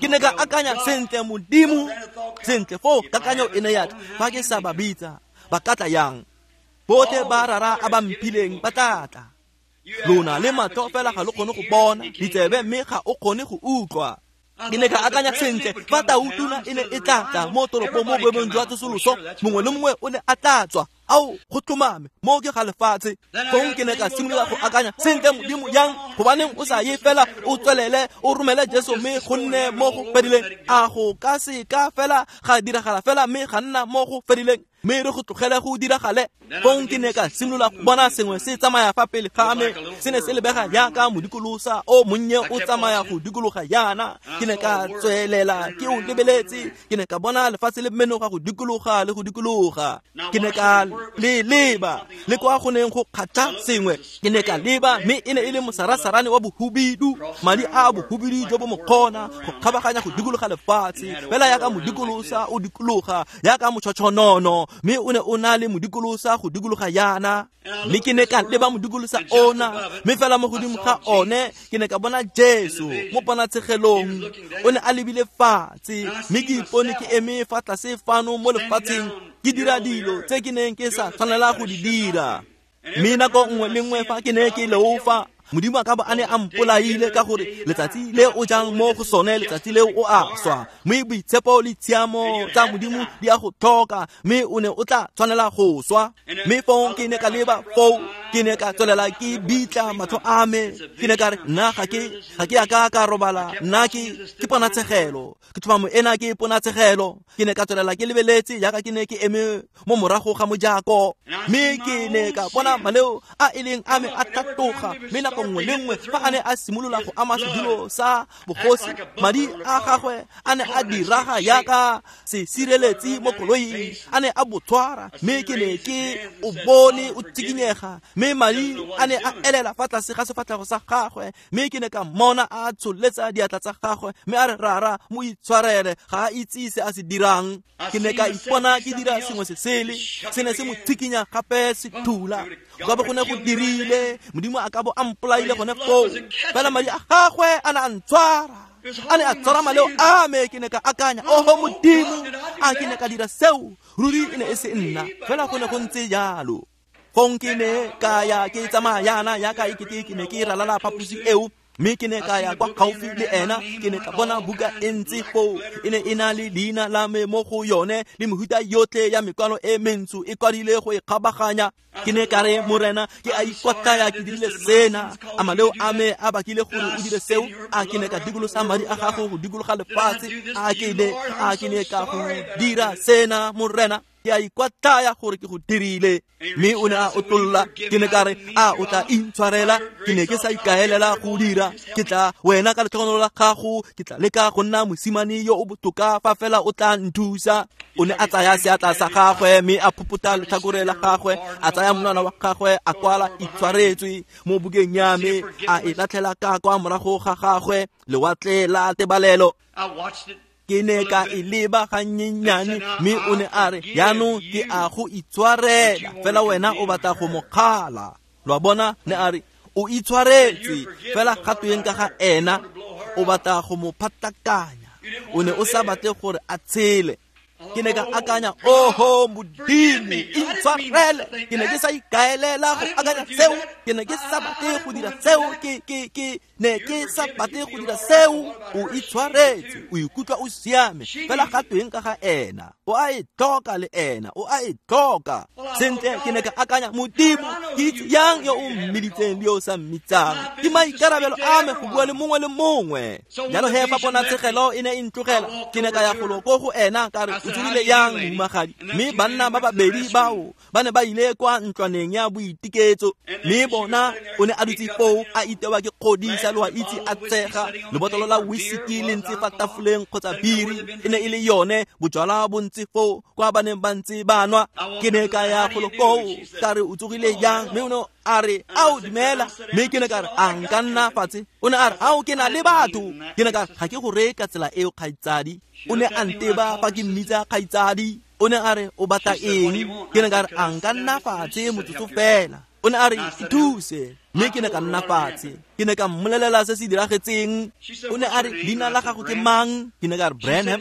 Ke ne ka akanya, sentle Modimo, sentle foo kakanyo e ne ya tla, fa ke sa ba bitsa, ba ka tla yang? Botlhe ba rara a ba mphileng ba tla tla. Lona le matlho fela ga lo kgone go bona, ditsebe mme ga o kgone go utlwa. Ke ne ka akanya, sentle, fa tautuna e ne e tla tla mo toropong mo boemong jwa tsosoloso, mongwe le mongwe o ne a tla tswa. Ao, go tlhomame, mo ke ga lefatshe. Fong ke ne ka simolola go akanya, sentle Modimo, yang? Gobaneng o sa ye fela o tswelele o romele Jesu mme go nne mo go fedileng? A go ka se ka fela ga diragala fela mme ga nna mo go fedileng? Mme re go tlogele go diragale. Fong ke ne ka simolola go bona sengwe se tsamaya fa pele ga me, se ne se lebega jaaka modikolosa o monnye o tsamaya go dikologa jaana. Ke ne ka tswelela ke o lebeletse, ke ne ka bona lefatshe le menoga go dikologa le go dikologa. Ke ne ka le leba le kwa go neng go kgatlha sengwe, ke ne ka leba mme e ne e le mosarasarane wa bohubidu, madi a bohubidu jo bo mokgona go kgabaganya go dikologa lefatshe fela yaka modikolosa o dikologa yaka motšhotšhonono, mme o ne o na le modikolosa go dikologa yana. Mme ke ne ka leba modikolosa ona, mme fela mo godimo ga one ke ne ka bona Jesu mo ponatshegelong. O ne a lebile fatshe, mme ke ipone ke eme fa tlase fano mo lefatsheng ke dira dilo tse ke neng ke sa tshwanela go di dira. Mme nako nngwe le nngwe fa ke ne ke leofa, Modimo a ka bo a ne a mpolaile, ka gore letsatsi le o jang mo go sone letsatsi leo o a swa. Mme boitshepo le tshiamo tsa Modimo di a go tlhoka, mme o ne o tla tshwanela go swa. Mme fong ke ne ka leba foo, ke ne ka tswelela ke bitla matlho a me, ke ne ka re nna ga ke ga ke a ka ka robala, nna ke ke ponatshegelo, ke tlhomamo ena ke ponatshegelo. Ke ne ka tswelela ke lebeletse jaaka ke ne ke eme mo morago ga mojako, mme ke ne ka bona maleo a e leng a me a tlhatloga. Mme nako nngwe le nngwe fa a ne a simolola go ama sedulo sa bogosi, madi a gagwe a ne a diraga yaka sesireletsi mo koloing, a ne a botshwara, mme ke ne ke o bone o tsikinyega, mme madi a ne a elela fa tlase ga sefatlhego sa gagwe. Mme ke ne ka mmona a tsholetsa diatla tsa gagwe, mme a re, Rara, mo itshwarele, ga a itse se a se dirang. Ke ne ka ipona ke dira sengwe se sele, se ne se mo tsikinya gape se thula. Go ka bo go ne go dirile, Modimo a ka bo a mpolaile gone foo, fela madi a gagwe a ne a ntshwara, a ne a tshwara maleo a me. Ke ne ka akanya, oho Modimo, a ke ne ka dira seo? Ruri e ne e se nna, fela go ne go ntse jalo. Fong ke ne ka ya ke tsamaya yana yaka ekete ke ne ke ralala phaposi eo, mme ke ne ka ya kwa gaufi le ena. Ke ne ka bona buka e ntse foo, e ne e na le leina la me mo go yone le mehuta yotlhe ya mekwalo e mentsho e kwadile go e kgabaganya. Ke ne ka re, Morena, ke a ikwatlaya ke dirile sena, a maleo a me a bakile gore o dire seo? A ke ne ka dikolosa madi a gago go dikologa lefatshe? A ke ne a ke ne ka go dira sena, Morena? Ke a ikwatlaya gore ke go dirile. Mme o ne a otlolla. Ke ne ka re, a o tla intshwarela? Ke ne ke sa ikaelela go dira. Ke tla wena ka letlhogonolo la gago, ke tla leka go nna mosimane yo o botoka fa fela o tla nthusa. O ne a tsaya seatla sa gagwe mme a phopota letlhakore la gagwe, a tsaya monwana wa gagwe a kwala itshwaretswe mo bukeng ya me, a e latlhela ka kwa morago ga gagwe lewatle la tebalelo. Ke ne ka e leba gannyenyane, mme o ne a re, jaanong ke a go itshwarela, fela wena o batla go mo kgala. Lo a bona? Ne a re, o itshwaretse, fela ga tweng ka ga ena, o batla go mo phatakanya, o ne o sa batle gore a tshele. Ke ne ka akanya, oho Modimo, intshwarele. Ke ne ke sa ikaelela go akanya seo, ke ne ke sa batle go dira seo, ke ke ke ne ke sa batle go dira seo. O itshwaretse, o ikutlwa o siame, fela ga tweng ka ga ena, o a e tlhoka le ena, o a e tlhoka. Sentle, ke ne ka akanya, Modimo, ke itse yang yo o mmiditseng le yo o sa mmitsang? Ke maikarabelo a me go bua le mongwe le mongwe. Jalo he fa ponatshegelo e ne e ntlogela, ke ne ka ya golo ko go ena ka re, o tsogile yang mohumagadi? Mme banna ba babedi bao ba ne ba ile kwa ntlwaneng ya boitiketso, mme bona o ne a dutse foo a itewa ke kgodisa, lo a itse, a tshega. Lebotlolo la whisky le ntse fa tafoleng kgotsa biri e ne e le yone, bojalwa bo ntse foo kwa ba neng ba ntse ba nwa. Ke ne ka ya golo koo ka re, o tsogile yang? Mme o ne a re, ao dumela. Mme ke ne ka re, a nka nna fatshe? O ne a re, ao ke na le batho. Ke ne ka re, ga ke go reye ka tsela eo, kgaitsadi. O ne a nteba fa ke mmitsa kgaitsadi. O ne a re, o batla eng? Ke ne ka re, a nka nna fatshe motsotso fela? O ne a re, ithuse. Mme ke ne ka nna fatshe. Ke ne ka mmolelela se se diragetseng. O ne a re, leina la gago ke mang? Ke ne ka re, Branham.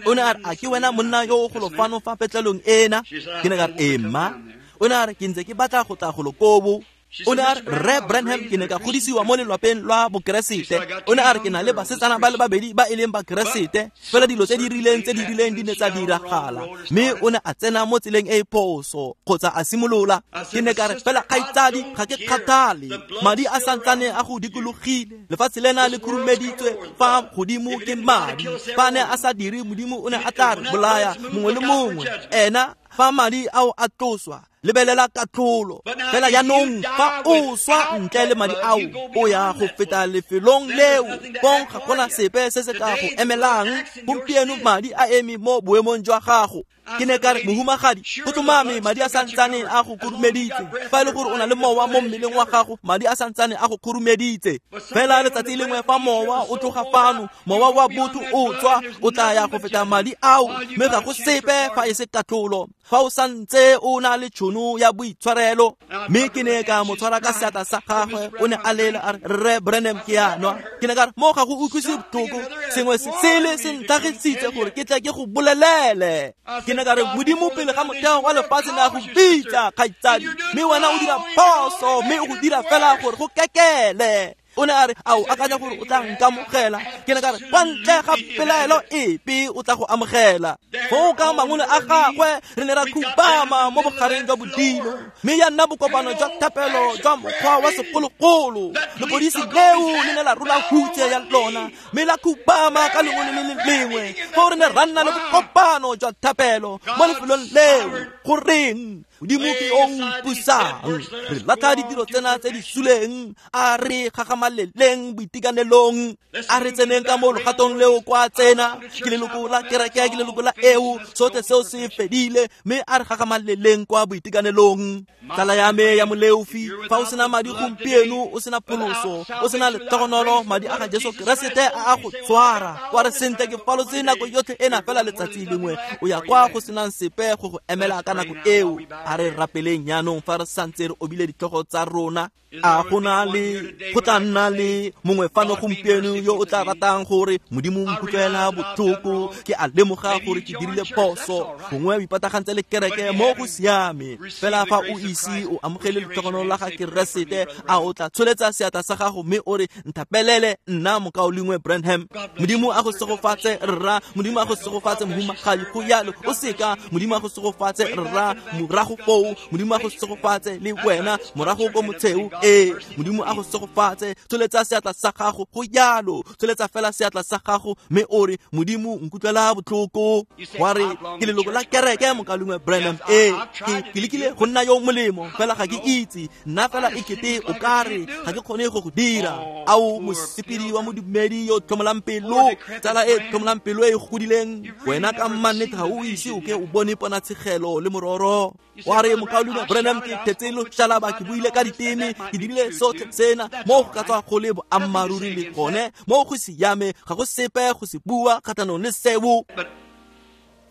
O ne a re, a ke wena monna yo o golo fano fa petlelong ena? Ke ne ka re, ee mma. O ne a re, ke ntse ke batla go tla golo kobo. O ne a re, Rre Branham, ke ne ka godisiwa mo lelwapeng lwa bokeresete. O ne a re, ke na le basetsana ba le babedi ba e leng bakeresete, fela dilo tse di rileng tse di rileng di ne tsa diragala. Mme o ne a tsena mo tseleng e e phoso kgotsa a simolola. Ke ne ka re, fela kgaitsadi, ga ke kgathale, madi a santsane a go dikologile, lefatshe lena le khurumeditswe fa godimo ke madi. Fa ne a sa dire, Modimo o ne a tla re bolaya mongwe le mongwe. Ena Fa madi ao a tloswa, lebelela katlholo. Fela jaanong fa o swa ntle le madi ao, o ya go feta lefelong leo. Fong ga gona sepe se se ka go emelang. Gompieno madi a eme mo boemong jwa gago. Ke ne ka re, mohumagadi, go tlhomame madi a santsane a go khurumeditse. Fa e le gore o na le mowa mo mmeleng wa gago, madi a santsane a go khurumeditse. Fela letsatsi lengwe fa mowa o tloga fano, mowa wa botho o tswa, o tla ya go feta madi ao, mme ga go sepe fa e se katlholo. Fa o santse o na le tšhono ya boitshwarelo. Mme ke ne ka mo tshwara ka seatla sa gagwe, o ne a lela a re, Rre Branham, ke a nwa. Ke ne ka re, mo ga go utlwise botlhoko, sengwe se sele se ntlhagisitse gore ke tle ke go bolelele. Ke ne ka re, Modimo pele ga motheo wa lefatshe ne a go bitsa, kgaitsadi, mme wena o dira phoso, mme o go dira fela gore go kekele. O ne a re, a o akanya gore o tla nkamogela? Ke ne ka re, kwa ntle ga pelaelo epe o tla go amogela. Foo ka mangole a gagwe re ne ra khubama mo bogareng jwa bodilo, mme ya nna bokopano jwa thapelo jwa mokgwa wa segologolo. Lepodisi leo le ne la rola hutshe ya lona, mme la khubama ka lengwe le le lengwe. Foo re ne ra nna le bokopano jwa thapelo mo lefelong leo. Goreng? Modimo ke o mpusang. Re latlha ditiro tsena tse di suleng, a re gagamaleleng boitekanelong, a re tseneng ka mo logatong leo kwa tsena. Ke leloko la kereke, ke leloko la eo, sotlhe seo se fedile, mme a re gagamaleleng kwa boitekanelong. Tsala ya me ya moleofi, fa o sena madi gompieno, o sena pholoso, o sena lehlogonolo, madi a ga Jesu Keresete a a go tshwara. Wa re, sentle ke falotse nako yotlhe ena, fela letsatsi lengwe o ya kwa go senang sepe go go emela ka nako eo. A re rapeleng jaanong fa re santse re obile ditlhogo tsa rona. A go na le go tla nna le mongwe fano gompieno yo o tla ratang gore, Modimo nkutlwela botlhoko, ke a lemoga gore ke dirile phoso. Gongwe o ipatagantse le kereke, mo go siame. Fela fa o ise o amogele letlhogonolo la ga Keresete, a o tla tsholetsa seatla sa gago mme o re, nthapelele nna mokaulengwe Branham. Modimo a go segofatse rra, Modimo a go segofatse mohumagadi, go yalo o seka. Modimo a go segofatse rra, morago foo. Modimo a go segofatse le wena, morago ko motsheo. Ee, Modimo a go segofatse. Tsholetsa seatla sa gago, go yalo. Tsholetsa fela seatla sa gago mme o re, Modimo nkutlwela botlhoko. Wa re, ke leloko la kereke, mokaulengwe Branham. Ee, ke ke lekile go nna yo molemo, fela ga ke itse. Nna fela e kete o ka re ga ke kgone go go dira. Ao mosepedi wa modumedi yo tlhomolang pelo, tsala e tlhomolang pelo e godileng, wena ka mannete ga o ise o ke o bone ponatshegelo le mororo. Wa re, mokaulengwe Branham, ke thetse loshalaba, ke buile ka diteme, ke dirile sotlhe sena, mo go ka tswa go le boammaaruri le gone, mo go siame, ga go sepe go se bua kgatlhanong le seo.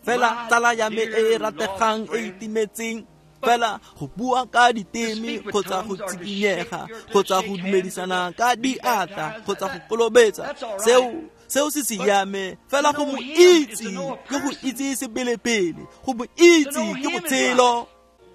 Fela tsala ya me e e rategang e itimetseng, fela go bua ka diteme kgotsa go tsikinyega kgotsa go dumedisana ka diatla kgotsa go kolobetsa, seo seo se siame. Fela go mo itse ke go itse sebelepele, go mo itse ke botshelo.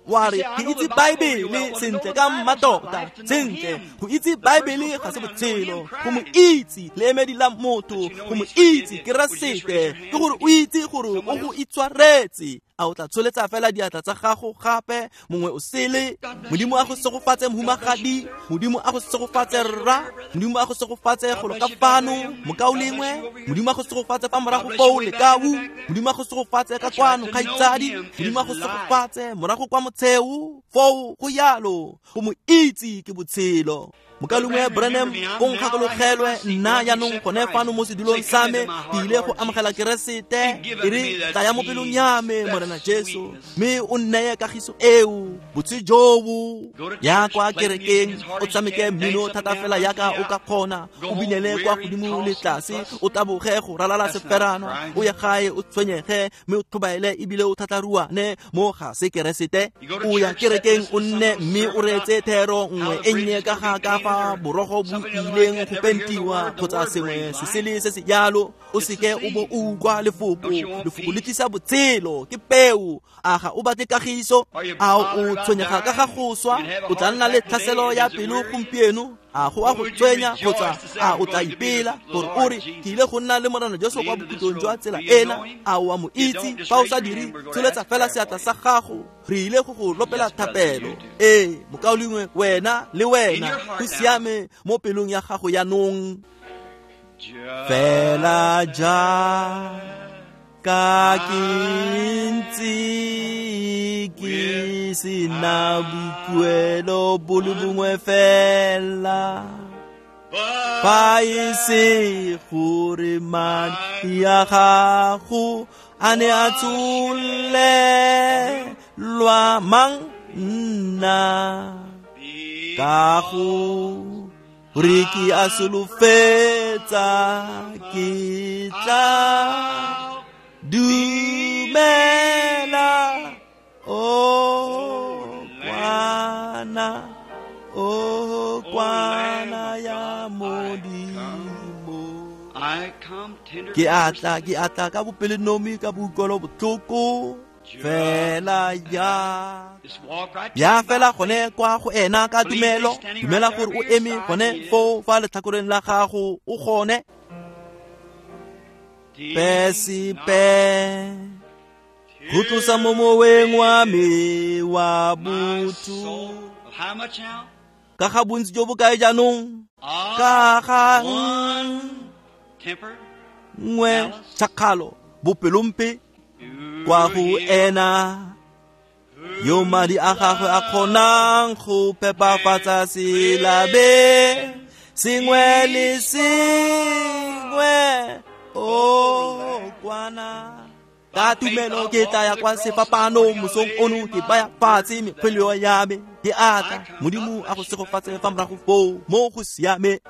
Wa re, ke itse Baebele sentle ka mmatota. Sentle, go itse Baebele ga se botshelo. Go mo itse leemedi la motho, go mo itse Keresete, ke gore o itse gore o go itshwaretse. A o tla tsholetsa fela diatla tsa gago gape, mongwe o sele. Modimo a go segofatse mohumagadi, Modimo a go segofatse rra, Modimo a go segofatse golo ka fano, mokaulengwe, Modimo a go segofatse fa morago foo lekau, Modimo a go segofatse ka kwano kgaitsadi, Modimo a go segofatse morago kwa motsheo, foo go yalo. Go mo itse ke botshelo. Mokaulengwe Branham, o nkgakologelwe nna jaanong gone fano mo sedulong sa me, ke ile go amogela Keresete. E re, tlaya mo pelong ya me, Morena Jesu, mme o nneye kagiso eo, botse jobo. Ya kwa kerekeng, o tshameke mmino thata fela yaka o ka kgona, o binele kwa godimo le tlase, o taboge go ralala seferano, o ye gae o tshwenyege, mme o tlhobaele ebile o thatlaruane, mo ga se Keresete. O ya kerekeng o nne mme o reetse thero nngwe e nnye ka ga ka fa borogo bo ileng go pentiwa kgotsa sengwe se sele se se jalo, o seke o bo o utlwa lefoko. Lefoko le tlisa botshelo, ke peo. A ga o batle kagiso? A o tshwenyega ka ga go swa? O tla nna le tlhaselo ya pelo gompieno? A go a go tshwenya kgotsa a o tla ipela gore o re, ke ile go nna le Morena Jesu kwa bokhutlong jwa tsela ena? A o a mo itse? Fa o sa dire, tsholetsa fela seatla sa gago, re ile go go lopela thapelo. Ee, mokaulengwe, wena le wena, go siame mo pelong ya gago jaanong. Fela ja Ka ke ntse ke sena boikuelo bo le bongwe fela, fa e se gore madi a gago a ne a tsholelwa mang nna, ka gore ke a solofetsa ke tla dumela, o kwana, o kwana ya Modimo. Ke atla, ke atla ka bopelonomi, ka boikuelo botlhoko, fela ya ya fela gone kwa go ena ka tumelo. Dumela gore o eme gone foo fa letlhakoreng la gago, o gone. Pesipe go tlosa mo moweng wa me wa botho. Ka ga bontsi jo bo kae jaanong? Ka ga nngwe tšhakgalo, bopelompe kwa go ena yo madi a gagwe a kgonang go phepafatsa selabe sengwe le sengwe. O kwana ka tumelo ke tla ya kwa sefapanong mosong ono, ke baya fatshe mekgweleo ya me, ke atla. Modimo a go segofatse fa morago foo mo go siame.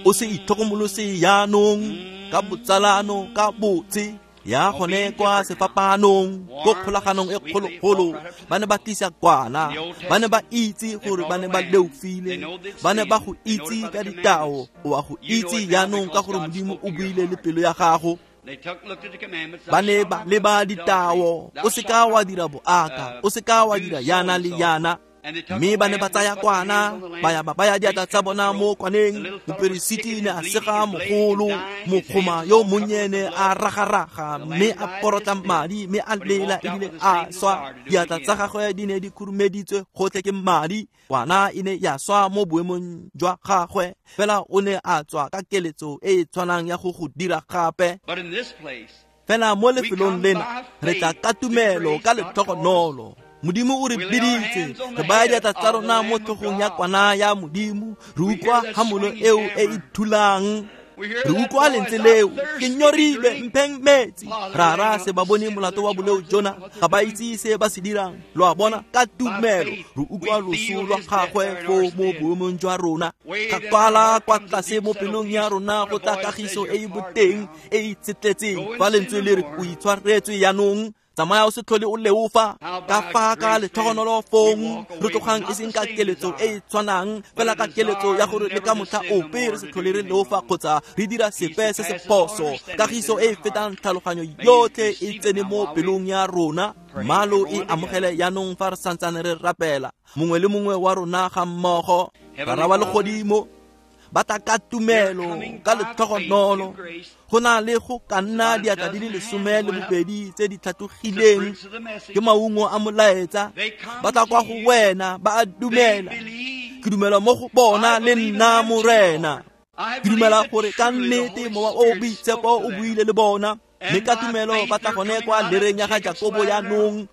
O se itlhokomolose jaanong ka botsalano, ka botse ya gone kwa sefapanong, ko kgolaganong e kgologolo. Ba ne ba tlisa kwana, ba ne ba itse gore ba ne ba leofile, ba ne ba go itse ka ditao. O a go itse jaanong ka gore Modimo o buile le pelo ya gago. Ba ne ba leba ditao, o seka wa dira boaka, o seka wa dira yana le yana. Mme ba ne ba tsaya kwana, ba ya ba baya diatla tsa bona mo kwaneng. Moperesiti ne a sega mogolo, mokgoma yo monnyene a ragaraga, mme a porotla madi, mme a lela ebile a swa. Diatla tsa gagwe di ne di khurumeditswe gotlhe ke madi. Kwana e ne ya swa mo boemong jwa gagwe, fela o ne a tswa ka keletso e e tshwanang ya go go dira gape. Fela mo lefelong lena re tla ka tumelo, ka letlhogonolo. Modimo o re biditse, re baya diatla tsa rona mo tlhogong ya kwana ya Modimo. Re utlwa hamolo eo e e thulang, re utlwa lentswe leo, ke nyorilwe, mpheng metsi. Rara, se ba bone molato wa boleo jona, ga ba itse se ba se dirang. Lo a bona, ka tumelo re utlwa loso lwa gagwe foo mo boemong jwa rona. Ga kwala kwa tlase mo pelong ya rona go tla kagiso e e boteng e e itshetletseng. Fa lentswe le re o itshwaretswe jaanong, tsamaya o se tlhole o leofa. Ka fa ka letlhogonolo fong re tlogang e seng ka keletso e e tshwanang, fela ka keletso ya gore le ka motlha ope re se tlhole re leofa kgotsa re dira sepe se se phoso. Kagiso e e fetang tlhaloganyo yotlhe e tsene mo pelong ya rona. Malo e amogele jaanong fa re santsane re rapela, mongwe le mongwe wa rona ga mmogo. Rara wa legodimo, ba tla ka tumelo, ka letlhogonolo. Go na le go ka nna diatla di le lesome le bobedi tse di tlhatlogileng ke maungo a molaetsa. Ba tla kwa go wena, ba a dumela. Ke dumela mo go bona le nna, Morena. Ke dumela gore ka nnete Mowa o Boitshepo o buile le bona, mme ka tumelo ba tla gone kwa lereng ya ga Jakobo jaanong,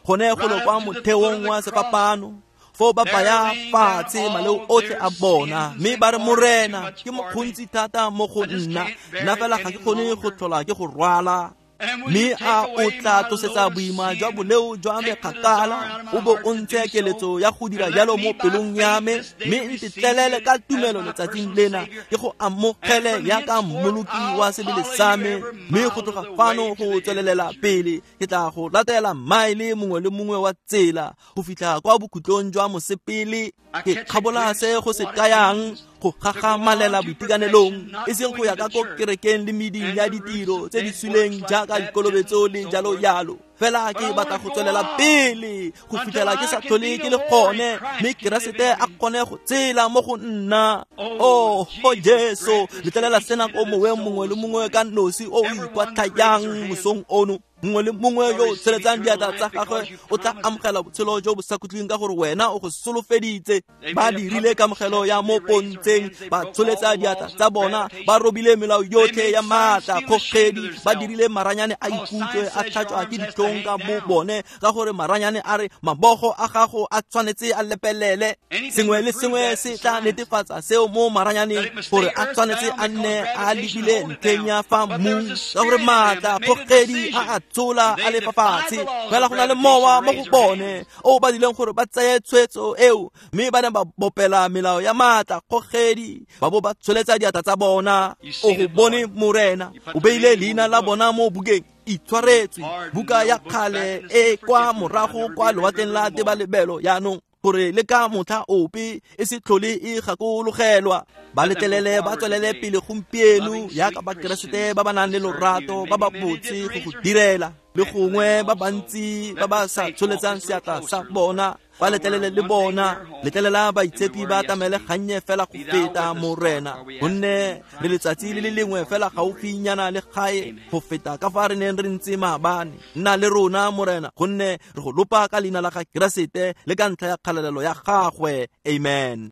gone golo kwa motheong wa sefapano. Foo ba baya fatshe maleo otlhe a bona, mme ba re, Morena, ke mokgontsi thata mo go nna, nna fela ga ke kgone go tlhola ke go rwala. Mme a o tla tlosetsa boima jwa boleo jwa me kgakala, o bo o ntshe keletso ya go dira jalo mo pelong ya me, mme ntetlelele ka tumelo letsatsing lena ke go amogele yaka mmoloki wa sebele sa me. Mme go tloga fano go tswelelela pele ke tla go latela maele mongwe le mongwe wa tsela go fitlha kwa bokhutlong jwa mosepele. Ke kgabola se go se kayang go gagamalela boitekanelong, e seng go ya ka ko kerekeng le meding ya ditiro tse di suleng jaaka dikolobetso le jalo jalo. Fela ke batla go tswelela pele go fitlhela ke sa tlhole ke le gone, mme Keresete a kgone go tsela mo go nna. Oh, oh Jesu, letlelela sena ko moweng mongwe le mongwe ka nosi o o ikwatlhayang mosong ono. Mongwe le mongwe yo o tsheletsang diatla tsa gagwe o tla amogela botshelo jo bo sa khutleng ka gore wena o go solofeditse. Ba dirile kamogelo ya mo pontsheng, ba tsholetsa diatla tsa bona, ba robile melao yotlhe ya maatla kgogedi, ba dirile maranyane a ikutlwe a tlhatswa ke ditlhong ka bo bone, ka gore maranyane a re mabogo a gago a tshwanetse a lepelele. Sengwe le sengwe se tla netefatsa seo mo maranyaneng gore a tshwanetse a nne a lebile ntlheng ya fa mmung, ka gore maatla kgogedi a a tsola a le fafatshe. Fela go na le mowa mo go bone o ba dileng gore ba tseye tshwetso eo, mme ba ne ba bopela melao ya maatla kgogedi, ba bo ba tsholetsa diatla tsa bona. O go bone Morena, o beile leina la bona mo bukeng itshwaretswe, buka ya kgale e kwa morago kwa lewatleng la tebalebelo yaanong, gore le ka motlha ope e se tlhole e gakologelwa. Ba letlelele ba tswelele pele gompieno yaka Bakeresete ba ba nang le lorato, ba ba botse go go direla, le gongwe ba bantsi ba ba sa tsholetsang seatla sa bona, ba letlelele le bona. Letlelela baitshepi ba atamele gannye fela go feta Morena, gonne re letsatsi le le lengwe fela gaufinyana le gae go feta ka fa re neng re ntse maabane. Nna le rona Morena, gonne re go lopa ka leina la ga Keresete le ka ntlha ya kgalalelo ya gagwe. Amen.